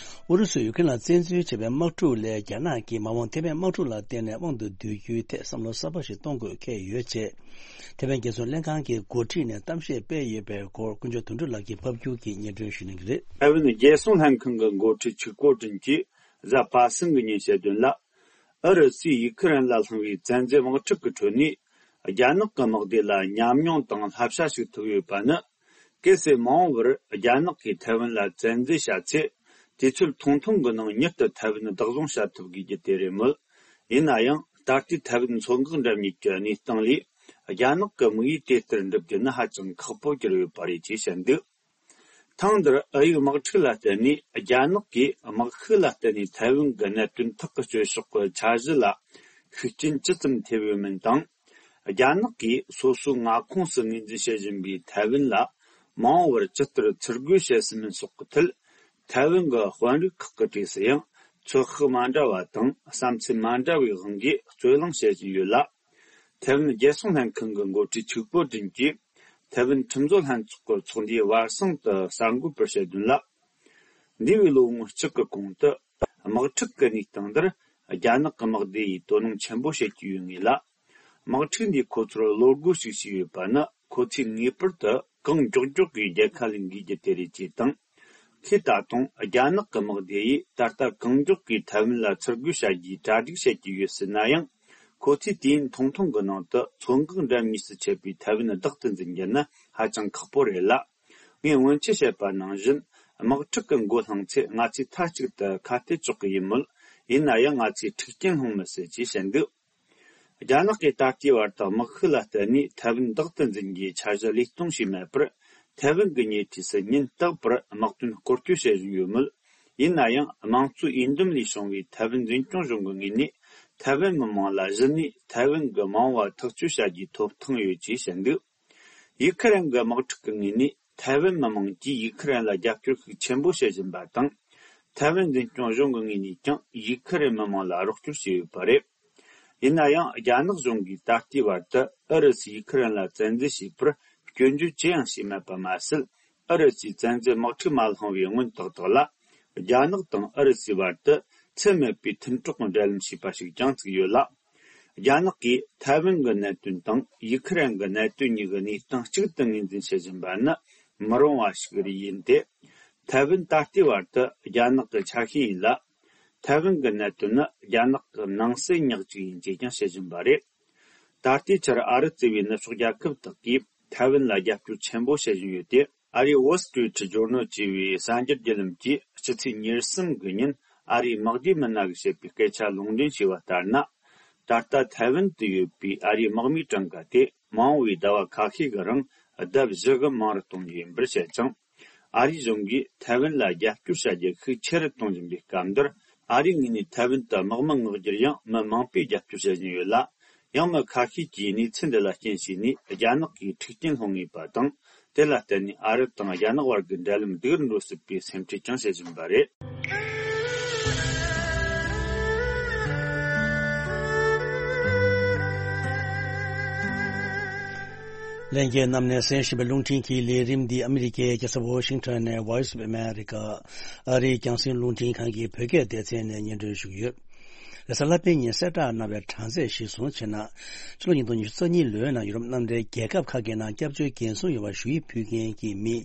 ཨུ་རུ་སུས་ཡུ་ཀེ་རེན་ལ་བཙན་འཛུལ་བྱས་པའི་དམག་འཁྲུག་ལས་རྒྱ་ནག་གིས་མ་འོངས་ཐེ་ཝན་དམག་འཁྲུག་ལ་བརྟེན་ནས་དབང་དུ་བསྡུ་རྒྱུའི་ཐད་བསམ་བློ་གསར་པ་ཞིག་གཏོང་དགོས་འཁེལ་ཡོད་ཅེས། ཐེ་ཝན་རྒྱལ་སྲུང་ལྷན་ཁང་གི་འགོ་ཁྲིད་ནས་གཏམ་བཤད་སྤེལ་ཡོད་པའི་སྐོར་དཀོན་མཆོག་དོན་གྲུབ་ལགས་ཀྱིས་ཕབ་སྒྱུར་གྱིས་སྙན་སྒྲོན་ཞུ་གནང་གི་རེད། ཐེ་ཝན་རྒྱལ་སྲུང་ལྷན་ཁང་གི་འགོ་ཁྲིད་ཆིག་པོ་ཀྲིན་གྱིས་གཟའ་པ་སངས་ཀྱི་ཉིན་བཤད་དོན་ལ། ཨུ་རུ་སུས་ཡུ་ཁུ་རེན་ལ་བསླངས་པའི་བཙན་འཛུལ་དམག་འཁྲུག་གི་ཁྲོད་ནས། རྒྱ་ནག་གི་དམག་སྡེ་ལ་ཉམས་མྱོང་དང་བསླབ་བྱ་ཞིག་ཐོབ་ཡོད་པ་ནི། གལ་སྲིད་མ་འོངས་པར་རྒྱ་ནག་གིས་ཐའེ་ཝན་ལ་བཙན་འཛུལ་བྱ་ཚེ། དུས་ཚོད་ཐུང་ཐུང་གི་ནང་མྱུར་དུ་ཐའེ་ཝན་བདག་བཟུང་བྱ་ཐུབ་དགོས་རྒྱུ་དེ་རེད་མོད། ཡིན་ན་ཡང་ད་ལྟའི་ཐའེ་ཝན་མཚོ་འགག་འགྲམ་གཉིས་ཀྱི་གནས་སྟངས་ལས། རྒྱ་ནག་གི་དམིགས་ཡུལ་དེ་ལྟར་འགྲུབ་རྒྱུ་ནི་ཧ་ཅང་ཁག་པོ་གྱུར་ཡོད་པ་རེད་ཅེས་བཤད་འདུག། ཐེངས་འདིར་ཨུ་ཡུག་དམག་འཁྲུག་ལ་བརྟེན་ནས་རྒྱ་ནག་གིས་དམག་ཤུགས་ལ་བརྟེན་ནས་ཐའེ་ཝན་གྱི་གནད་དོན་ཐག་གཅོད་ཕྱོགས་ཀྱི་འཆར་གཞི་ལ་ཤུགས་རྐྱེན་ཅི་ཙམ་ཐེབས་ཡོད་མིན་དང་། རྒྱ་ནག་གིས་སོ་སོའི་མངའ་ཁོངས་སུ་ངོས་འཛིན་བྱེད་བཞིན་པའི་ཐའེ་ཝན་ལ་མ་འོངས་པར་ཇི་ལྟར་ཚུར་རྒོལ་བྱེད་སྲིད་མིན་སོགས་ཀྱི་ཐད། ཐའེ་ཝན་གྱི་དཔོན་རིགས་ཁག་གི་གྲས་སུ་ཡང་ཚོད་དཔག་མ་འདྲ་བ་དང་བསམ་ཚུལ་མ་འདྲ་བའི་དབང་གིས་རྩོད་གླེང་བྱེད་བཞིན་ཡོད་ལ། ཐའེ་ཝན་རྒྱལ་སྲུང་ལྷན་ཁང་གི་འགོ་ཁྲིད་ཆིག་པོ་ཀྲིན་གྱིས་ཐའེ་ཝན་ཁྲིམས་བཟོ་ལྷན་ཚོགས་ཀྱི་ཚོགས་འདུའི་བར་གསེང་དུ་གསར་འགོད་པར་བཤད་དོན་ལ། འདས་པའི་ལོ་ངོ་གཅིག་གི་གོང་དུ་དམག་འཁྲུག་གི་གནས་སྟངས་འདིར་རྒྱ་ནག་གི་དམག་སྡེ་ཡིས་དོ་སྣང་ཆེན་པོ་བྱེད་ཀྱི་ཡོད་ངེས་ལ། དམག་འཁྲུག་འདིས་ཁོ་ཚོར་བློ་སྒོ་ཞིག་ཕྱེས་ཡོད་པ་ནི་ཁོ་ཚོས་ངེས་པར་དུ་གང་མགྱོགས་མགྱོགས་ཀྱིས་རྒྱལ་ཁ་ལེན་དགོས་རྒྱུ་དེ་རེད་ཅེས་དང་། ཁོས་ད་དུང་རྒྱ་ནག་གི་དམག་སྡེ་ཡིས་ད་ལྟ་གང་མགྱོགས་ཀྱིས་ཐའེ་ཝན་ལ་ཚུར་རྒོལ་བྱ་རྒྱུའི་གྲ་སྒྲིག་བྱེད་ཀྱི་ཡོད་ཟེར་ན་ཡང་། ཁོ་ཚོས་དུས་ཡུན་ཐུང་ཐུང་གི་ནང་དུ་མཚོ་འགག་འགྲམ་གཉིས་སུ་ཆད་པའི་ཐའེ་ཝན་བདག་ཏུ་འཛིན་རྒྱུ་ནི་ཧ་ཅང་ཁག་པོ་རེད་ལ། ངས་སྔོན་ཆད་བཤད་པ་ནང་བཞིན་དམག་འཁྲུག་གི་མགོ་བསླངས་ཚེ་ང་ཚོས་མཐའ་གཅིག་ཏུ་ཁ་གཏད་གཅོག་གི་ཡིན་མོད། ཡིན་ན་ཡང་ང་ཚོས་འཁྲུག་རྐྱེན་སློང་མི་སྲིད་ཅེས་བཤད་འདུག། རྒྱ་ནག་གིས་ད་ལྟའི་བར་དུ་དམག་ཤུགས་ལ་བརྟེན་ནས་ཐའེ་ཝན་བདག་ཏུ་འཛིན་རྒྱུའི་འཆར་གཞི་ལས་གཏོང་བྱས་མེད་པར། ཐའེ་ཝན་གྱི་ཉེ་འཁྲིས་སུ་ཉིན་རྟག་པར་དམག་དོན་སྐོར་སྐྱོད་བྱེད་བཞིན་ཡོད་མོད། ཡིན་ན་ཡང་དམངས་གཙོའི་འོས་འདེམས་ལས་བྱུང་བའི་ཐའེ་ཝན་འཛིན་སྐྱོང་གཞུང་གི་ངོས་ནས་ཐའེ་ཝན་མི་དམངས་ལ་གཞི་ནས་ཐའེ་ཝན་གྱི་མ་འོངས་པ་ཐག་གཅོད་བྱ་རྒྱུའི་ཐོབ་ཐང་ཡོད་ཅེས་བཤད་འདུག། ཡུ་ཁུ་རེན་གྱི་དམག་འཁྲུག་གི་ངོས་ནས་ཐའེ་ཝན་མི་དམངས་ཀྱིས་ཡུ་ཁུ་རེན་ལ་རྒྱབ་སྐྱོར་ཤུགས་ཆེན་པོ་བྱེད་བཞིན་པ་དང་། ཐའེ་ཝན་འཛིན་སྐྱོང་གཞུང་གི་ངོས་ནས་ཀྱང་ཡུ་ཁུ་རེན་མི་དམངས་ལ་རོགས་སྐྱོར་བྱས་ཡོད་པ་རེད། ཡིན་ན་ཡང་རྒྱ་ནག་གཞུང་གིས་ད་ལྟའི་བར་དུ་ཨུ་རུ་སུས་ཡུ་ཁུ་རེན་ལ་བཙན་འཛུལ་བྱས་པར་སྐྱོན་བརྗོད་ཅི་ཡང་བྱས་མེད་པ་མ་ཟད། ཨུ་རུ་སུས་བཙན་འཛུལ་དམག་འཁྲུག་མ་བསླངས་པའི་སྔོན་ཏག་ཏག་ལ། རྒྱ་ནག་དང་ཨུ་རུ་སུའི་བར་དུ་འཚེ་མེད་པའི་མཐུན་གྲོགས་འབྲེལ་ལམ་ཞེས་པ་ཞིག་ཀྱང་བཙུགས་ཡོད་ལ། རྒྱ་ནག་གིས་ཐའེ་ཝན་གྱི་གནད་དོན་དང་ཡུ་ཁུ་རེན་གྱི་གནད་དོན་གཉིས་ཀྱི་གནས་སྟངས་གཅིག་ཏུ་ངོས་འཛིན་བྱེད་བཞིན་པ་ནི་མི་རུང་བ་ཞིག་རེད་ཡིན་ཏེ། ཐའེ་ཝན་ད་ལྟའི་བར་དུ་རྒྱ་ནག་གི་ཆ་ཤས་ཡིན་ལ། ཐའེ་ཝན་གྱི་གནད་དོན་ནི་རྒྱ་ནག་གི་ནང་སྲིད་ཉག་གཅིག་ཡིན་ཅེས་ཀྱང་བཤད་བཞིན་པ་རེད། ད་ལྟའི་ཆར་ཨ་རི་གཙོས་པའི་ནུབ་ཕྱོགས་རྒྱལ་ཁབ་དག་གིས་ཐའེ་ཝན་ལ་རྒྱབ་སྐྱོར་ཆེན་པོ་བྱེད་བཞིན་ཡོད་དེ། ཨ་རིའི་Wall Street Journal ཅེས་པའི་གསར་འགྱུར་བརྒྱུད་ལམ་གྱིས་ཕྱི་ཚེས་ཉེར་གསུམ་གྱི་ཉིན་ཨ་རིའི་དམག་སྡེ་མི་སྣ་གིས་བཤད་པའི་སྐད་ཆ་ལུང་འདྲེན་བྱས་པ་ལྟར་ན། ད་ལྟ་ཐའེ་ཝན་དུ་ཡོད་པའི་ཨ་རིའི་དམག་མིའི་གྲངས་ཀ་དེ་མ་འོངས་པའི་ཟླ་བ་ཁ་ཤས་ཀྱི་རིང་ལྡབ་བཞི་གི་མང་རུ་གཏོང་རྒྱུ་ཡིན་པར་བཤད་ཅིང་། ཨ་རིའི་གཞུང་གིས་ཐའེ་ཝན་ལ་རྒྱབ་སྐྱོར་བྱ་རྒྱུ་ཤུགས་ཆེ་རུ་གཏོང་བཞིན་པའི་སྐབས་འདིར། ཨ་རིའི་ངོས་ནས་ཐའེ་ཝན་དུ་དམག་མི་མངགས་རྒྱུར་ཡང་མི་མང་པོས་རྒྱབ་སྐྱོར་བྱེད་བཞིན་ཡོད་ལ། ཡང་མི་ཁ་ཤས་ཀྱིས་གནས་ཚུལ་འདི་ལ་རྐྱེན་བྱས་ནས་རྒྱ་ནག་གིས་འཁྲུག་རྐྱེན་སློང་ངེས་པ་དང་། དེ་ལ་བརྟེན་ནས་ཨ་རི་དང་རྒྱ་ནག་བར་གྱི་འབྲེལ་ལམ་སྡུག་རུ་འགྲོ་སྲིད་པའི་སེམས་ཁྲལ་ཀྱང་བྱེད་བཞིན་པ་རེད། ལྷན་རྒྱས་རྣམས་ནས་གསན་བཞིན་པའི་རླུང་འཕྲིན་གྱི་ལས་རིམ་འདི་ཨ་མི་རི་ཀའི་རྒྱལ་ས་ཝོ་ཤིང་ཊོན་ནས་Voice of America ཨ་རིའི་རྒྱང་སྲིང་རླུང་འཕྲིན་ཁང་གི་བོད་སྐད་སྡེ་ཚན་ནས་སྙན་སྒྲོན་ཞུ་གི་ཡོད། རེས་གཟའ་ལྷག་པའི་ཉིན་གསལ་བསྒྲགས་གནང་བའི་གྲངས་ཚད་གཞིར་བཟུང་བྱས་ན། ཕྱི་ལོ་ཉིས་སྟོང་ཉི་ཤུ་རྩ་གཉིས་ལོའི་ནང་ཡུ་རོབ་མནའ་འབྲེལ་རྒྱལ་ཁབ་ཁག་གི་ནང་སྐྱབས་བཅོལ་འགན་སྲུང་ཡོད་པར་ཞུ་ཡིག་ཕུལ་མཁན་གྱི་མི་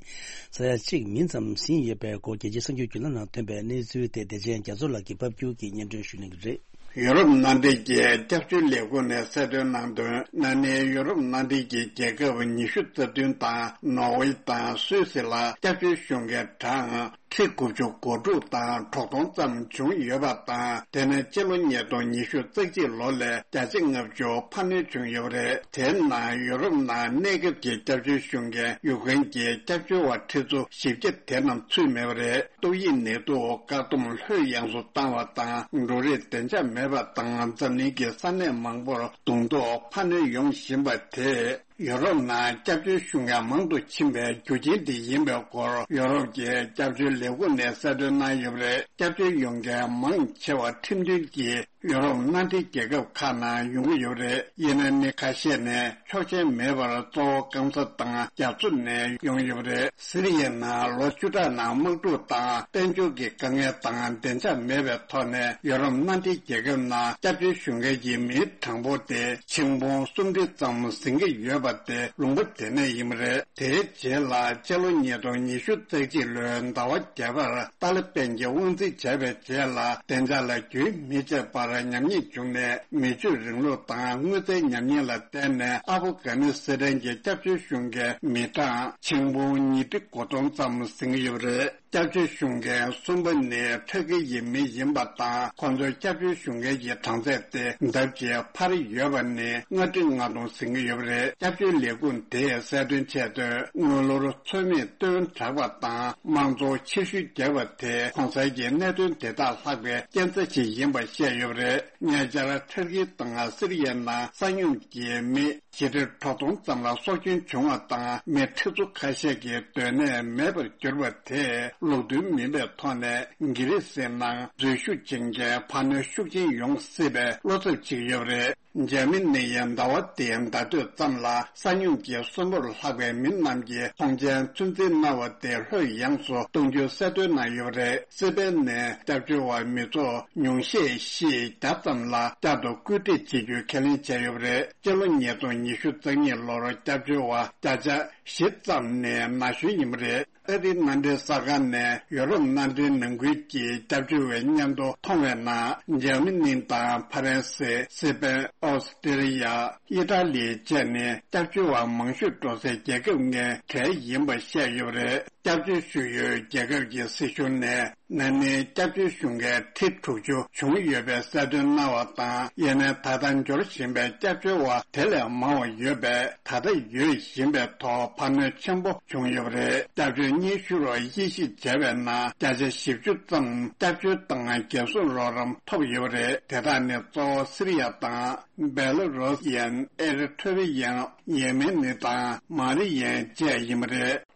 ས་ཡ་གཅིག་མིན་ཙམ་ཟིན་ཡོད་པའི་སྐོར་རྒྱལ་སྤྱིའི་གསར་འགྱུར་བརྒྱུད་ལམ་ནང་ཐོན་པའི་གནས་ཚུལ་དེ་བདེ་ཆེན་རྒྱ་མཚོ་ལགས་ཀྱིས་ཕབ་སྒྱུར་གྱིས་སྙན་སྒྲོན་ཞུ་གནང་གི་རེད། ཡུ་རོབ་མནའ་འབྲེལ་གྱི་སྐྱབས་བཅོལ་ལས་ཁུངས་ནས་གསལ་སྟོན་གནང་དོན། ན་ནིང་ཡུ་རོབ་མནའ་འབྲེལ་གྱི་རྒྱལ་ཁབ་ཉི་ཤུ་རྩ་བདུན་དང་ནོར་ཝེ་དང་སུད་སི་ལ་སྐྱབས་བཅོལ་གཞུང་གི་གྲངས་ཁྲི་དགུ་བཅུ་གོ་དྲུག་དང་དྲུག་སྟོང་ཙམ་བྱུང་ཡོད་པ་དང་། དེ་ནི་སྤྱི་ལོ་ཉིས་སྟོང་ཉི་ཤུ་རྩ་གཅིག་ལོ་ལས་བརྒྱ་ཆ་ལྔ་བཅུ་འཕར་སྣོན་བྱུང་ཡོད་པ་རེད། དེའི་ནང་ཡུ་རོབ་ནང་གནས་སྐབས་ཀྱི་སྐྱབས་བཅོལ་གཞུང་གིས་ཡུཀ་རེན་གྱི་སྐྱབས་བཅོལ་བ་ཁྲི་ཚོ་བཞི་བརྒྱ་དེ་རྣམས་ཚུད་མེད་པ་རེད། ཏོག་དབྱིབས་ནད་དུག་བཀག་སྡོམ་ལྷོད་ཡངས་སུ་བཏང་བ་དང་། འབྲུ་རིགས་བདེ་འཇགས་མེད་པ་དང་། འཛམ་གླིང་གི་ས་གནས་མང་པོར་གདུང་ཐོག་འཕར་སྣོན་ཡོང་བཞིན་པ་དེས་ཡུ་རོབ་ནང་སྐྱབས་བཅོལ་ཞུ་མཁན་མང་དུ་ཕྱིན་པའི་རྒྱུ་རྐྱེན་དེ་ཡིན་པའི་སྐོར། ཡུ་རོབ་ཀྱི་སྐྱབས་བཅོལ་ལས་ཁུངས་ནས་གསལ་སྟོན་གནང་ཡོད་པ་རེད། སྐྱབས་བཅོལ་ཡོང་མཁན་མང་ཆེ་བ་ཁྲིམས་མཐུན་གྱི་ཡུ་རོབ་མནའ་འབྲེལ་རྒྱལ་ཁབ་ཁག་ནང་ཡོང་གི་ཡོད་པ་རེད། ཡིན་ན་མི་ཁ་ཤས་ནས་ཆོག་མཆན་མེད་པར་གཙོ་བོ་སྐམ་ས་དང་རྒྱ་མཚོ་ནས་ཡོང་ཡོད་པ་རེད། སི་རི་ཡའི་ནང་ལོ་བཅུ་ཕྲག་ནང་དམག་འཁྲུག་དང་དཔལ་འབྱོར་གྱི་དཀའ་ངལ་དང་བདེ་འཇགས་མེད་པའི་ཐོག་ནས་ཡུ་རོབ་མནའ་འབྲེལ་རྒྱལ་ཁབ་ནང་སྐྱབས་བཅོལ་ཞུ་མཁན་གྱི་མིའི་གྲངས་འབོར་དེ་ཆིག་འབུམ་སུམ་ཁྲི་ཙམ་ཟིན་གྱི་ཡོད་པ་དེ་ལུང་པ་དེ་ནས་ཡིན་པ་རེད། དེའི་རྗེས་ལ་སྤྱི་ལོ་ཉིས་སྟོང་ཉི་ཤུ་རྩ་གཅིག་ལོའི་ཟླ་བ་བརྒྱད་པར་ཏཱ་ལི་པན་གྱིས་དབང་འཛིན་བྱས་པའི་རྗེས་ལ། བདེ་འཇགས་ལ་རྒྱུན་མི་ཆད་པར་ཉམས་ཉེས་བྱུང་ནས། མི་ཆོས་རིང་ལུགས་དང་དངུལ་རྩའི་ཉམས་ཉེས་ལ་བརྟེན་ནས་ཨ་ཕོ་གྷ་ནི་སི་ཐན་གྱི་སྐྱབས་བཅོལ་ཞུ་མཁན་མི་གྲངས་ཆིག་འབུམ་ཉིས་ཁྲི་དགུ་སྟོང་ཙམ་ཟིན་གྱི་ཡོད་པ་རེད། སྐྱབས་བཅོལ་ཞུ་མཁན་གསུམ་པ་ནི་ཐུར་ཁེ་ཡི་མི་ཡིན་པ་དང་། ཁོང་ཚོའི་སྐྱབས་བཅོལ་ཞུ་མཁན་གྱི་གྲངས་ཚད་དེ་ལྡབ་གཅིག་འཕར་ཡོད་པ་ནི་ལྔ་ཁྲི་ལྔ་སྟོང་ཟིན་གྱི་ཡོད་པ་རེད། སྐྱབས་བཅོལ་ལས་ཁུངས་དེས་གསལ་སྟོན་བྱས་དོན། དངུལ་ལོར་ཚོད་མེད་བཏོན་དྲགས་པ་དང་། དམངས་གཙོ་ཕྱིར་བཤོལ་བརྒྱབ་པ་དེ་གོང་གསལ་གྱི་གནད་དོན་དེ་དག་ལྷག་པའི་རྐྱེན་རྩ་ཞིག་ཡིན་པ་བཤད་ཡོད་པ་རེད། ཉེ་ཆར་ཐུར་ཁེ་དང་སི་རི་ཡའི་ནང་ས་སྙོམས་ཀྱི་མི་བཞི་ཁྲི་དྲུག་སྟོང་ཙམ་ལ་སྲོག་སྐྱོན་བྱུང་བ་དང་། མི་ཁྲི་ཚོ་ཁ་ཤས་ཀྱི་སྡོད་གནས་མེད་པར་གྱུར་པ་དེས་ལུགས་མཐུན་མིན་པའི་ཐོག་ནས་གྷི་རི་སིའི་ནང་འཛུལ་ཞུགས་བྱེད་མཁན་འཕར་སྣོན་ཤུགས་ཆེན་ཡོང་སྲིད་པའི་བློ་འཚབ་བྱེད་ཀྱི་ཡོད་པ་རེད། འཇར་མ་ནི་ཡིས་ཟླ་བ་འདིའི་ཟླ་སྟོད་ཙམ་ལ་ས་སྙོམས་ཀྱི་གསོན་པོར་ལྷག་པའི་མི་རྣམས་ཀྱི་ཐོངས་མཆན་ཚོད་འཛིན་གནང་བ་དེ་ལྷོད་ཡངས་སུ་གཏོང་རྒྱུའི་གསལ་སྟོན་གནང་ཡོད་པ་རེད། སི་པན་ནས་སྐྱབས་བཅོལ་བ་མི་ཚོགས་ཉུང་ཤས་ཤིག་བརྒྱ་ཙམ་ལ་བསྐྱར་དུ་སྐུལ་ཁྲིད་བྱེད་རྒྱུའི་ཁས་ལེན་བྱས་ཡོད་པ་རེད། སྤྱི་ལོ་ཉིས་སྟོང་ཉི་ཤུ་རྩ་གཉིས་ལོར་སྐྱབས་བཅོལ་བ་བརྒྱ་ཆ་བཞི་ཙམ་ནི་ན་གཞོན་ཡིན་པ་རེད། ཨ་རིའི་མནའ་འབྲེལ་གསར་ཁང་ནས་ཡོ་རོབ་མནའ་འབྲེལ་ནང་ཁུལ་གྱི་སྐྱབས་བཅོལ་བའི་སྙན་ཐོ་མཐོང་བའི་ནང་འཇར་མ་ནི་དང་ཕ་རན་སི། སི་པན། ཨོ་སི་ཀྲི་ཡ། ཨི་ཏྲ་ལི་བཅས་ནི་སྐྱབས་བཅོལ་བ་མང་ཤོས་འགྲོ་སའི་རྒྱལ་ཁབ་ལྔའི་གྲས་ཡིན་པ་བཤད་ཡོད་པ་རེད། སྐྱབས་བཅོལ་ཞུ་ཡུལ་རྒྱལ་ཁབ་ཀྱི་སྲིད་གཞུང་ནས་ན་ནིང་སྐྱབས་བཅོལ་ཞུ་མཁན་ཁྲི་དྲུག་ཅུ་བྱུང་ཡོད་པའི་གསལ་སྟོན་གནང་བ་དང་། ཡིན་ནའི་ད་ལྟ་འབྱོར་བཞིན་པའི་སྐྱབས་བཅོལ་བ་དེ་ལས་མང་བ་ཡོད་པས། ད་ལྟ་ཡོད་བཞིན་པའི་ཐོག་འཕར་སྣོན་ཆེན་པོ་བྱུང་ཡོད་པ་རེད། སྐྱབས་བཅོལ་སྙན་ཞུ་རོགས་དབྱེ་ཞིབ་བྱས་པའི་ནང་བརྒྱ་ཆ་བཞི་བཅུ་ཙམ་སྐྱབས་བཅོལ་དང་རྒྱལ་སྲུང་རོགས་རམ་ཐོབ་ཡོད་པ་རེད། དེ་དག་ནི་གཙོ་བོ་སི་རི་ཡ་དང་། སྦེ་ལ་རུ་སི་ཡན། ཨེ་རི་ཐྲེ་རི་ཡན། ཡེ་མེན་ནི་དང་མ་རི་ཡན་བཅས་ཡིན་པ་རེད།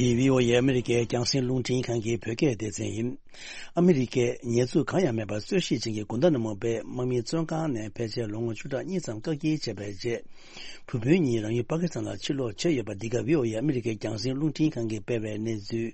འདི་བྷི་ཨོ་ཨེ་ཨ་མི་རི་ཀའི་རྒྱང་སྲིང་རླུང་འཕྲིན་ཁང་གི་བོད་སྐད་སྡེ་ཚན་ཡིན། ཨ་མི་རི་ཀས་ཉེས་འཛུགས་གང་ཡང་མེད་པར་རྩོད་གཞི་ཅན་གྱི་གུན་ཏ་ན་མོ་བེའི་དམག་མིའི་བཙོན་ཁང་ནས་ཕལ་ཆེར་ལོ་ངོ་བཅུ་ཕྲག་གཉིས་ཙམ་བཀག་སྐྱིལ་བྱས་པའི་རྗེས། བུ་སྤུན་གཉིས་རང་ཡུལ་པ་ཀི་སི་ཐན་ལ་ཕྱིར་ལོག་བྱས་ཡོད་པ། འདི་ག་བྷི་ཨོ་ཨེ་ཨ་མི་རི་ཀའི་རྒྱང་སྲིང་རླུང་འཕྲིན་ཁང་གིས་སྤེལ་བའི་གནས་ཚུལ།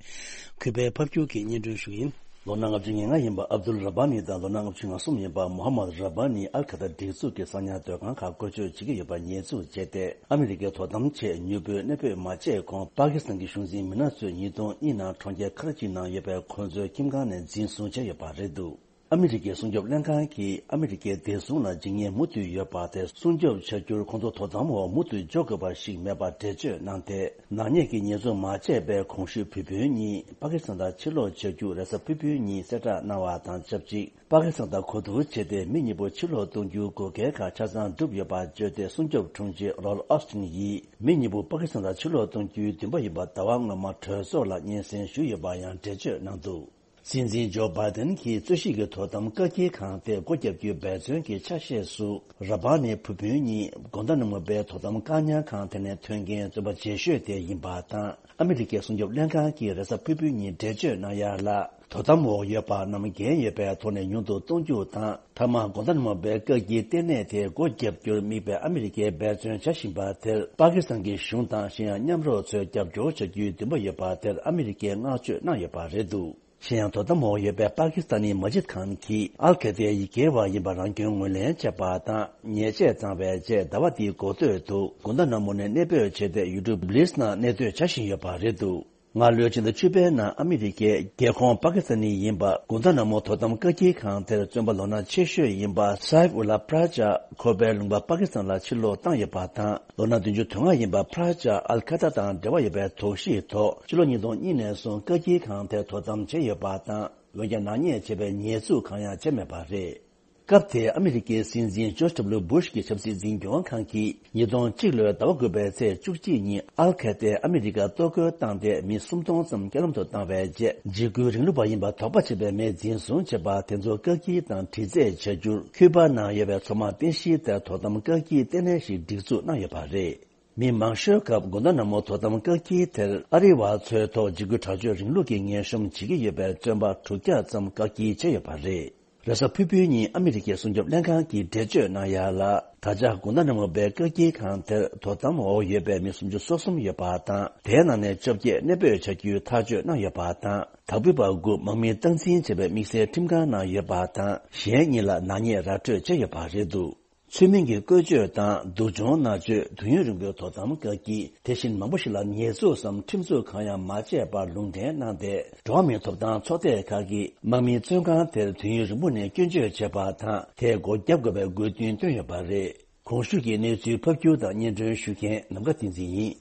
གུས་པས་ཕབ་སྒྱུར་གྱིས་སྙན་སྒྲོན་ཞུ་གི་ཡིན། ལོ་ན་ལྔ་བཅུ་ང་ལྔ་ཡིན་པ་ཨབ་དུལ་ར་བྷ་ནི་དང་ལོ་ན་ལྔ་བཅུ་ང་གསུམ་ཡིན་པ་མོ་ཧ་མད་ར་བྷ་ནི་ཨལ་ཁ་ཐར་སྒྲིག་འཛུགས་ཀྱི་གསང་ཉར་སྡོད་ཁང་ཁག་བཀོལ་སྤྱོད་བྱེད་ཀྱི་ཡོད་པར་ཉེས་འཛུགས་བྱས་ཏེ། ཨ་མི་རི་ཀའི་དོ་དམ་ཆེད་མྱུར་པོའི་གནས་སྤོས་མ་བྱས་གོང་པ་ཀི་སི་ཐན་གྱི་གཞུང་འཛིན་མི་སྣ་ཚོས་ཉིས་སྟོང་གཉིས་ནང་གྲོང་ཁྱེར་ཁ་ར་ཅི་ནང་ཡོད་པའི་ཁོང་ཚོའི་ཁྱིམ་ཁང་ནས་འཛིན་བཟུང་བྱས་ཡོད་པ་རེད་འདུག་ཨ་མི་རི་ཀའི་སྲུང་སྐྱོབ་ལྷན་ཁང་གིས་ཨ་མི་རི་ཀའི་བདེ་སྲུང་ལ་འཇིགས་ཉེན་མུ་མཐུད་ཡོད་པ་དེ་སྲུང་སྐྱོབ་བྱ་རྒྱུར་ཁོང་ཚོ་དོ་དམ་འོག་མུ་མཐུད་འཇོག་དགོས་པ་ཞིག་མེད་པར་འགྲེལ་བརྗོད་གནང་སྟེ། ནག་ཉེས་ཀྱི་ཉེས་འཛུགས་མ་བྱས་པའི་གོང་ཞུས་བུ་སྤུན་གཉིས་པ་ཀི་སི་ཐན་དང་ཕྱིར་ལོག་བྱ་རྒྱུ་རེས་གཟའ་ཕུར་བུའི་ཉིན་གསལ་བསྒྲགས་གནང་བ་དང་ཆབས་ཅིག་པ་ཀི་སི་ཐན་དང་གོ་བསྡུར་བྱས་ཏེ་མི་གཉིས་པོ་ཕྱིར་ལོག་གཏོང་རྒྱུའི་དགོས་གལ་ཁག་ཆ་ཚང་གྲུབ་ཡོད་པ་བརྗོད་དེ། སྲུང་སྐྱོབ་དྲུང་ཆེ་ལོར་ཨོ་སི་ཊིན་ཡིས་མི་གཉིས་པོ་པ་ཀི་སི་ཐན་དང་ཕྱིར་ལོག་གཏོང་རྒྱུའི་འདུན་པ་ཡོད་པ་ཟླ་བ་སྔོན་མ་གྲོས་ཚོགས་ལ་སྙན་སེང་ཞུས་ཡོད་པ་ཡང་འགྲེལ་བརྗོད་གནང་འདུག་སྲིད་འཛིན་ཇོ་བྷའི་ཏན་གྱིས་རྩོད་གཞི་གི་དོ་དམ་བཀག་སྐྱིལ་ཁང་དེ་སྒོ་བརྒྱབ་རྒྱུའི་འབད་བརྩོན་གྱི་ཆ་ཤས་སུ། ར་བྷ་ནི་བུ་སྤུན་གཉིས་གོན་ཏ་ན་མོ་པའི་དོ་དམ་བཀག་ཉར་ཁང་དེ་ནས་ཐོན་མཁན་བཙོན་པ་རྗེས་ཤོས་དེ་ཡིན་པ་དང་། ཨ་མི་རི་ཀའི་སྲུང་སྐྱོབ་ལྷན་ཁང་གིས་རེས་གཟའ་ཕུར་བུའི་ཉིན་འགྲེལ་བརྗོད་གནང་ཡ་ལ། དོ་དམ་འོག་ཡོད་པ་རྣམས་འགན་ཡོད་པའི་ཐོག་ནས་ཉུང་དུ་གཏོང་རྒྱུ་དང་། མཐའ་མ་གོན་ཏ་ན་མོ་པའི་བཀག་སྐྱིལ་ལྟེ་གནས་དེ་སྒོ་བརྒྱབ་རྒྱུར་དམིགས་པའི་ཨ་མི་རི་ཀའི་འབད་བརྩོན་བྱ་བཞིན་པ་དེར། པ་ཀི་སི་ཐན་གྱི་གཞུང་དང་གཞན་ཡང་མཉམ་རོགས་ཚོས་རྒྱབ་སྐྱོར་བྱ་རྒྱུའི་འདུན་པ་ཡོད་པ་དེར་ཨ་མི་རི་ཀས་བསྔགས་བརྗོད་གནང་ཡོད་པ་རེད་འདུག་གཞན་ཡང་དོ་དམ་འོག་ཡོད་པའི་པ་ཀི་སི་ཐན་ནི་མ་ཇིད་ཁཱན་གྱིས་ཨལ་ཁེ་ཏའི་ཡི་གེ་བ་ཡིན་པ་རང་སྐྱོན་ངོས་ལེན་བྱས་པ་དང་ཉེས་ཆད་བཏང་བའི་རྗེས་ཟླ་བ་འདིའི་འགོ་སྟོད་དུ་གུན་ཐ་ན་མོ་ནས་གནས་སྤོས་བྱས་ཏེ་ཡུལ་གྲུ་བྷི་ལིས་ནང་གནས་སྡོད་བྱ་བཞིན་ཡོད་པ་རེད་འདུག་སྔ་ལོའི་ཕྱི་ཟླ་བཅུ་པའི་ནང་ཨ་མི་རི་ཀའི་རྒྱལ་ཁོངས་པ་ཀི་སི་ཐན་ནི་ཡིན་པ་གུན་ཐ་ན་མོ་དོ་དམ་བཀག་སྐྱིལ་ཁང་དེར་བཙོན་པ་ལོ་ན་ཆེ་ཤོས་ཡིན་པ་སའིབ་ཨུ་ལ་པྲ་ཇ་ཁོ་པའི་ལུང་པ་པ་ཀི་སི་ཐན་ལ་ཕྱིར་ལོག་བཏང་ཡོད་པ་དང་། ལོ་ན་བདུན་ཅུ་དོན་ལྔ་ཡིན་པ་པྲ་ཇ་ཨལ་ཁ་ད་དང་འབྲེལ་བ་ཡོད་པའི་དོགས་གཞིའི་ཐོག་ཕྱི་ལོ་ཉིས་སྟོང་གཉིས་ནས་བཟུང་བཀག་སྐྱིལ་ཁང་དེར་དོ་དམ་བྱས་ཡོད་པ་དང་། འོན་ཀྱང་ནག་ཉེས་བྱས་པའི་ཉེས་འཛུགས་གང་ཡང་བྱས་མེད་པ་རེད། སྐབས་དེར་ཨ་མི་རི་ཀའི་སྲིད་འཛིན་ཇོརྗ་ཌབ་ལུ་སྦུ་ཤ་གི་ཆབ་སྲིད་འཛིན་སྐྱོང་ཁང་གིས་ཉིས་སྟོང་གཅིག་ལོའི་ཟླ་བ་དགུ་པའི་ཚེས་བཅུ་གཅིག་ཉིན་ཨལ་ཁེ་ཏའི་ཨ་མི་རི་ཀར་གཏོར་རྒོལ་བཏང་སྟེ་མི་སུམ་སྟོང་ཙམ་རྐྱེན་ལམ་དུ་བཏང་བའི་རྗེས་འཇིགས་སྐུལ་རིང་ལུགས་པ་ཡིན་པར་དོགས་པ་བྱས་པའི་མི་འཛིན་བཟུང་བྱས་པ་དེ་ཚོ་བཀག་སྐྱིལ་དང་དྲི་རྩད་བྱ་རྒྱུར་ཁུ་པ་ནང་ཡོད་པའི་མཚོ་དམག་རྟེན་གཞིའི་ཐད་དོ་དམ་བཀག་སྐྱིལ་ལྟེ་གནས་ཤིག་སྒྲིག་འཛུགས་གནང་ཡོད་པ་རེད། མི་མང་ཤོས་སྐབས་གུན་ཐ་ན་མོ་དོ་དམ་བཀག་སྐྱིལ་དེར་ཨ་རི་བ་ཚོའི་ཐོག་འཇིགས་སྐུལ་དྲག་སྤྱོད་རིང་ལུགས་ཀྱི་ངན་གཤོམ་བྱེད་ཀྱི་ཡོད་པའི་བཙོན་པ་དྲུག་བརྒྱ་ཙམ་བཀག་སྐྱིལ་བྱས་ཡོད་པ་རེད། རེས་གཟའ་ཕུར་བུའི་ཉིན་ཨ་མི་རི་ཀའི་སྲུང་སྐྱོབ་ལྷན་ཁང་གིས་འགྲེལ་བརྗོད་གནང་ཡ་ལ། ད་ཆ་གུན་ཐ་ན་མོ་པའི་བཀག་སྐྱིལ་ཁང་དེར་དོ་དམ་འོག་ཡོད་པའི་མི་སུམ་ཅུ་སོ་གསུམ་ཡོད་པ་དང་། དེའི་ནང་ནས་བཅོ་བརྒྱད་གནས་སྤོས་བྱ་རྒྱུའི་ཐག་གཅོད་གནང་ཡོད་པ་དང་། དྭགས་པོའི་བར་དགུ་དམག་མིས་སྟངས་འཛིན་བྱས་པའི་དམིགས་བསལ་ཁྲིམས་ཁང་ནང་ཡོད་པ་དང་། གཞན་གཉིས་ལ་ནག་ཉེས་ར་སྤྲོད་བྱས་ཡོད་པ་རེད་འདུག་ཚུལ་མིན་གྱི་བཀོལ་སྤྱོད་དང་སྡུག་སྦྱོང་མནར་གཅོད། དུས་ཡུན་རིང་པོའི་དོ་དམ་བཀག་སྐྱིལ། དེ་བཞིན་མང་པོ་ཞིག་ལ་ཉེས་འཛུགས་སམ་ཁྲིམས་འཛུགས་གང་ཡང་མ་བྱས་པར་ལུང་འདྲེན་གནང་སྟེ། འགྲོ་བ་མིའི་ཐོབ་ཐང་ཚོགས་སྡེ་ཁག་གིས་དམག་མིའི་བཙོན་ཁང་དེར་དུས་ཡུན་རིང་པོ་ནས་སྐྱོན་བརྗོད་བྱས་པ་དང་། དེ་སྒོ་བརྒྱབ་དགོས་པའི་དགོས་འདུན་བཏོན་ཡོད་པ་རེད། གོང་ཞུས་ཀྱི་གནས་ཚུལ་ཕབ་སྒྱུར་དང་སྙན་སྒྲོན་ཞུ་མཁན་ནམ་མཁའ་བསྟན་འཛིན་ཡིན།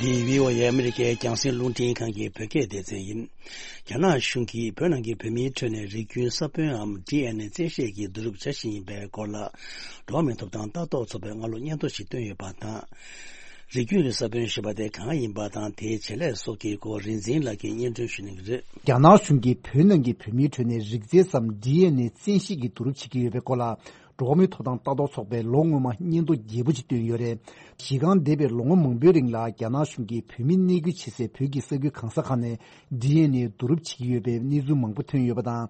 འདི་བྷི་ཨོ་ཨེ་ཨ་མི་རི་ཀའི་རྒྱང་སྲིང་རླུང་འཕྲིན་ཁང་གི་བོད་སྐད་སྡེ་ཚན་ཡིན། རྒྱ་ནག་གཞུང་གིས་བོད་ནང་གི་བོད་མིའི་ཁྲོད་ནས་རིགས་རྒྱུན་ས་བོན་འམ་ཌི་ཨེན་ཨེ་བཙན་ཤེད་ཀྱིས་བསྡུ་རུབ་བྱ་བཞིན་ཡིན་པའི་སྐོར་ལ། འགྲོ་བ་མིའི་ཐོབ་ཐང་ལྟ་རྟོག་ཚོགས་པས་སྔ་ལོ་སྙན་ཐོ་ཞིག་བཏོན་ཡོད་པ་དང་། རིགས་རྒྱུན་ས་བོན་ཞེས་པ་དེ་གང་ཡིན་པ་དང་། དེའི་བྱེད་ལས་སོགས་ཀྱི་སྐོར་རིག་འཛིན་ལགས་ཀྱིས་སྙན་སྒྲོན་ཞུ་གནང་གི་རེད། རྒྱ་ནག་གཞུང་གིས་བོད་ནང་གི་བོད་མིའི་ཁྲོད་ནས་རིགས་རྫས་སམ་ཌི་ཨེན་ཨེ་བཙན་ཤེད་ཀྱིས་བསྡུ་རུབ་བྱེད་ཀྱི་ཡོད་པའི་སྐོར་ལ། འགྲོ་བ་མིའི་ཐོབ་ཐང་ལྟ་རྟོག་ཚོགས་པས་ལོ་སྔོན་མ་སྙན་ཐོ་རྒྱས་པོ་ཅིག་བཏོན་ཡོད་རེད། གཞི་རྐང་འདས་པའི་ལོ་ངོ་མང་པོའི་རིང་ལ་རྒྱ་ནག་གཞུང་གིས་བོད་མི་གནས་སྐུལ་བྱེད་སའི་བོད་ཀྱི་ས་ཁུལ་གང་ས་གང་ནས་ཌི་ཨེན་ཨེ་བསྡུ་རུབ་བྱེད་ཀྱི་ཡོད་པའི་གནས་ཚུལ་མང་པོ་ཐོན་ཡོད་པ་དང་།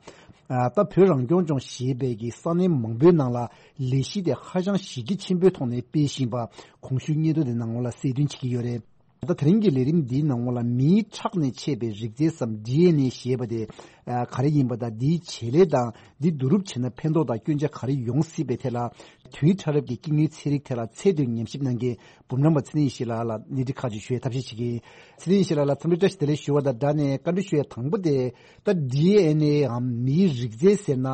ད་བོད་རང་སྐྱོང་ལྗོངས་ཞེས་པའི་གི་ས་གནས་མང་པོའི་ནང་ལ་ལས་གཞི་དེ་ཧ་ཅང་གཞི་རྒྱ་ཆེན་པོའི་ཐོག་ནས་སྤེལ་བཞིན་པ་གོང་ཞུས་སྙན་ཐོ་དེ་ནང་ལ་གསལ་སྟོན་བྱེད་ཀྱི་ཡོད་རེད། ད་དེ་རིང་གི་ལས་རིམ་འདིའི་ནང་ལ་མིའི་ཁྲག་ནས་མཆེད་པའི་རིགས་རྫས་སམ་ཌི་ཨེན་ཨེ་ཞེས་པ་དེ་ག་རེ་ཡིན་པ་དང་། འདིའི་བྱེད་ལས་དང་འདི་བསྡུ་རུབ་བྱས་ན་ཕན་ཐོགས་དང་སྐྱོན་ཆ་ག་རེ་ཡོང་སྲིད་པའི་ཐད་ལ། དུས་ཕྲ་རབ་ཀྱི་སྐྱེ་དངོས་ཚན་རིག་ཐད་ལ་ཚད་མཐོའི་ཉམས་ཞིབ་གནང་མཁན་འབུམ་རམས་པ་ཚེ་རིང་ཡེ་ཤེས་ལགས་ལ་གནས་འདྲི་ཁག་ཅིག་ཞུ་བའི་ཐབས་ཤེས་བྱེད་ཀྱི་ཡིན། ཚེ་རིང་ཡེ་ཤེས་ལགས་ལ་འཚམས་འདྲི་བཀྲ་ཤིས་བདེ་ལེགས་ཞུ་བ་དང་སྦྲགས་ནས་བཀའ་འདྲི་ཞུ་ཡ་དང་པོ་དེ། ད་ཌི་ཨེན་ཨེ་འམ་མིའི་རིགས་རྫས་ཟེར་ན་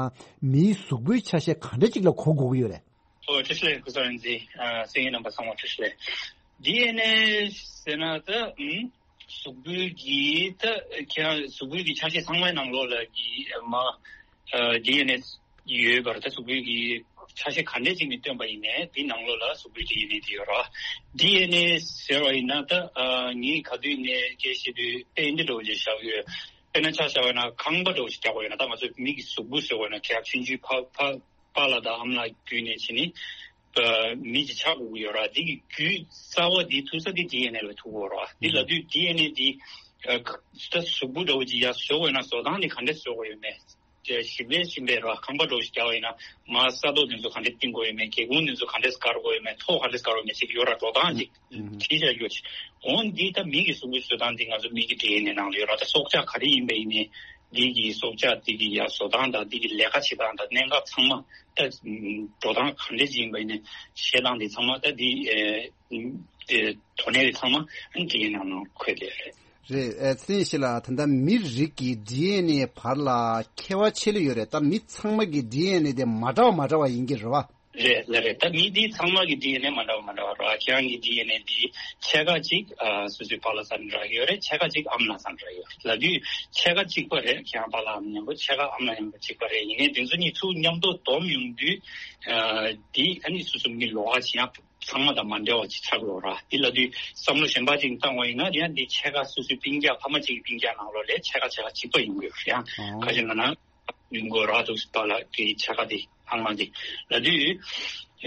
མིའི་གཟུགས་པོའི་ཆ་ཤས་ག་འདྲ་ཅིག་ལ་གོ་དགོས་ཀྱི་ཡོད་རེད། ཨོ་བཀྲ་ཤིས་བདེ་ལེགས་སྐུ་གཟུགས་རིག་འཛིན། ཨ་གསན་མཁན་རྣམ་པ་ཚང་མ་བཀྲ་ཤིས་བདེ་ལེགས། ཌི་ཨེན་ཨེ་ཟེར་ན་ད་ཨུམ་གཟུགས་པོའི་གི་ད་ཁྱེད་རང་གཟུགས་པོའི་གི་ཆ་ཤས་ཚང་མའི་ནང་ལོགས་ལ་གི་མ་ཨ་ཌི་ཨེན་ཨེ་ཡོད་པར། ད་གཟུགས་པོའི་གི་ཆ་ཤས་ག་འདྲས་ཅིག་ནས་བཏོན་པ་ཡིན་ནའི་དེའི་ནང་ལོགས་ལ་གཟུགས་པོའི་ཌི་ཨེན་ཨེ་དེ་ཡོད་རེད། ཌི་ཨེན་ཨེ་ཟེར་བ་ཡིན་ན་ད་ཨ་ངས་ག་དུས་ནས་སྐད་ཆ་བཤད་དུས་དཔེ་འདི་འདྲ་བོ་ཅིག་བཞག་ཡོད། དཔེར་ན་ཆ་བཞག་པ་ཡིན་ན་ཁང་པ་འདྲ་བོ་ཞིག་རྒྱག་པ་ཡིན་ན། ད་ང་ཚོ་མི་གི་གཟུགས་པོ་ཟེར་བ་ཡིན་ན་ཁྱེད་ཆུང་ཆུང་ཕ་ཕ་པཱ་ལགས་དང་ཨ་མ་ལགས་བརྒྱུད་ནས་བྱས་ནས་ཨ་མི་ཅིག་ཆགས་དགོས་ཀྱི་ཡོད་རེད། འདི་གི་རྒྱུ་རྩ་བ་འདི་ཐུག་ས་འདི་ཌི་ཨེན་ཨེ་ལ་ཐུག་གི་ཡོད་རེད། འདི་ལབ་དུས་ཌི་ཨེན་ཨེ་འདི་ཨ་ད་གཟུགས་པོ་འདྲ་བོ་ཅིག་ཡར་བཟོ་དགོས་ན་བཟོ་སྟངས་འདི་ག་འདྲས་བཟོ་དགོས་ཡོད་མེད། ཞིམ་པས་ཞིམ་པས་ར་ཁང་པ་འདྲ་བོ་ཞིག་རྒྱག་པ་ཡིན་ན་མར་ས་རྡོ་དེ་ཚོ་ག་འདྲས་བཏིང་དགོས་ཡོད་མེད། སྒེའུ་ཁུང་དེ་ཚོ་ག་འདྲས་བཀར་དགོས་ཡོད་མེད། ཐོག་ག་འདྲས་བཀར་དགོས་མེད་ཟེར་གྱི་ཡོད་ར། འགྲོ་སྟངས་ཅིག་ཨུ་ཧུམ། བྲིས་བཞག་ཡོད་ཅིག་འོན་འདི་ད་མི་གི་གཟུགས་པོའི་བཟོ་སྟངས་འདི་ང་ཚོ་མི་གི་ཌི་ཨེན་ཨེ་ནང་ལ་ཡོད་ར། ད་སྲོག་ཆགས་ག་རེ་ཡིན་པ་ཡིན་ནའི་འདི་གི་སྲོག་ཆགས་འདི་གི་ཡ་བཟོ་སྟངས་དང་འདི་གི་ལས་ཀ་བྱེད་སྟངས་དང་གནད་འགག་ཚང་མ་ད་འགྲོ་སྟངས་ག་འདྲས་ཅིག་ཡིན་པ་ཡིན་ནའི་བྱེད་སྟངས་འདི་ཚང་མ་ད་འདི་ཨེ་དོ་གནད་འདི་ཚང་མ་ཌི་ཨེན་ཨེ་ནང་ལ་འཁོད་བསྡད་ཡོད་རེད། རེད། ཨ་ཚེ་རིང་ཡེ་ཤེས་ལགས། ད་ལྟ་མི་རིགས་ཀྱི་ཌི་ཨེན་ཨེ་བར་ལ་ཁྱད་པར་ཆེ་ལོས་ཡོད་རེད། ད་མི་ཚང་མ་གི་ཌི་ཨེན་ཨེ་དེ་མ་འདྲ་བ་མ་འདྲ་བ་ཡིན་གྱི་རེད་བ། རེད་ལགས་རེད། ད་མི་འདི་ཚང་མ་གི་ཌི་ཨེན་ཨེ་མ་འདྲ་བ་མ་འདྲ་བ་རེད་བ། ཁྱེད་རང་གི་ཌི་ཨེན་ཨེ་འདི་ཕྱེད་ཀ་གཅིག་ཨ་སོ་སོའི་པཱ་ལགས་ཚང་ནས་རག་གི་ཡོད་རེད། ཕྱེད་ཀ་གཅིག་ཨ་མ་ལགས་ཚང་ནས་རག་གི་ཡོད་རེད། ལབ་དུས་ཕྱེད་ཀ་གཅིག་པ་རེད། ཁྱེད་རང་པཱ་ལགས་ཨ་མ་མཉམ་པོ་ཕྱེད་ཀ་ཨ་མ་ལགས་མཉམ་པོ་གཅིག་པ་རེད། ཡིན་ནའི་དེ་ཚོ་གཉིས་ཚུར་མཉམ་དུ་བསྡོམས་ཡོང་དུས་ཨ་འདི་ཨ་ནི་སོ་སོ་མི་ལོགས་ཀ་ཅིག་ཡང་ཚང་མ་དང་མ་འདྲ་བ་ཅིག་ཆགས་ཡོད་ར། འདི་ལབ་དུས་བསམ་བློ་གཞན་པ་ཅིག་བཏང་བ་ཡིན་ན་ཡང་འདི་ཕྱེད་ཀ་སོ་སོའི་སྤུན་ཀྱག་ཕ་མ་གཅིག་གི་སྤུན་ཀྱག་ནང་ལོགས་ལ་ཕྱེད་ཀ་ཕྱེད་ཀ་གཅིག་པ་ཡོང་གི་ཡོད་རེད། ཡང་ཨོ་ཁ་ཅིག་ན་ན་ཡོང་གི་ཡོད་ར་འདུག་པཱ་ལགས་ཀྱི་ཕྱེད་ཀ་དེ་ཨ་མ་དེ་ལབ་དུས་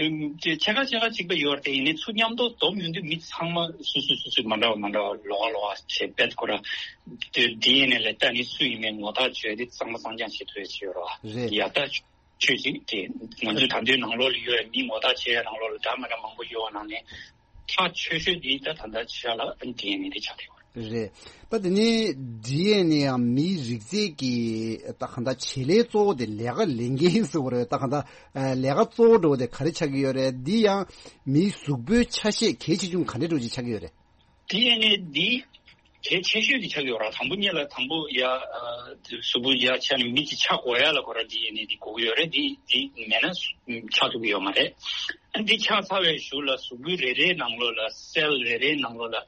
ཨེམ་དེ་ཕྱེད་ཀ་ཕྱེད་ཀ་གཅིག་པ་ཡོད་རེད། དེ་ཡིན་ནའི་ཚུར་མཉམ་དུ་བསྡོམས་ཡོང་དུས་མི་ཚང་མ་སོ་སོ་སོ་སོའི་མ་འདྲ་བ་མ་འདྲ་བ་ལོགས་ཀ་ལོགས་ཀ་བྱས་པས་ཁོ་ར་དེ་ཌི་ཨེན་ཨེ་ལ་ལྟ་ནས་སུ་ཡིན་མིན་ངོ་ཐག་ཆོད་དེ་གཙང་མ་གཙང་རྐྱང་བྱེད་ཐུབ་ཡ་ཅིག་ཡོད་ར། རེད། ཡ་ད། ཆོས་ཅིག་དེ་ང་ཚོས་ད་དུང་ནང་ལོགས་ལ་ཡོད་པའི་མི་ངོ་རྟགས་ཆེ་ནང་ལོགས་ལ་འདྲ་མི་འདྲ་མང་པོ་ཡོད་པ་ནང་ནས། ཐག་ཆོད་ཤོས་འདི་ད་ད་ལྟ་ཆ་ལ་ཌི་ཨེན་ཨེ་དེ་ཆགས་ཡོད་རེད། ད་དེ་ནས་ཌི་ཨེན་ཨེ་ཡང་མིའི་རིགས་རྫས་ཀྱི་ད་གང་ལྟར་བྱེད་ལས་གཙོ་བོ་དེ་ལས་ཀ་ལས་འགན་ཟེར་བ་རེད། ད་གང་ལྟར་ལས་ཀ་གཙོ་བོ་འགྲོ་བ་དེ་ག་རེ་ཆགས་ཀྱི་ཡོད་རེད། འདི་ཡང་མིའི་གཟུགས་པོའི་ཆ་ཤས་གལ་ཆེ་ཆུང་ག་འདྲ་འགྲོ་ཅིག་ཆགས་ཀྱི་ཡོད་རེད། ཌི་ཨེན་ཨེ་འདི་གལ་ཆེ་ཤོས་དེ་ཆགས་ཡོད་ར། དང་པོ་ཉིད་ལ་དང་པོ་ཡ་གཟུགས་པོ་ཡ་ཆ་ནས་མི་གཅིག་ཆགས་དགོས་ཡ་ལ་ཁོ་ར་ཌི་ཨེན་ཨེ་འདི་དགོས་ཀྱི་ཡོད་རེད། འདི་འདི་མེད་ན་ཆགས་ཐུབ་ཀྱི་ཡོད་མ་རེད། ཨ་འདི་ཆགས་ཚར་བའི་གཞུག་ལ་གཟུགས་པོ་རེ་རེའི་ནང་ལོགས་ལ་སེལ་རེ་རེའི་ནང་ལོགས་ལ་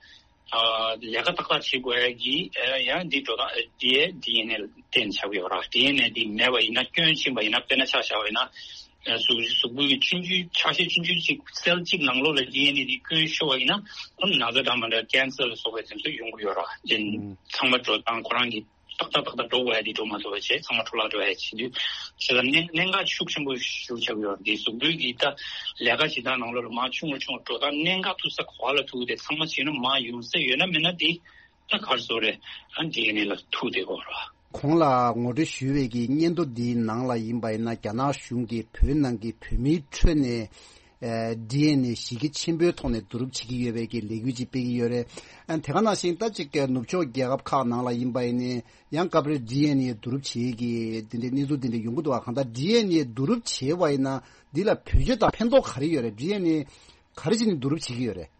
ལས་ཀ་ཏག་ཏག་བྱེད་དགོས་ཡ་གི་ཡ་འདི་འགྲོ་སྟངས་འདི་ཌི་ཨེན་ཨེ་ལ་བརྟེན་ཆགས་ཀྱི་ཡོད་ར། ཌི་ཨེན་ཨེ་འདི་མེད་པ་ཡིན་ན་སྐྱོན་ཕྱིན་པ་ཡིན་ན་དཔེར་ན་ཆ་བཞག་པ་ཡིན་ན། གཟུགས་གཟུགས་པོའི་ཆུང་ཆུང་ཆ་ཤས་ཆུང་ཆུང་ཅིག་སེལ་གཅིག་ནང་ལོགས་ལ་ཌི་ཨེན་ཨེ་འདི་སྐྱོན་ཤོར་བ་ཡིན་ན་ཨ་ནི་ན་ཚ་འདྲ་མི་འདྲ་ཀན་སར་ལ་སོགས་པའི་དེ་ཚོ་ཡོང་གི་ཡོད་ར། ཨ་ཚང་མ་འགྲོ་སྟངས་ཁོ་རང་གི་ཏག་ཏག་ཏག་ཏག་འགྲོ་དགོས་ཡ་འདི་འགྲོ་མ་ཐུབ་པ་བྱས་ཚང་མ་འཕྲོ་བརླག་འགྲོ་ཡ་བྱེད་དུས་བྱས་ཙང་གནད་གནད་འགག་ཤུགས་ཆེན་པོ་ཞིག་ཆགས་ཀྱི་ཡོད་ར། འདི་གཟུགས་པོའི་གི་ད་ལས་ཀ་བྱེད་སྟངས་ནང་ལོགས་ལ་མར་ཆུང་རུ་ཆུང་རུ་འགྲོ་སྟངས་གནད་འགག་ཐུག་ས་ག་བ་ལ་ཐུག་དེ་ཚང་མ་བྱས་ན་མར་ཡོང་ས་ཡོད་ན་མེད་ན་འདི་ད་གར་སོ་རེད། ཨ་ཌི་ཨེན་ཨེ་ལ་ཐུག་བསྡད་ཡོད་ར། གོང་ལ་ངོ་སྤྲོད་ཞུས་པའི་གི་སྙན་ཐོ་འདིའི་ནང་ལ་ཡིན་པ་ཡིན་ན་རྒྱ་ནག་གཞུང་གིས་བོད་ནང་གི་བོད་མིའི་ཁྲོད་ནས་ཨ་ཌི་ཨེན་ཨེ་གཞི་རྒྱ་ཆེན་པོའི་ཐོག་ནས་བསྡུ་རུབ་བྱེད་ཀྱི་ཡོད་པའི་གི་ལས་འགུལ་ཅིག་སྤེལ་གྱི་ཡོད་རེད། ཨ་དེ་ག་ནང་བཞིན་ད་ཅིག་ནུབ་ཕྱོགས་རྒྱལ་ཁབ་ཁག་ནང་ལ་ཡིན་པ་ཡིན་ནའི་ཡང་སྐབས་རེ་ཌི་ཨེན་ཨེ་བསྡུ་རུབ་བྱེད་ཀྱི་དེ་འདྲའི་གནས་ཚུལ་དེ་འདྲ་ཡོང་གི་འདུག་བ། གང་ལྟར་ཌི་ཨེན་ཨེ་བསྡུ་རུབ་བྱས་པ་ཡིན་ན་འདི་ལ་བེད་སྤྱོད་དང་ཕན་ཐོགས་ག་རེ་ཡོད་རེད། ཌི་ཨེན་ཨེ་ག་རེ་བྱས་ནས་བསྡུ་རུབ་བྱེད་ཀྱི་ཡོད་རེད།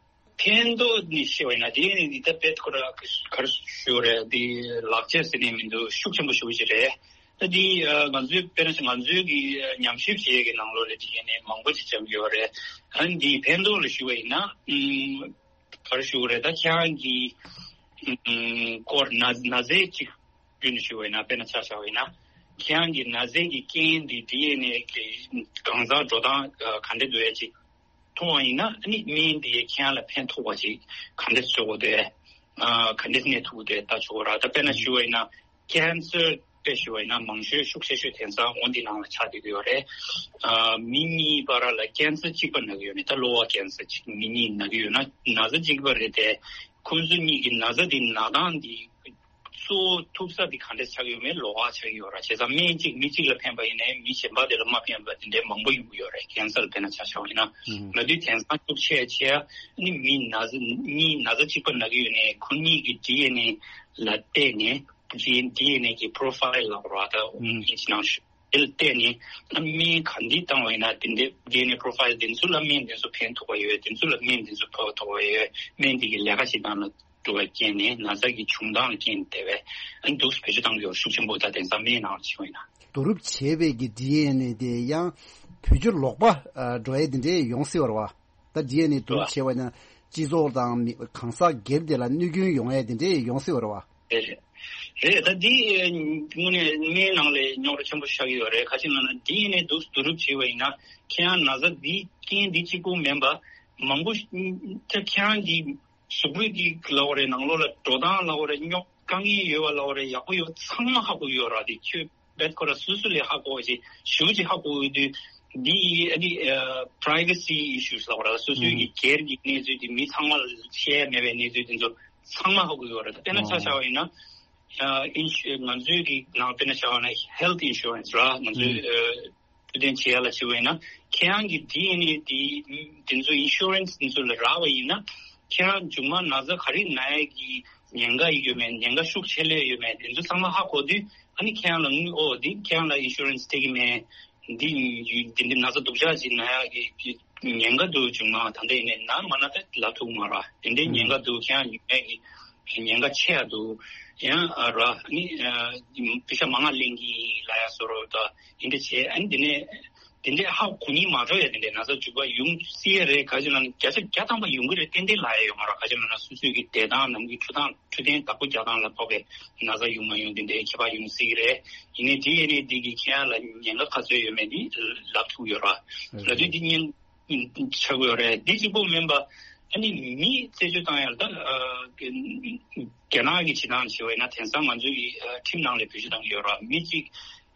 ཕན་ཐོགས་ནི་ཤེས་པ་ཡིན་ན་དེ་ནི་འདི་ལྟ་བེད་ཁོ་ར་ག་རེ་ཞུ་རེད། འདི་ལག་ཆ་ཟེར་ནས་མི་འདུག་ཤུགས་ཆེན་པོ་ཞུ་གི་རེད། ད་འདི་ང་ཚོའི་དཔེར་ན་ང་ཚོའི་གི་ཉམས་ཞིབ་བྱེད་ཡས་ཀྱི་ནང་ལོགས་ལ་དེ་ནས་མང་པོ་ཅིག་བྱ་གི་ཡོད་རེད། ཨ་འདི་ཕན་ཐོགས་ལ་ཞུ་བ་ཡིན་ན་ག་རེ་ཞུ་རེད། ད་ཁྱེད་རང་གི་སྐོར་ན་ན་ཚ་ཅིག་བསྐྲུན་ཞུ་བ་ཡིན་ན་དཔེར་ན་ཆ་བཞག་པ་ཡིན་ན་ཁྱེད་རང་གི་ན་ཚ་གི་རྐྱེན་འདི་དེ་ནས་གང་ཟག་འགྲོ་སྟངས་ག་འདྲ་འདུག་ཡ་ཅིག་མཐོང་བ་ཡིན་ན་ཨ་ནི་སྨན་དེ་ཁྱེད་རང་ལ་ཕན་ཐོགས་པ་ཅིག་ག་འདྲ་བཟོ་དགོས་དེ། ག་འདྲ་གནས་ཐུབ་དེ་ལྟ་ཆོག་ར། ད་དཔེར་ན་ཞུ་བ་ཡིན་ན་ཀན་སར་དཔེ་ཞུ་བ་ཡིན་ན་མང་ཤོས་ཤུགས་ཆེ་ཤོས་དེང་སང་འོ་འདི་ནང་ལ་ཆགས་བསྡད་ཀྱི་ཡོད་རེད། མི་གཉིས་བར་ལ་ཀན་སར་གཅིག་པ་ན་གི་ཡོད་ནི་ད་གློ་བ་ཀན་སར་གཅིག་མི་གཉིས་ན་གི་ཡོད་ན་ན་ཚ་གཅིག་པ་རེད་དེ། ཁོང་ཚོ་གཉིས་ཀྱི་ན་ཚ་འདི་ན་སྟངས་འདི་གཙོ་བོ་ཐུག་ས་འདི་ག་འདྲས་ཆགས་ཡོད་མེད་ལོགས་ཀ་ཆགས་ཡོད་ར། བྱས་ཙང་སྨན་གཅིག་མི་གཅིག་ལ་ཕན་པ་ཡིན་ནའི་མི་གཞན་པ་དེ་ལ་མ་ཕན་པ་དེ་འདྲའི་མང་པོ་ཡོང་གི་ཡོད་རེད། ཀན་སར་དཔེར་ན་ཆ་བཞག་པ་ཡིན་ན། ལ་དུས་དེང་སང་ཤུགས་ཆེ་ཆེ་ནི་མི་ན་ཚ་གཉིས་ན་ཚ་གཅིག་པ་ན་གི་ཡོད་ནའི་ཁོ་གཉིས་ཀྱི་ཌི་ཨེན་ཨེ་ལ་བལྟས་ནས་ཌི་ཨེན་ཌི་ཨེན་ཨེ་གི་པོ་རོ་ཕའིལ་ལབ་ར་ད་ཨིན་ཇི་ནང་ཞུ། དེ་ལ་བལྟས་ནས་སྨན་ག་འདི་བཏང་བ་ཡིན་ན་དེ་འདྲའི་ཌི་ཨེན་ཨེ་པོ་རོ་ཕའིལ་དེ་ཚོ་ལ་སྨན་དེ་ཚོ་ཕན་ཐོགས་པ་ཡོད། དེ་ཚོ་ལ་སྨན་དེ་ཚོ་ཕན་ཐོགས་པ་ཡོད། སྨན་དེ་གི་ལས་ཀ་བྱེད་སྟངས་ལ་འགྲོ་བའི་རྐྱེན་ནས་ན་ཚ་གི་བྱུང་སྟངས་ལ་རྐྱེན་དེ་བས་ཨ་ནི་འདུག་སེ་བེད་སྤྱོད་གཏང་རྒྱུ་ཤུགས་ཆེན་པོ་ད་དེང་སང་སྨན་ནང་ལ་བྱེད་པ་ཡིན་ན། བསྡུ་རུབ་བྱས་པའི་གི་ཌི་ཨེན་ཨེ་དེ་ཡང་བེད་སྤྱོད་ལོག་པ་འགྲོ་ཡས་དེ་འདྲས་ཡོང་སྲིད་པ་རེད་བ། ད་ཌི་ཨེན་ཨེ་བསྡུ་རུབ་བྱས་པ་ཡིན་ན་སྤྱི་ཚོགས་དང་མི་གང་ཟག་སྒེར་དེ་ལ་གནོད་སྐྱོན་ཡོང་ཡས་དེ་འདྲས་ཡོང་སྲིད་པ་རེད་བ། རེད་རེད། ད་འདི་དངོས་གནས་སྨན་ནང་ལ་རྙོག་དྲ་ཆེན་པོ་ཆགས་ཀྱི་ཡོད་རེད། ག་ཅི་ལབ་ན་ཌི་ཨེན་ཨེ་འདུག་སེ་བསྡུ་རུབ་བྱས་པ་ཡིན་ན་ཁྱེད་རང་ན་ཚ་འདི་རྐྱེན་འདི་གཅིག་པུ་མིན་པ་མང་པོ་ཁྱེད་རང་གི་གཟུགས་པོའི་གི་ལབ་པ་རེད། ནང་ལོགས་ལ་འགྲོ་སྟངས་ལབ་པ་རེད། རྙོག་དཀའ་ངལ་ཡོད་པ་ལབ་པ་རེད། ཡག་པོ་ཡོད་པ་ཚང་མ་ཧ་གོ་གི་ཡོད་ར། དེ་ཁྱོད་རྦད་ཁོ་ར་སུ་སུ་ལས་ཧ་གོ་བ་ཅིག་ཞེ་པོ་ཅིག་ཧ་གོ་གི་འདུག་འདི་ཨ་ནི་པ་རའི་ཝེ་སི་ཨི་ཤུ་ལབ་པ་ར། སོ་སོའི་གི་སྒེར་གྱི་གནས་ཚུལ་དེ་མི་ཚང་མ་ལ་བཤད་ཡ་མེད་པའི་གནས་ཚུལ་དེ་ཚོ་ཚང་མ་ཧ་གོ་གི་ཡོད་ར། དཔེར་ན་ཆ་བཞག་པ་ཡིན་ན་ཨ་ཨིན་ཤུ་ང་ཚོའི་གི་ནང་དཔེར་ན་ཆ་བཞག་ན་ཧེལ་ཐི་ཨིན་ཤུ་རན་སི་ར། ང་ཚོའི་ཨ་འཕྲོད་བསྟེན་བྱེད་ཡ་ལ་བྱེད་པ་ཡིན་ན་ཁྱེད་རང་གི་ཌི་ཨེན་ཨེ་དེ་དེ་ཚོ་ཨིན་ཤུ་རན་སི་དེ་ཚོ་ལ་རག་པ་ཡིན་ན་ཁྱེད་རང་མཇུག་མ་ན་ཚ་ག་རེ་ན་ཡ་གི་ཉེན་ཁ་ཡོད་མེད། ཉེན་ཁ་ཤུགས་ཆེ་ལོས་ཡོད་མེད། དེ་ཚོ་ཚང་མ་ཧ་གོ་དུས་ཨ་ནི་ཁྱེད་རང་ལ་དངུལ་ཨོ་དེ་ཁྱེད་རང་ལ་ཨིན་ཤུ་རན་སི་སྤྲད་ཀྱི་མེད། འདི་འདི་འདི་ན་ཚ་སྡུག་ཅག་ཅིག་ན་ཡ་གི་ཉེན་ཁ་འདུག་མཇུག་མ་ད་ལྟ་ཡིན་ནའི་ན་མ་ན་ད་ལབ་ཐུབ་མ་ར། དེ་འདྲའི་ཉེན་ཁ་འདུག་ཁྱེད་རང་ཡོད་མེད་ཀྱི་ཉེན་ཁ་ཆེ་ཡ་འདུག་ཡང་ར་ནི་པེ་ཤ་མང་ང་ལེན་གྱི་ལ་ཡ་སོ་རོ་ད་ཡིན་འདྲ་བྱས། ཨ་ནི་དེ་ནས་དེ་འདྲའི་ཧ་གོ་ཉིན་མ་འགྲོ་ཡ་དེ་འདྲའི་ན་ཚ་འཇུག་པ་ཡོང་སྲིད་ཡ་རེད། ག་ཅི་ལབ་ན་བརྒྱ་ཆ་བརྒྱ་ཐམ་པ་ཡོང་གི་རེད། ཏན་ཏན་ལབ་ཡ་ཡོད་མ་ར། ག་ཅི་ལབ་ན་སོ་སོའི་གི་བསྡད་སྟངས་ནམ་གྱི་འཕྲོད་སྟངས་འཕྲོད་བསྟེན་བདག་པོ་རྒྱག་སྟངས་ལ་ཕོག་པའི་ན་ཚ་ཡོང་མ་ཡོང་དེ་འདྲའི་ཁྱད་པར་ཡོང་སྲིད་ཀྱི་རེད། ཡིན་ནའི་ཌི་ཨེན་ཨེ་འདི་གིས་ཁྱེད་རང་ལ་ཉེན་ཁ་ག་ཚོད་ཡོད་མེད་འདི་ལབ་ཐུབ་ཡོད་ར། ལབ་དུས་འདི་གཉིས་ཆགས་ཡོད་རེད། འདི་གཅིག་པོ་མིན་པ་ཨ་ནི་མི་རྩད་གཅོད་བཏང་ཡ་ལ་ད་རྒྱ་ནག་གི་བྱེད་སྟངས་བྱས་པ་ཡིན་ན་དེང་སང་ང་ཚོའི་ཁྲིམས་ནང་ལ་བེད་སྤྱོད་བཏང་གི་ཡོད་ར། མི་གཅིག་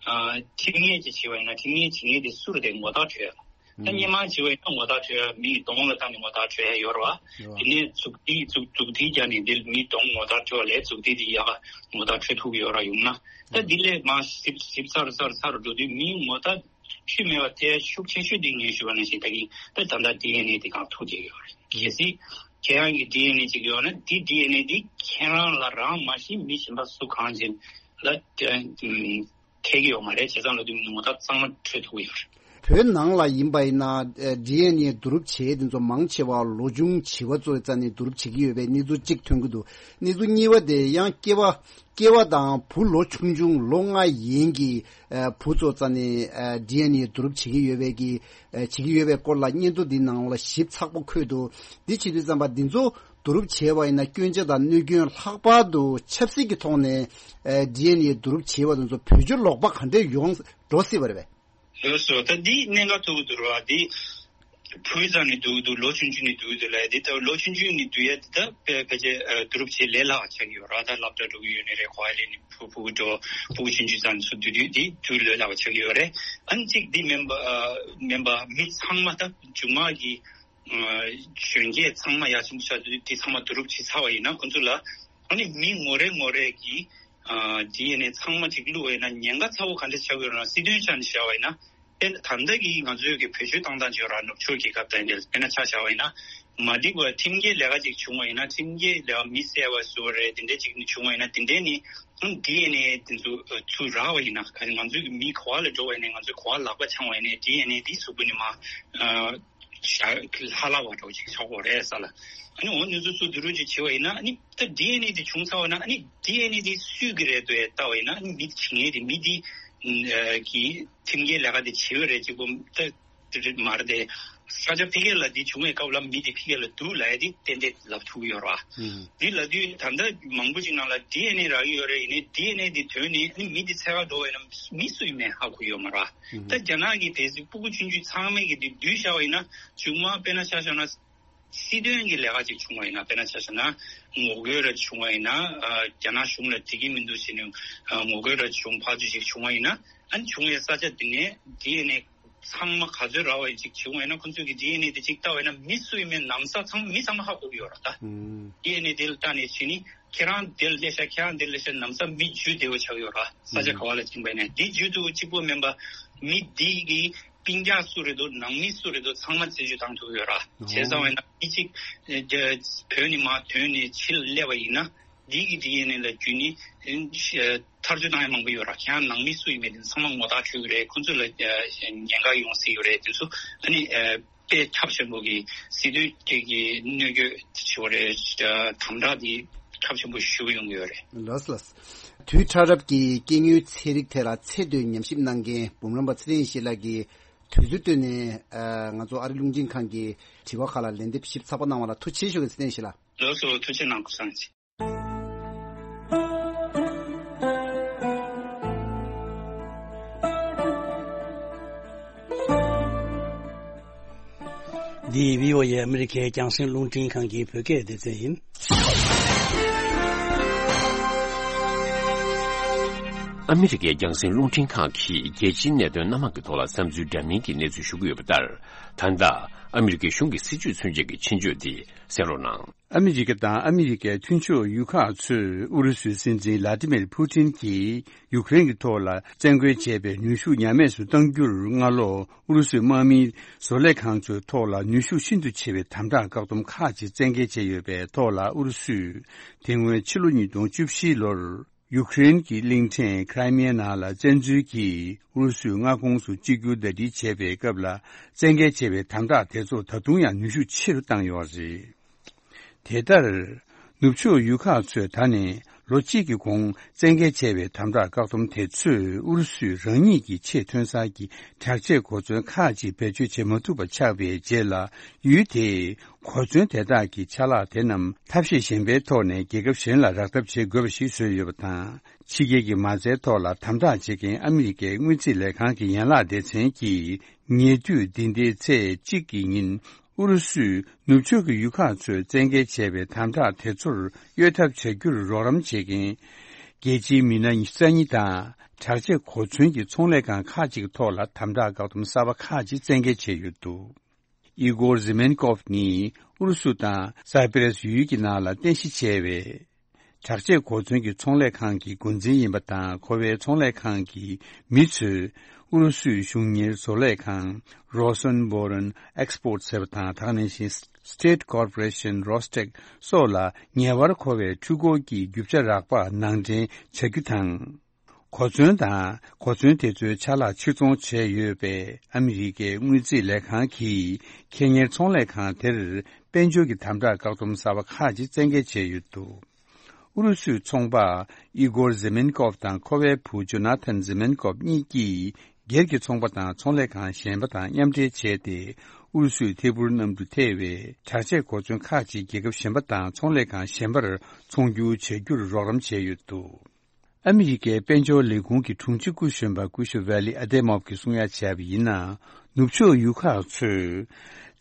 ཁྲིམས་ངན་ཅིག་བྱས་པ་ཡིན་ན་ཁྲིམས་ངན་བྱེད་མཁན་དེ་སུ་རེད་དེ་ངོ་རྟགས་འཕྲོད་ཡ། ད་སྔོན་མ་བྱས་པ་ཡིན་ན་ངོ་རྟགས་འཕྲོད་ཡ་མིའི་གདོང་ལ་བལྟས་ནས་ངོ་རྟགས་འཕྲོད་ཡ་ཡོད་རེད་བ། ཡོད། དེ་ནས་མཛུབ་ཐེལ་མཛུབ་མཛུབ་ཐེལ་རྒྱག་ནས་འདིར་མིའི་གདོང་ངོ་རྟགས་འཕྲོད་པ་ལས་མཛུབ་ཐེལ་དེ་ཡག་ག་ངོ་རྟགས་འཕྲོད་ཐུབ་ཀྱི་ཡོད་ར། ཡོང་ན་ད་འདི་ལས་མར་ཞིབ་ཞིབ་ཚར་ཚར་ཚར་འགྲོ་དུས་མིའི་ངོ་རྟགས་ ཤུལ་མེད་པ་དེ་ཤུགས་ཆེ་ཤོས་དེ་ངས་ཞུས་པ་ནང་བཞིན་ད་གིན་ད་ད་ལྟ་ཌི་ཨེན་ཨེ་དེ་གང་ཐུག་བསྡད་ཡོད་རེད། གལ་སྲིད་ཁྱེད་རང་གི་ཌི་ཨེན་ཨེ་ཅིག་ཡོད་ན་དེ་ཌི་ཨེན་ཨེ་དེ་ཁྱེད་རང་ལ་རང་མ་གཞི་མི་གཞན་པ་སུ་གང་ཅིག་ལ་ཐད་ཀྱི་ཡོད་མ་རེད། བྱས་ཙང་ལ་དེ་ངོ་ཐག་གཙང་མ་འཕྲོད་ཐུབ་ཀྱི་ཡོད་རེད། བོད་ནང་ལ་ཡིན་པ་ཡིན་ན་ཌི་ཨེན་ཨེ་བསྡུ་རུབ་བྱེད་དེ་ཚོ་མང་ཆེ་བ་ལོ་ཆུང་བྱིས་པ་ཚོའི་རྩ་ནས་བསྡུ་རུབ་བྱེད་ཀྱི་ཡོད་པའི་གནས་ཚུལ་གཅིག་ཐོན་གྱི་འདུག། གནས་ཚུལ་གཉིས་པ་དེ་ཡང་སྐྱེ་བ་སྐྱེ་བ་དང་བུ་ལོ་ཆུང་ཆུང་ལོ་ལྔ་ཡན་གྱི་ཨ་བུ་ཚོ་རྩ་ནས་ཨ་ཌི་ཨེན་ཨེ་བསྡུ་རུབ་བྱེད་ཀྱི་ཡོད་པའི་གི་ཨ་བྱེད་ཀྱི་ཡོད་པའི་སྐོར་ལ་སྙན་ཐོ་འདི་ནང་ལ་ཞིབ་ཚགས་པོ་འཁོད་འདུག། འདི་བྱེད་དུས་ཙམ་པ་འདི་ཚོ་བསྡུ་རུབ་བྱས་པ་ཡིན་ན་སྐྱོན་ཆ་དང་གནོད་སྐྱོན་ལྷག་པར་དུ་ཆབ་སྲིད་ཀྱི་ཐོག་ནས་ཨ་ཌི་ཨེན་ཨེ་བསྡུ་རུབ་བྱས་པ་དེ་ཚོ་བེད་སྤྱོད་ལོག་པ་ག་འདྲས་ཡོང་འགྲོ་སྲིད་པ་རེད་པས། ལགས་སོ། ད་འདི་གནད་འགག་ཐུག་གི་འདུག་ར། འདི་བུའི་རྩ་ནས་བསྡུ་གི་འདུག། ལོ་ཆུང་ཆུང་ནས་བསྡུ་གི་འདུག་ལབ་ཡ་འདི་ད་ལོ་ཆུང་ཆུང་ནས་བསྡུ་ཡ་འདི་ད་ཕལ་ཕལ་ཆེར་ཨ་བསྡུ་རུབ་བྱེད་ལས་སླ་བ་ཆགས་ཀྱི་ཡོད་ར། ད་སློབ་གྲྭ་འགྲོ་གི་ཡོད་ནི་རེད། གོ་བ་ལེན་ནི་ཕྲུ་གུ་ཕྲུ་གུ་ཆུང་ཆུང་ཙམ་ནས་ཚུར་བསྡུ་དུས་འདི་བསྡུ་ལས་སླ་བ་ཆགས་ཀྱི་ཡོད་རེད། ཨ་ནི་གཅིག་འདི་མིན་པ་ཨ་མིན་པ་མི་ཚང་མ་ད་མཇུག་མ་གི་ཨ་གཞོན་སྐྱེས་ཚང་མ་ཡར་ཆེན་པོ་ཆགས་དུས་དེ་ཚང་མ་བསྡུ་རུབ་བྱེད་ཚར་བ་ཡིན་ན་ཁོ་ཚོ་ལ་ཨ་ནི་མི་ངོ་རེ་ངོ་རེ་གི་ཨ་ཌི་ཨེན་ཨེ་ཚང་མ་ཅིག་བླུགས་པ་ཡིན་ན་ཉེན་ཁ་ཚ་བོ་ག་འདྲ་ཆགས་ཀྱི་ཡོད་རེད་ན། སྲིད་དོན་ཆ་ནས་བཞག་པ་ཡིན་ན་དཔེར་ན་ད་ལྟ་གི་ང་ཚོའི་གི་བེད་སྤྱོད་བཏང་སྟངས་ཅིག་ཡོད་ར། ནུབ་ཕྱོགས་རྒྱལ་ཁབ་དང་དེ་དཔེར་ན་ཆ་བཞག་པ་ཡིན་ན་མ་འགྲིག་པ་ཁྲིམས་འགལ་ལས་ཀ་ཅིག་བྱུང་བ་ཡིན་ན་ཁྲིམས་འགལ་ལས་ཀ་མི་བསད་པ་བཟོ་བ་རེད། དེ་འདྲ་ཅིག་བྱུང་བ་ཡིན་ན་དེ་འདྲ་ནི་ཨ་ཌི་ཨེན་ཨེ་དེ་ཚོ་ཚུར་རག་པ་ཡིན་ན་ག་ང་ཚོའི་གི་མི་ག་བ་ལ་འགྲོ་བ་ཡིན་ན་ང་ཚོའི་ག་བ་ལག་པ་འཆང་བ་ཡིན་ན་ཌི་ཨེན་ཨེ་དེ་གཟུགས་པོ་ནས་མར་ཨ། ཤ་ལྷག་ལྷག་པ་འདྲ་བོ་ཅིག་ཆགས་ཀྱི་ཡོད་རེད་ས་ལ། ཨ་ནི་འོ་ནུ་ཚོ་ཚོ་བསྡུ་རུབ་ཅིག་བྱེད་པ་ཡིན་ན་ཨ་ནི་ད་ཌི་ཨེན་ཨེ་དེ་བྱུང་ཚར་བ་ན་ཨ་ནི་ཌི་ཨེན་ཨེ་དེ་སུས་ཀྱི་རེད་འདུག་ལྟ་བ་ཡིན་ན་ཨ་ནི་མི་དེ་བྱེད་མཁན་དེ་མི་དེ་ཨ་གི་ཁྲིམས་འགལ་ལས་ཀ་དེ་བྱེད་ཡོད་རེད་ཅིག་པོ་ད་དེ་རེད་མ་རེད་དེ། ས་ཆ་ཕ་གི་ལ་དེ་བྱུང་བའི་སྐབས་ལ་མི་དེ་ཕ་གི་ལ་འདུག་ལབ་ཡ་དེ་ཏན་ཏན་ལབ་ཐུབ་ཀྱི་ཡོད་རེད་བ། ཨུམ། འདི་ལབ་དུས་ད་ལྟ་མང་པོ་ཅིག་ནང་ལ་ཌི་ཨེན་ཨེ་རག་གི་ཡོད་རེད། ཡིན་ནའི་ཌི་ཨེན་ཨེ་དེ་དོན་ནི་ཨ་ནི་མི་དེ་འཚོལ་ག་འགྲོ་བ་ཡིན་ན་མི་སུ་ཡིན་མིན་ཧ་གོ་ཡོད་མ་རེད་བ། ད་རྒྱ་ནག་གི་གལ་སྲིད་སྤུ་གུ་ཆུང་ཆུང་ཚང་མས་ཀྱི་དེ་བསྡུས་བཞག་པ་ཡིན་ན་མཇུག་མ་དཔེར་ན་ཆ་བཞག་ན་སྲིད་དོན་གྱི་ལས་ཀ་ཅིག་བྱུང་བ་ཡིན་ན་དཔེར་ན་ཆ་བཞག་ན་ངོ་རྒོལ་ར་བྱུང་བ་ཡིན་ན་ཨ་རྒྱ་ནག་གཞུང་ལ་འགྲིག་གི་མི་འདུག་ཟེར་ནས་ཨ་ངོ་རྒོལ་ར་བྱུང་ཕར་ཚུར་ཅིག་བྱུང་བ་ཡིན་ན་ཨ་ནི་བྱུང་བའི་ས་ཆ་དེ་ནས་ཌི་ཨེན་ཨེ་ཚང་མ་ག་ཚོད་རག་པ་ཡིན་ཅིག་བྱུང་བ་ཡིན་ན་ཁོ་ཚོས་ཀྱི་ཌི་ཨེན་ཨེ་དེ་ཅིག་ལྟ་བ་ཡིན་ན་མི་སུ་ཡིན་མིན་ན་བཟའ་ཚང་མ་མི་ཚང་མ་ཧ་གོ་གི་ཡོད་རེད་ད། ཨུམ། ཌི་ཨེན་ཨེ་དེ་ལ་ལྟ་ནས་བྱས་ནི། ཁྱེད་རང་དེར་སླེབས་ཤག་ཁྱེད་རང་དེར་སླེབས་ཤག་ལམ་སང་མི་འཇུ་བདེ་བོ་ཆགས་ཡོད་ར། ས་ཆ་ག་བ་ལ་ཕྱིན་པ་ཡིན་ན་དེ་འཇུ་དུས་གཅིག་པོ་མིན་པ་མི་འདི་གི་སྤུན་ཀྱག་སུ་རེད་འདུག་ནང་མི་སུ་རེད་འདུག་ཚང་མ་རྩད་གཅོད་བཏང་ཐུབ་ཡོད་ར། བྱས་ཙང་བས་ན་མི་གཅིག་བོད་ནས་མར་ཐོན་ནས་ཕྱིར་སླེབས་པ་ཡིན་ན་འདི་གི་ཌི་ཨེན་ཨེ་ལ་བརྒྱུད་ནས་ཐག་གཅོད་བཏང་ཡ་མང་པོ་ཡོད་ར། ཁྱེད་རང་ནང་མི་སུ་ཡིན་མིན་དེ་ཚང་མ་ངོ་ཐག་ཆོད་ཀྱི་རེད། ཁོ་ཚོ་ལ་ཉེན་ཁ་ཡོང་སྲིད་ཡོད་རེད། དེ་ཚོ་ཨ་ནི། དཔེ་ཁྱབ་ཆེན་པོ་གི་སྲིད་དོན་གྱི་གི་གནོད་སྐྱོན་ཞུ་བ་རེད། དམ་དྲག་འདི་ཁྱབ་ཆེན་པོ་ཞུ་གི་ཡོང་གི་ཡོད་རེད། ལགས་ལགས། དུས་ཕྲ་རབ་ཀྱི་སྐྱེ་དངོས་ཚན་རིག་ཐད་ལ་ཚད་མཐོའི་ཉམས་ཞིབ་གནང་མཁན་འབུམ་རམས་པ་ཚེ་རིང་ཞིག་ལགས་ཀྱིས་དུས་ཚོད་བཏོན་ནས་ཨ་ང་ཚོ་ཨ་རི་རླུང་འཕྲིན་ཁང་གི་དྲི་བ་ཁག་ལ་ལན་འདེབས་ཞིབ་ཚགས་པོ་གནང་བ་ལ་ཐུགས་རྗེ་ཆེ་ཞུ་གི། ཚེ་རིང་ཞིག་ལགས། ལགས་སོ། ཐུགས་རྗེ་གནང་། སྐུ་གཟུགས་བཟང་། འདི་བྷི་ཨོ་ཨེ་ཨ་མི་རི་ཀའི་རྒྱང་སྲིང་རླུང་འཕྲིན་ཁང་གི་བོད་སྐད་སྡེ་ཚན་ཡིན། ཨ་མི་རི་ཀའི་རྒྱང་སྲིང་རླུང་འཕྲིན་ཁང་གིས་རྒྱལ་སྤྱིའི་གནད་དོན་སྣ་མང་གི་ཐོག་ལ་བསམ་ཚུལ་འདྲ་མིན་གྱི་གནས་ཚུལ་ཞུ་གི་ཡོད་པ་ལྟར། ད་ལྟ་ཨ་མི་རི་ཀའི་གཞུང་གི་སྲིད་བྱུས་མཚོན་བྱེད་ཀྱི་ཆེད་བརྗོད་འདི་གསན་རོགས་གནང་། ཨ་མི་རི་ཀ་དང་ཨ་མི་རི་ཀའི་མཐུན་ཕྱོགས་ཡུལ་ཁག་ཚོས་ཨུ་རུ་སུའི་སྲིད་འཛིན་ལ་ཏི་མིར་ཕུ་ཏིན་གྱིས་ཡུ་ཀེ་རེན་གྱི་ཐོག་ལ་བཙན་རྒོལ་བྱས་པའི་ནུས་ཤུགས་ཉམས་དམས་སུ་གཏང་རྒྱུར་སྔ་ལོ་ཨུ་རུ་སུའི་དམག་མིའི་བཟོ་ལས་ཁང་ཚོའི་ཐོག་ལ་ནུས་ཤུགས་ཤིན་ཏུ་ཆེ་བའི་དམ་དྲག་བཀག་སྡོམ་ཁག་ཅིག་བཙན་འགེལ་བྱས་ཡོད་པའི་ཐོག་ལ་ཨུ་རུ་སུས་དེ་སྔོན་ཕྱི་ལོ་ཉིས་སྟོང་བཅུ་བཞི་ལོར། ཡུ་ཀེ་རེན་གྱི་གླིང་ཕྲན་ཁྲའི་མེ་ནང་ལ་བཙན་འཛུལ་གྱིས་ཨུ་རུ་སུའི་མངའ་ཁོངས་སུ་གཅིག་གྱུར་ཟླ་སྒྲིལ་བྱས་པའི་སྐབས་ལ་བཙན་འགེལ་བྱས་པའི་དམ་དྲག་དེ་ཚོ་ད་དུང་ཡང་ནུས་ཤུགས་ཆེ་རུ་བཏང་ཡོད་པ་རེད། དེ་ལྟར། ནུབ་ཕྱོགས་ཡུལ་ཁག་ཚོས་ད་ནས་ལོ་གཅིག་གི་གོང་བཙན་འགེལ་བྱས་པའི་དམ་དྲག་བཀག་སྡོམ་དེ་ཚོས་ཨུ་རུ་སུས་རང་ཉིད་ཀྱི་ཆེས་ཐོན་གསར་གྱི་དྲག་ཆས་གོ་མཚོན་ཁག་ཅིག་བེད་སྤྱོད་བྱེད་མ་ཐུབ་པ་ཆགས་པའི་རྗེས་ལ་ཡུལ་དེས། གོ་མཚོན་དེ་དག་གི་ཆ་ལག་དེ་རྣམས་ཐབས་ཤེས་གཞན་པའི་ཐོག་ནས་རྒྱལ་ཁབ་གཞན་ལ་རག་ཐབས་བྱེད་དགོས་པ་ཞིག་བཟོས་ཡོད་པ་དང་། ཕྱི་རྒྱལ་གྱི་མ་རྩའི་ཐོག་ལ་དམ་དྲག་བྱེད་མཁན་ཨ་མི་རི་ཀའི་དངུལ་རྩིས་ལས་ཁང་གི་ཡན་ལག་སྡེ་ཚན་གྱིས་ཉེ་དུས་འདི་ཟླའི་ཚེས་གཅིག་གི་ཉིན་ཨུ་རུ་སུས་ནུབ་ཕྱོགས་ཀྱི་ཡུལ་ཁག་ཚོས་བཙན་འགེལ་བྱས་པའི་དམ་དྲག་དེ་ཚོར་གཡོལ་ཐབས་བྱ་རྒྱུར་རོགས་རམ་བྱེད་མཁན་རྒྱལ་སྤྱིའི་མི་སྣ་ཉི་ཤུ་རྩ་གཉིས་དང་དྲག་ཆས་གོ་མཚོན་གྱི་ཚོང་ལས་ཁང་ཁག་ཅིག་ཐོག་ལ་དམ་དྲག་བཀག་སྡོམ་གསར་པ་ཁག་ཅིག་བཙན་འགེལ་བྱས་ཡོད་འདུག། ཨི་གོར་ཟི་མེན་ཀོབ་ནི་ཨུ་རུ་སུ་དང་སའི་པི་རེས་ཡུལ་གྱི་ནང་ལ་རྟེན་གཞི་བྱས་པའི་དྲག་ཆས་གོ་མཚོན་གྱི་ཚོང་ལས་ཁང་གི་འགོ་འཛིན་ཡིན་པ་དང་། ཁོ་པའི་ཚོང་ལས་ཁང་གི་མི་ཚོས་ ཨུ་རུ་སུའི་གཞུང་གཉེར་བཟོ་ལས་ཁང་Rosenborn Export ཟེར་བ་དང་། ད་ག་ནང་བཞིན་State Corporation Rostec སོགས་ལ་ངེས་པར་མཁོ་བའི་འཕྲུལ་འཁོར་གྱི་རྒྱུ་ཆ་རག་པ་ནང་འདྲེན་བྱ་རྒྱུ་དང་། གོ་མཚོན་དང་། གོ་མཚོན་དེ་ཚོའི་ཆ་ལག་ཕྱིར་ཚོང་བྱས་ཡོད་པས། ཨ་མི་རི་ཀའི་དངུལ་རྩིས་ལས་ཁང་གིས་ཁེ་གཉེར་ཚོང་ལས་ཁང་དེར་དཔལ་འབྱོར་གྱི་དམ་དྲག་བཀག་སྡོམ་གསར་པ་ཁག་ཅིག་བཙན་འགེལ་བྱས་ཡོད་འདུག་ཨུ་རུ་སུའི་ཚོང་པ་ཨི་གོར་ཛེ་མེན་ཀོབ་དང་ཁོ་པའི་བུ་ཇོ་ན་ཐན་ཛེ་མེན་ཀོབ་གཉིས་ཀྱིས། སྒེར་གྱི་ཚོང་པ་དང་ཚོང་ལས་ཁང་གཞན་པ་དང་མཉམ་འབྲེལ་བྱས་ཏེ། ཨུ་རུ་སུའི་ཐད་འཕུར་གནམ་གྲུ་ཐེ་བའི་དྲག་ཆས་གོ་མཚོན་ཁག་ཅིག་རྒྱལ་ཁབ་གཞན་པ་དང་ཚོང་ལས་ཁང་གཞན་པར་ཚོང་སྒྱུར་བྱ་རྒྱུར་རོགས་རམ་བྱས་ཡོད་འདུག་ཨ་མི་རི་ཀའི་དཔལ་འབྱོར་ལས་ཁུངས་ཀྱི་དྲུང་ཆེ་སྐུ་གཞོན་པ་སྐུ་ཞབས་ཝེ་ལི་ཨ་ཏེ་མོབ་ཀྱིས་གསུང་ཡ་བྱས་པ་ཡིན་ན། ནུབ་ཕྱོགས་ཡུལ་ཁག་ཚོས་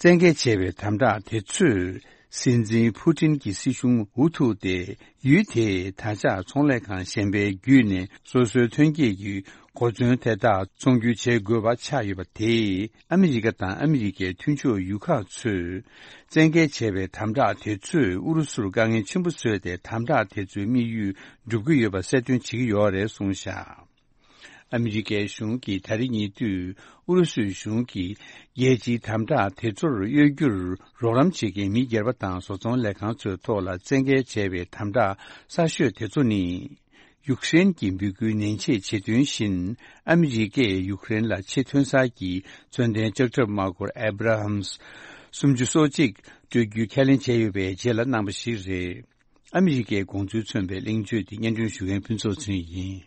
བཙན་འགེལ་བྱས་པའི་དམ་དྲག་དེ་ཚོས། སྲིད་འཛིན་ཕུ་ཏིན་གྱི་སྲིད་གཞུང་འུ་ཐུག་སྟེ། ཡུལ་དེས་ད་ཆ་ཚོང་ལས་ཁང་གཞན་པའི་བརྒྱུད་ནས་སོ་སོའི་ཐོན་སྐྱེད་ཀྱི་གོ་མཚོན་དེ་དག་ཚོང་སྒྱུར་བྱེད་དགོས་པ་ཆགས་ཡོད་པ་དེས། ཨ་མི་རི་ཀ་དང་ཨ་མི་རི་ཀའི་མཐུན་ཕྱོགས་ཡུལ་ཁག་ཚོས་བཙན་འགེལ་བྱས་པའི་དམ་དྲག་དེ་ཚོས་ཨུ་རུ་སུར་དཀའ་ངལ་ཆེན་པོ་བཟོས་ཏེ། དམ་དྲག་དེ་ཚོའི་དམིགས་ཡུལ་འགྲུབ་ཀྱི་ཡོད་པ་གསལ་སྟོན་བྱེད་ཀྱི་ཡོད་རེད་གསུངས་བཞག་ཨ་མི་རི་ཀའི་གཞུང་གིས་ད་རེས་ཉེ་དུས་ཨུ་རུ་སུའི་གཞུང་གིས་རྒྱལ་སྤྱིའི་དམ་དྲག་དེ་ཚོར་གཡོལ་རྒྱུར་རོགས་རམ་བྱེད་མཁན་མི་སྒེར་པ་དང་བཟོ་ཚོང་ལས་ཁང་ཚོའི་ཐོག་ལ་བཙན་འགེལ་བྱས་པའི་དམ་དྲག་གསར་ཤོས་དེ་ཚོ་ནི། ཡུཀ་རེན་གྱི་འབོད་སྐུལ་ནན་ཆེད་བྱེད་དོན་བཞིན། ཨ་མི་རི་ཀས་ཡུཀ་རེན་ལ་ཆེས་ཐོན་གསར་གྱི་མཚོན་ལྡན་ལྕགས་ཁྲབ་དམག་འཁོར་ཨེ་བྷ་ར་ཧམ་སུམ་ཅུ་སོ་གཅིག་སྤྲོད་རྒྱུའི་ཁས་ལེན་བྱས་ཡོད་པའི་རྗེས་ལ་གནང་བ་ཞིག་རེད། ཨ་མི་རི་ཀའི་དགོངས་ཚུལ་མཚོན་པའི་གླེང་བརྗོད་དེ་སྙན་སྒྲོན་ཞུ་མཁན་ཕུན་ཚོགས་ཚུན་ཡིན།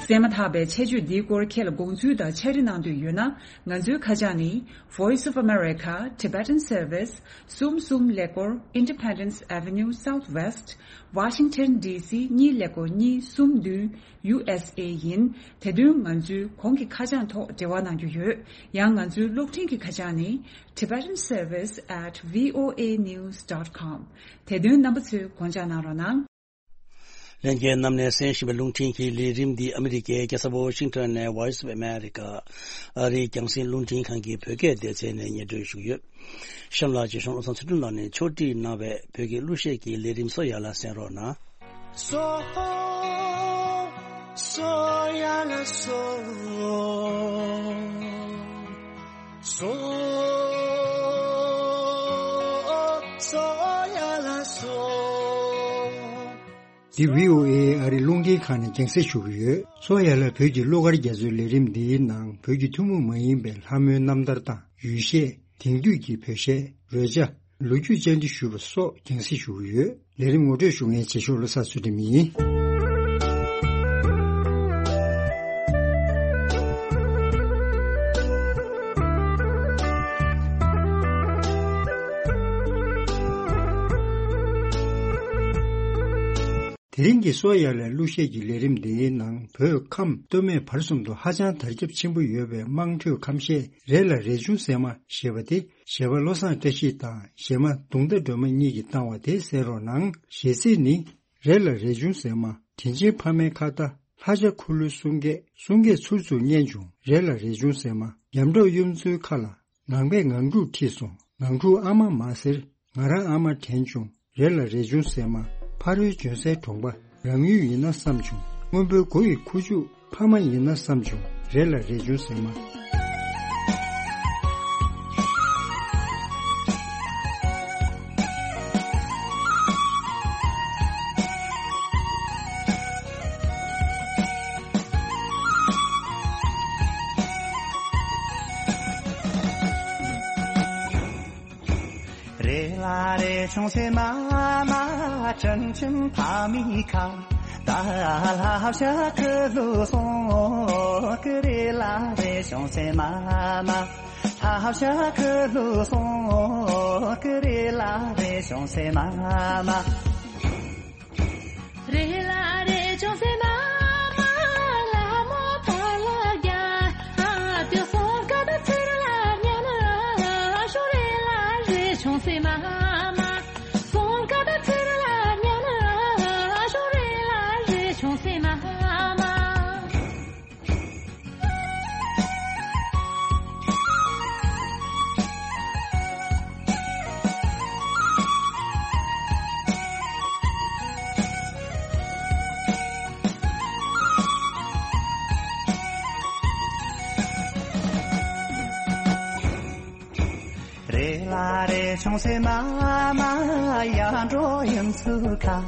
གསན་མ་ཐག་པའི་ཆེད་བརྗོད་འདིའི་སྐོར་ཁྱེད་ལ་དགོངས་ཚུལ་དང་ཕྱག་བྲིས་གནང་འདོད་ཡོད་ན། ང་ཚོའི་ཁ་བྱང་ནི། Voice of America, Tibetan Service, གསུམ་གསུམ་ཀླད་ཀོར། Independence Avenue Southwest, Washington D C གཉིས་ཀླད་ཀོར་གཉིས་གསུམ་བདུན། ཡུ་ཨེས་ཨེ་ཡིན། དེ་དོན་ང་ཚོའི་གོང་གི་ཁ་བྱང་ཐོག་འབྲེལ་བ་གནང་རྒྱུ་ཡོད། ཡང་ང་ཚོའི་གློག་འཕྲིན་གྱི་ཁ་བྱང་ནི། Tibetan Service at V O A news dot com། དེ་དོན་རྣམ་པ་ཚོས་དགོངས་འཇགས་གནང་རོགས་གནང་། ལྷན་རྒྱས་རྣམས་ནས་གསན་བཞིན་པའི་རླུང་འཕྲིན་གྱི་ལས་རིམ་འདི་ཨ་མི་རི་ཀའི་རྒྱལ་ས་ཝོ་ཤིང་ཊོན་ནས་Voice of America ཨ་རིའི་རྒྱང་སྲིང་རླུང་འཕྲིན་ཁང་གི་བོད་སྐད་སྡེ་ཚན་ནས་སྙན་སྒྲོན་ཞུ་གི་ཡོད། གཤམ་ལ་རྗེ་གཞུང་བློ་བཟང་ཚུལ་ཁྲིམས་ལགས་ནས་ཕྱོགས་སྒྲིག་གནང་བའི་བོད་ཀྱི་གླུ་གཞས་ཀྱི་ལས་རིམ་སོ་ཡ་ལ་གསན་རོགས་གནང་། སོ། སོ་ཡ་ལ་སོ། སོ། སོ་ཡ་ལ་སོ། འདི་བྷི་ཨོ་ཨེ་ཨ་རིའི་རླུང་འཕྲིན་ཁང་ནས་རྒྱང་སྲིང་ཞུ་གི་ཡོད། སོ་ཡ་ལ་བོད་ཀྱི་གླུ་གར་རྒྱ་མཚོའི་ལས་རིམ་འདིའི་ནང་བོད་ཀྱི་ཐུན་མོང་མ་ཡིན་པའི་ལྷ་མོའི་རྣམ་ཐར་དང་ཡུལ་གཞས། དེང་དུས་ཀྱི་བོད་གཞས། རོལ་ཆ། ལོ་རྒྱུས་བཅར་འདྲི་ཞུས་པ་སོགས་རྒྱང་སྲིང་ཞུ་གི་ཡོད། ལས་རིམ་ངོ་སྤྲོད་ཞུ་མཁན་རྗེས་ཤོག་བློ་བཟང་ཚུལ་ཁྲིམས་ཡིན། དེ་རིང་གི་སོ་ཡ་ལ་གླུ་གཞས་ཀྱི་ལས་རིམ་འདིའི་ནང་བོད་ཁམས་སྟོད་སྨད་བར་གསུམ་དུ་ཧ་ཅང་དར་ཁྱབ་ཆེན་པོ་ཡོད་པའི་དམངས་ཁྲོད་ཁམས་གཞས་རེད་ལ་རས་ཆུང་ཟེར་མ་ཞེས་པ་དེ་གཞས་པ་བློ་བཟང་བཀྲ་ཤིས་དང་གཞས་མ་གདུང་ཟླ་སྒྲོལ་མ་གཉིས་ཀྱིས་བཏང་བ་དེ་གསན་རོགས་གནང་། གཞས་ཚིག་ནི། རེད་ལ་རས་ཆུང་ཟེར་མ། དྲིན་ཆེན་ཕ་མའི་ཁ་བརྡ། ལྷ་བྱ་འཁོར་ལོའི་གསུང་སྐད། གསུང་སྐད་ཚུར་ཚུར་སྙན་བྱུང་། རེད་ལ་རས་ཆུང་ཟེར་མ། ཉམས་གྲོགས་གཡུ་མཚོའི་མཁའ་ལ། ངང་པས་ངང་ཕྲུག་ཁྲིད་སོང་། ངང་ཕྲུག་ཨ་མ་མ་ཟེར། ང་རང་ཨ་མ་དྲན་བྱུང་། རེད་ལ་རས་ཆུང་ཟེར་མ། ཕ་རོལ་ལྗོན་སའི་གྲོང་པ། རང་ཡུལ་ཡིན་ན་བསམ་བྱུང་། སྔོན་པོའི་མགོ་ཡི་ཁུ་བྱུག་ཕ་མ་ཡིན་ན་བསམ་བྱུང་། རེད་ལ་རས་ཆུང་ཟེར་མ། རེད་ལ་རས་ཆུང་ཟེར་མ་མ། དྲིན་ཆེན་ཕ་མའི་ཁ་བརྡ། ལྷ་བྱ་འཁོར་ལོའི་གསུང་སྐད། རེད་ལ་རས་ཆུང་ཟེར་མ་མ། ལྷ་བྱ་འཁོར་ལོའི་གསུང་སྐད། རེད་ལ་རས་ཆུང་ཟེར་མ་མ། རེད་ལ་རས་ཆུང་ཟེར་མ་མ། ལྷ་མོ་ཕར་ལ་རྒྱ། དེ་གསུང་སྐད་ཚུར་ལ་ཉན་ན་ཞུ། རེད་ལ་རས་ཆུང་ཟེར་མ་མ། གསུང་སྐད་ཚུར་ལ་ཉན་ན་ཞུ། རེད་ལ་རས་ཆུང་ཟེར་མ་མ། ལ་རེ་ཆུང་སེ་མ་མ་ཡ་འགྲོ་ཡིན་ཚུལ་ཁ།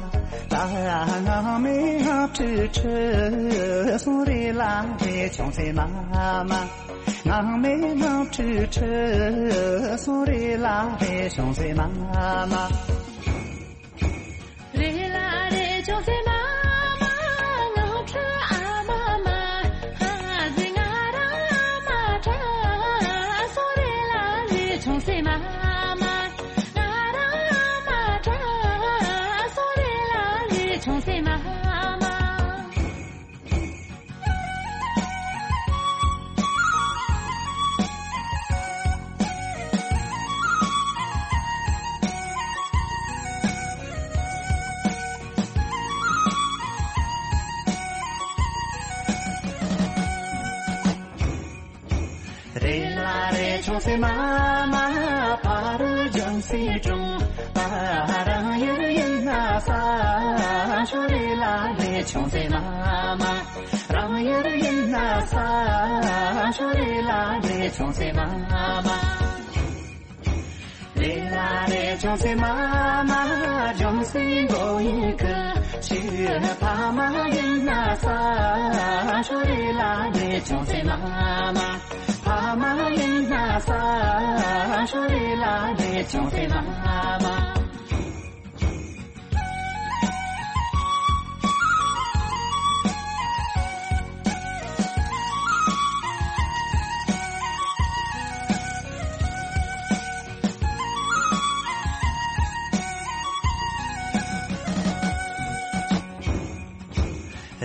ད་ངང་མེ་ངག་ཁྲི་ཁྲི་སོང་རེ་ལ་རེ་ཆུང་སེ་མ་མ། ངང་མེ་ངག་ཁྲི་ཁྲི་སོང་རེ་ལ་རེ་ཆུང་སེ་མ་མ། རེ་ལ་རེ་ཆུང་སེ་མ་མ། ངག་ཁྲི་ཨ་མ་མ། ཧ་ཟི་ང་ར་མ་ཁྲ་སོང་རེ་ལ་རེ་ཆུང་སེ་མ་མ། ང་ར་མ་ཁྲ་སོང་རེ་ལ་རེ་ཆུང་སེ་མ་མ། རེ་ལ་རེ་ཆུང་སེ་མ་མ། ཕ་རུ་ལྗང་སེ་ཀྲུང་། ད་རང་ཡུལ་ཡིན་ན་ས། ཆུང་རེ་ལ་རེ་ཆུང་སེ་མ་མ། རང་ཡུལ་ཡིན་ན་ས། ཆུང་རེ་ལ་རེ་ཆུང་སེ་མ་མ། རེ་ལ་རེ་ཆུང་སེ་མ་མ། ལྗང་སེ་མགོ་ཡི་ཁུ། ཆུ་ཕ་མ་ཡིན་ན་ས། ཆུང་རེ་ལ་རེ་ཆུང་སེ་མ་མ། ཕ་མ་ཡིན་ན་ས། ཆུང་རེ་ལ་རེ་ཆུང་སེ་མ་མ།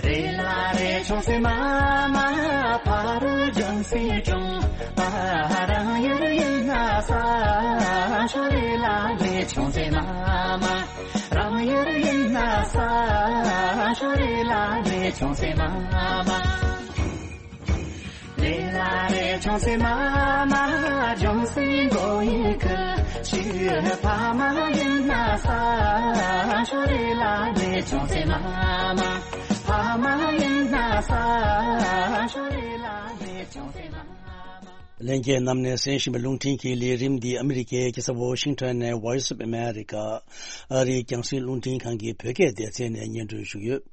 རེ་ལ་རེ་ཆུང་སེ་མ་མ། ཕ་རུ་ལྗང་སེ་ཀྲུང་། ད་རང་ཡུལ་ཡིན་ན་ས། ཆུང་རེ་ལ་རེ་ཆུང་སེ་མ་མ། རང་ཡུལ་ཡིན་ན་ས། ཆུང་རེ་ལ་རེ་ཆུང་སེ་མ་མ། རེ་ལ་རེ་ཆུང་སེ་མ་མ། ལྗང་སེ་མགོ་ཡི་ཁུ། ཆུ་ཕ་མ་ཡིན་ན་ས། ཆུང་རེ་ལ་རེ་ཆུང་སེ་མ་མ། ཕ་མ་ཡིན་ན་ས། ཆུང་རེ་ལ་རེ་ཆུང་སེ་མ་མ། ལྷན་རྒྱས་རྣམས་ནས་གསན་བཞིན་པའི་རླུང་འཕྲིན་གྱི་ལས་རིམ་འདི་ཨ་མི་རི་ཀའི་རྒྱལ་ས་ཝོ་ཤིང་ཊོན་ནས་Voice of America ཨ་རིའི་རྒྱང་སྲིང་རླུང་འཕྲིན་ཁང་གི་བོད་སྐད་སྡེ་ཚན་ནས་སྙན་སྒྲོན་ཞུ་གི་ཡོད།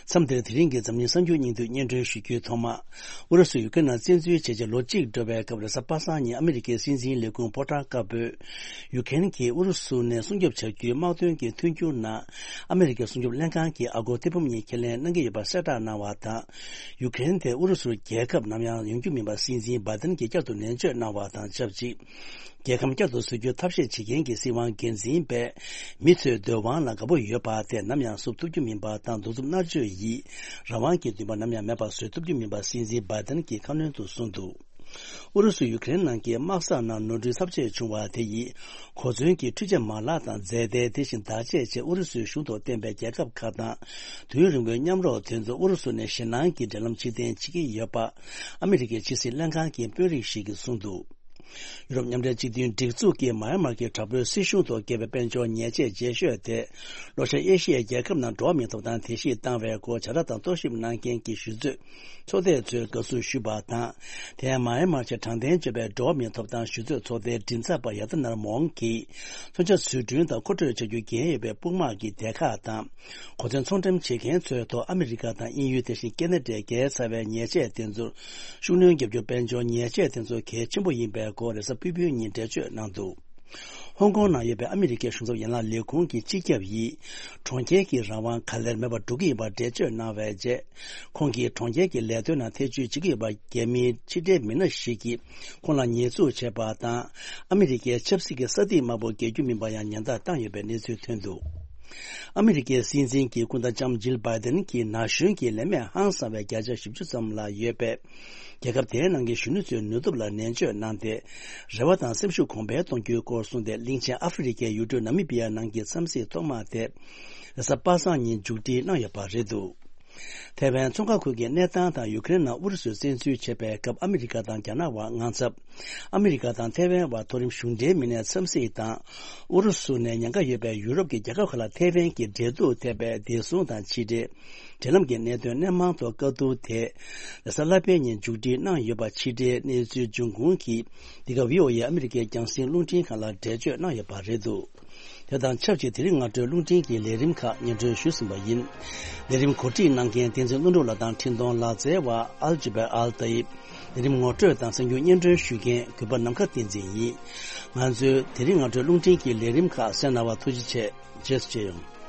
མཚམས་འདིར་དེ་རིང་གི་འཛམ་གླིང་གསར་འགྱུར་སྙིང་བསྡུས་སྙན་སྒྲོན་ཞུ་རྒྱུའི་ཐོག་མ། ཨུ་རུ་སུས་ཡུ་ཀེ་རེན་ནང་བཙན་འཛུལ་བྱས་རྗེས་ལོ་གཅིག་འགྲོ་བའི་སྐབས། རེས་གཟའ་པ་སངས་ཉིན་ཨ་མི་རི་ཀའི་སྲིད་འཛིན་ལས་ཁུངས་ཕོ་བྲང་དཀར་པོས། ཡུ་ཀེ་རེན་གྱིས་ཨུ་རུ་སུ་ནས་སྲུང་སྐྱོབ་བྱ་རྒྱུའི་དམག་དོན་གྱི་མཐུན་འགྱུར་ནང་། ཨ་མི་རི་ཀའི་སྲུང་སྐྱོབ་ལྷན་ཁང་གི་ཨ་སྒོར་ཐེར་འབུམ་གཉིས་ཁས་ལེན་གནང་གི་ཡོད་པ་གསལ་བསྒྲགས་གནང་བ་དང་། ཡུ་ཀེ་རེན་དེ་ཨུ་རུ་སུར་རྒྱལ་ཁབ་ནམ་ཡང་ཡོང་རྒྱུ་མིན་པ་སྲིད་འཛིན་བྷའི་ཏིན་གྱིས་བསྐྱར་དུ་ནན་བརྗོད་གནང་བ་དང་ཆབས་ཅིག་རྒྱལ་ཁམས་བསྐྱར་དུ་བཟོ་རྒྱུའི་ཐབས་ཤེས་བྱེད་མཁན་གྱི་སྲིད་དབང་སྒེར་འཛིན་པས། མི་ཚོའི་འདོད་དབང་ལ་དགའ་པོ་ཡོད་པ་དེ་ནམ་ཡང་བསུབ་ཐུབ་རྒྱུ་མིན་པ་དང་། གདུག་རྩུབ་མནར་གཅོད་ཡིས་རང་དབང་གི་འདུན་པ་ནམ་ཡང་མེད་པ་བཟོ་ཐུབ་རྒྱུ་མིན་པ་སྲིད་འཛིན་བྷའི་ཏིན་གྱིས་ཁ་སྣོན་དུ་གསུངས་འདུག་ཨུ་རུ་སུས་ཡུ་ཀེ་རེན་ནང་གི་དམག་ས་ནང་ནོར་འཁྲུལ་ཚབས་ཆེ་བྱུང་བ་དེ་ཡིས། གོ་མཚོན་གྱི་འཕྲུལ་ཆས་མ་ལག་དང་རྫས་མཐའ། དེ་བཞིན་བརྡ་ཆད་བཅས་ཨུ་རུ་སུའི་གཞུང་དུ་བཏོན་པའི་རྒྱལ་ཁབ་ཁག་དང་། དུས་རིང་པོའི་མཉམ་རོགས་དེ་ཚོ་ཨུ་རུ་སུ་ནས་ཞེད་སྣང་གི་འབྲེལ་ལམ་ཕྱིར་འཐེན་བྱེད་ཀྱི་ཡོད་པ། ཨ་མི་རི་ཀའི་ཕྱི་སྲིད་ལྷན་ཁང་གི་དཔོན་རིགས་ཤིག་གིས་གསུངས་འདུག་ཡུ་རོབ་མཉམ་འབྲེལ་སྤྱི་མཐུན་སྒྲིག་འཛུགས་ཀྱིས་མཱ་ཡན་མར་གྱི་དྲག་པོའི་སྲིད་གཞུང་ཐོག་བཀལ་བའི་དཔལ་འབྱོར་ཉེས་ཆད་བརྗེ་ཤོས་དེ། ལྷོ་ཤར་ཨེ་ཤི་ཡའི་རྒྱལ་ཁབ་ནང་འགྲོ་བ་མིའི་ཐོབ་ཐང་དེ་བཞིན་བཏང་བའི་སྐོར་བྱ་བརྡ་དང་རྟོག་ཞིབ་གནང་མཁན་གྱི་ཞུ་ཚོད་ཚོགས་སྡེ་ཚོས་དགའ་བསུ་ཞུས་པ་དང་། དེ་ཡང་མཱ་ཡན་མར་གྱི་དྲང་བདེན་སྤྱོད་པའི་འགྲོ་བ་མིའི་ཐོབ་ཐང་ཞུ་ཚོད་ཚོགས་སྡེའི་མགྲིན་ཚབ་པ་ཡ་ཏི་ནར་མོང་གིས། མཚོན་ཆ་བཟོ་སྐྲུན་དང་མཁོ་སྤྲོད་བྱ་རྒྱུའི་འགན་ཡོད་པའི་དཔུང་དམག་གི་སྡེ་ཁག་དང་། གོ་མཚོན་ཚོང་འགྲེམས་བྱེད་མཁན་ཚོའི་ཐོག་ཨ་མི་རི་ཀ་དང་དབྱིན་ཡུལ། དེ་བཞིན་ཁེ་ན་ཌས་བཀལ་ཚར་བའི་ཉེས་ཆད་དེ་ཚོར་ཤུགས་སྣོན་བརྒྱབ་རྒྱུ། དཔལ་འབྱོར་ཉེས་ཆད་དེ་ཚོ་གལ་ཆེན་པོ་ཡིན་པའི་སྐོར་རེས་གཟའ་ཕུར་བུའི་ཉིན་འགྲེལ་བརྗོད་གནང་འདུག་ཧོང་ཀོང་ནང་ཡོད་པའི་ཨ་མི་རི་ཀའི་གཞུང་ཚབ་ཡན་ལག་ལས་ཁུངས་ཀྱི་སྤྱི་ཁྱབ་ཡིས། གྲོང་ཁྱེར་གྱི་རང་དབང་ག་ལེར་མེད་པར་འགྲོ་གི་ཡིན་པར་འགྲེལ་བརྗོད་གནང་བའི་རྗེས། ཁོང་གིས་གྲོང་ཁྱེར་གྱི་ལས་དོན་ནང་ཐེ་བྱུས་བྱེད་ཀྱི་ཡོད་པ། རྒྱ་མིའི་ཕྱི་འབྲེལ་མི་སྣ་ཞིག་གིས་ཁོང་ལ་ཉེས་འཛུགས་བྱས་པ་དང་། ཨ་མི་རི་ཀའི་ཆབ་སྲིད་ཀྱི་ས་ཐིག་དམར་པོ་བརྒལ་རྒྱུ་མིན་པ་ཡང་ཉེན་བརྡ་བཏང་ཡོད་པའི་གནས་ཚུལ་ཐོན་འདུག་ཨ་མི་རི་ཀའི་སྲིད་འཛིན་གྱི་སྐུ་ཟླ་ལྕམ་ཇིལ་བྷའི་ཏིན་གྱིས་ན་གཞོན་གྱི་ལས་མེད་ཧང་སང་བའི་བརྒྱ་ཆ་བཞི་བཅུ་ཙམ་ལ་ཡོད་པས། རྒྱལ་ཁབ་དེའི་ནང་གི་གཞོན་ནུ་ཚོའི་ནུས་སྟོབས་ལ་ནན་བརྗོད་གནང་སྟེ། རེ་བ་དང་སེམས་ཤུགས་གོང་འཕེལ་གཏོང་རྒྱུའི་སྐོར་གསུངས་ཏེ། གླིང་ཆེན་ཨ་ཧྥེ་རི་ཁའི་ཡུལ་གྲུ་ནཱ་མི་བི་ཡ་ནང་གི་འཚམས་གཟིགས་ཐོག་མ་དེ། རེས་གཟའ་པ་སངས་ཉིན་མཇུག་སྒྲིལ་གནང་ཡོད་པ་རེད་འདུག་ཐའེ་ཝན་མཚོ་ཁ་ཁུལ་གྱི་གནས་སྟངས་དང་ཡུ་ཀེ་རེན་ནང་ཨུ་རུ་སུས་བཙན་འཛུལ་བྱས་པའི་སྐབས་ཨ་མི་རི་ཀ་དང་རྒྱ་ནག་དབར་དངངས་འཚབ། ཨ་མི་རི་ཀ་དང་ཐའེ་ཝན་དབར་མཐོ་རིམ་གཞུང་འབྲེལ་མི་སྣའི་འཚམས་གཟིགས་དང་། ཨུ་རུ་སུ་ནས་ཉེན་ཁ་ཡོད་པའི་ཡུ་རོབ་ཀྱི་རྒྱལ་ཁབ་ཁག་ལ་ཐའེ་ཝན་གྱི་འབྲེལ་གཏུག་ཐེབས་པའི་བདེ་སྲུང་དང་ཕྱི་འབྲེལ། འབྲེལ་ལམ་གྱི་གནད་དོན་སྣེ་མང་ཐོག་བཀའ་བསྡུར་དེ། རེས་གཟའ་ལྷག་པའི་ཉིན་མཇུག་སྒྲིལ་གནང་ཡོད་པ་ཕྱི་འབྲེལ་གནས་ཚུལ་འབྱུང་ཁུངས་ཀྱིས། འདི་ག་བྷི་ཨོ་ཨེ་ཨ་མི་རི་ཀའི་རྒྱང་སྲིང་རླུང་འཕྲིན་ཁང་ལ་འགྲེལ་བརྗོད་གནང་ཡོད་པ་རེད་འདུག་དེ་དང་ཆབས་ཅིག་དེ་རིང་སྔ་དྲོའི་རླུང་འཕྲིན་གྱི་ལས་རིམ་ཁག་སྙན་སྒྲོན་ཞུས་ཟིན་པ་ཡིན། ལས་རིམ་གོ་སྒྲིག་གནང་མཁན་བསྟན་འཛིན་ཀླུ་སྒྲུབ་ལགས་དང་འཕྲིན་གཏོང་ལག་རྩལ་བ་ཨལ་ཇི་བེ་ཨལ་ཏཱ་ཡིབ། ལས་རིམ་ངོ་སྤྲོད་དང་གསར་འགྱུར་སྙན་སྒྲོན་ཞུ་མཁན་གུས་པ་ནམ་མཁའ་བསྟན་འཛིན་ཡིན། ང་ཚོའི་དེ་རིང་སྔ་དྲོའི་རླུང་འཕྲིན་གྱི་ལས་རིམ་ཁག་གསན་གནང་བར་ཐུགས་རྗེ་ཆེ། རྗེས་སུ་མཇལ་ཡོང་།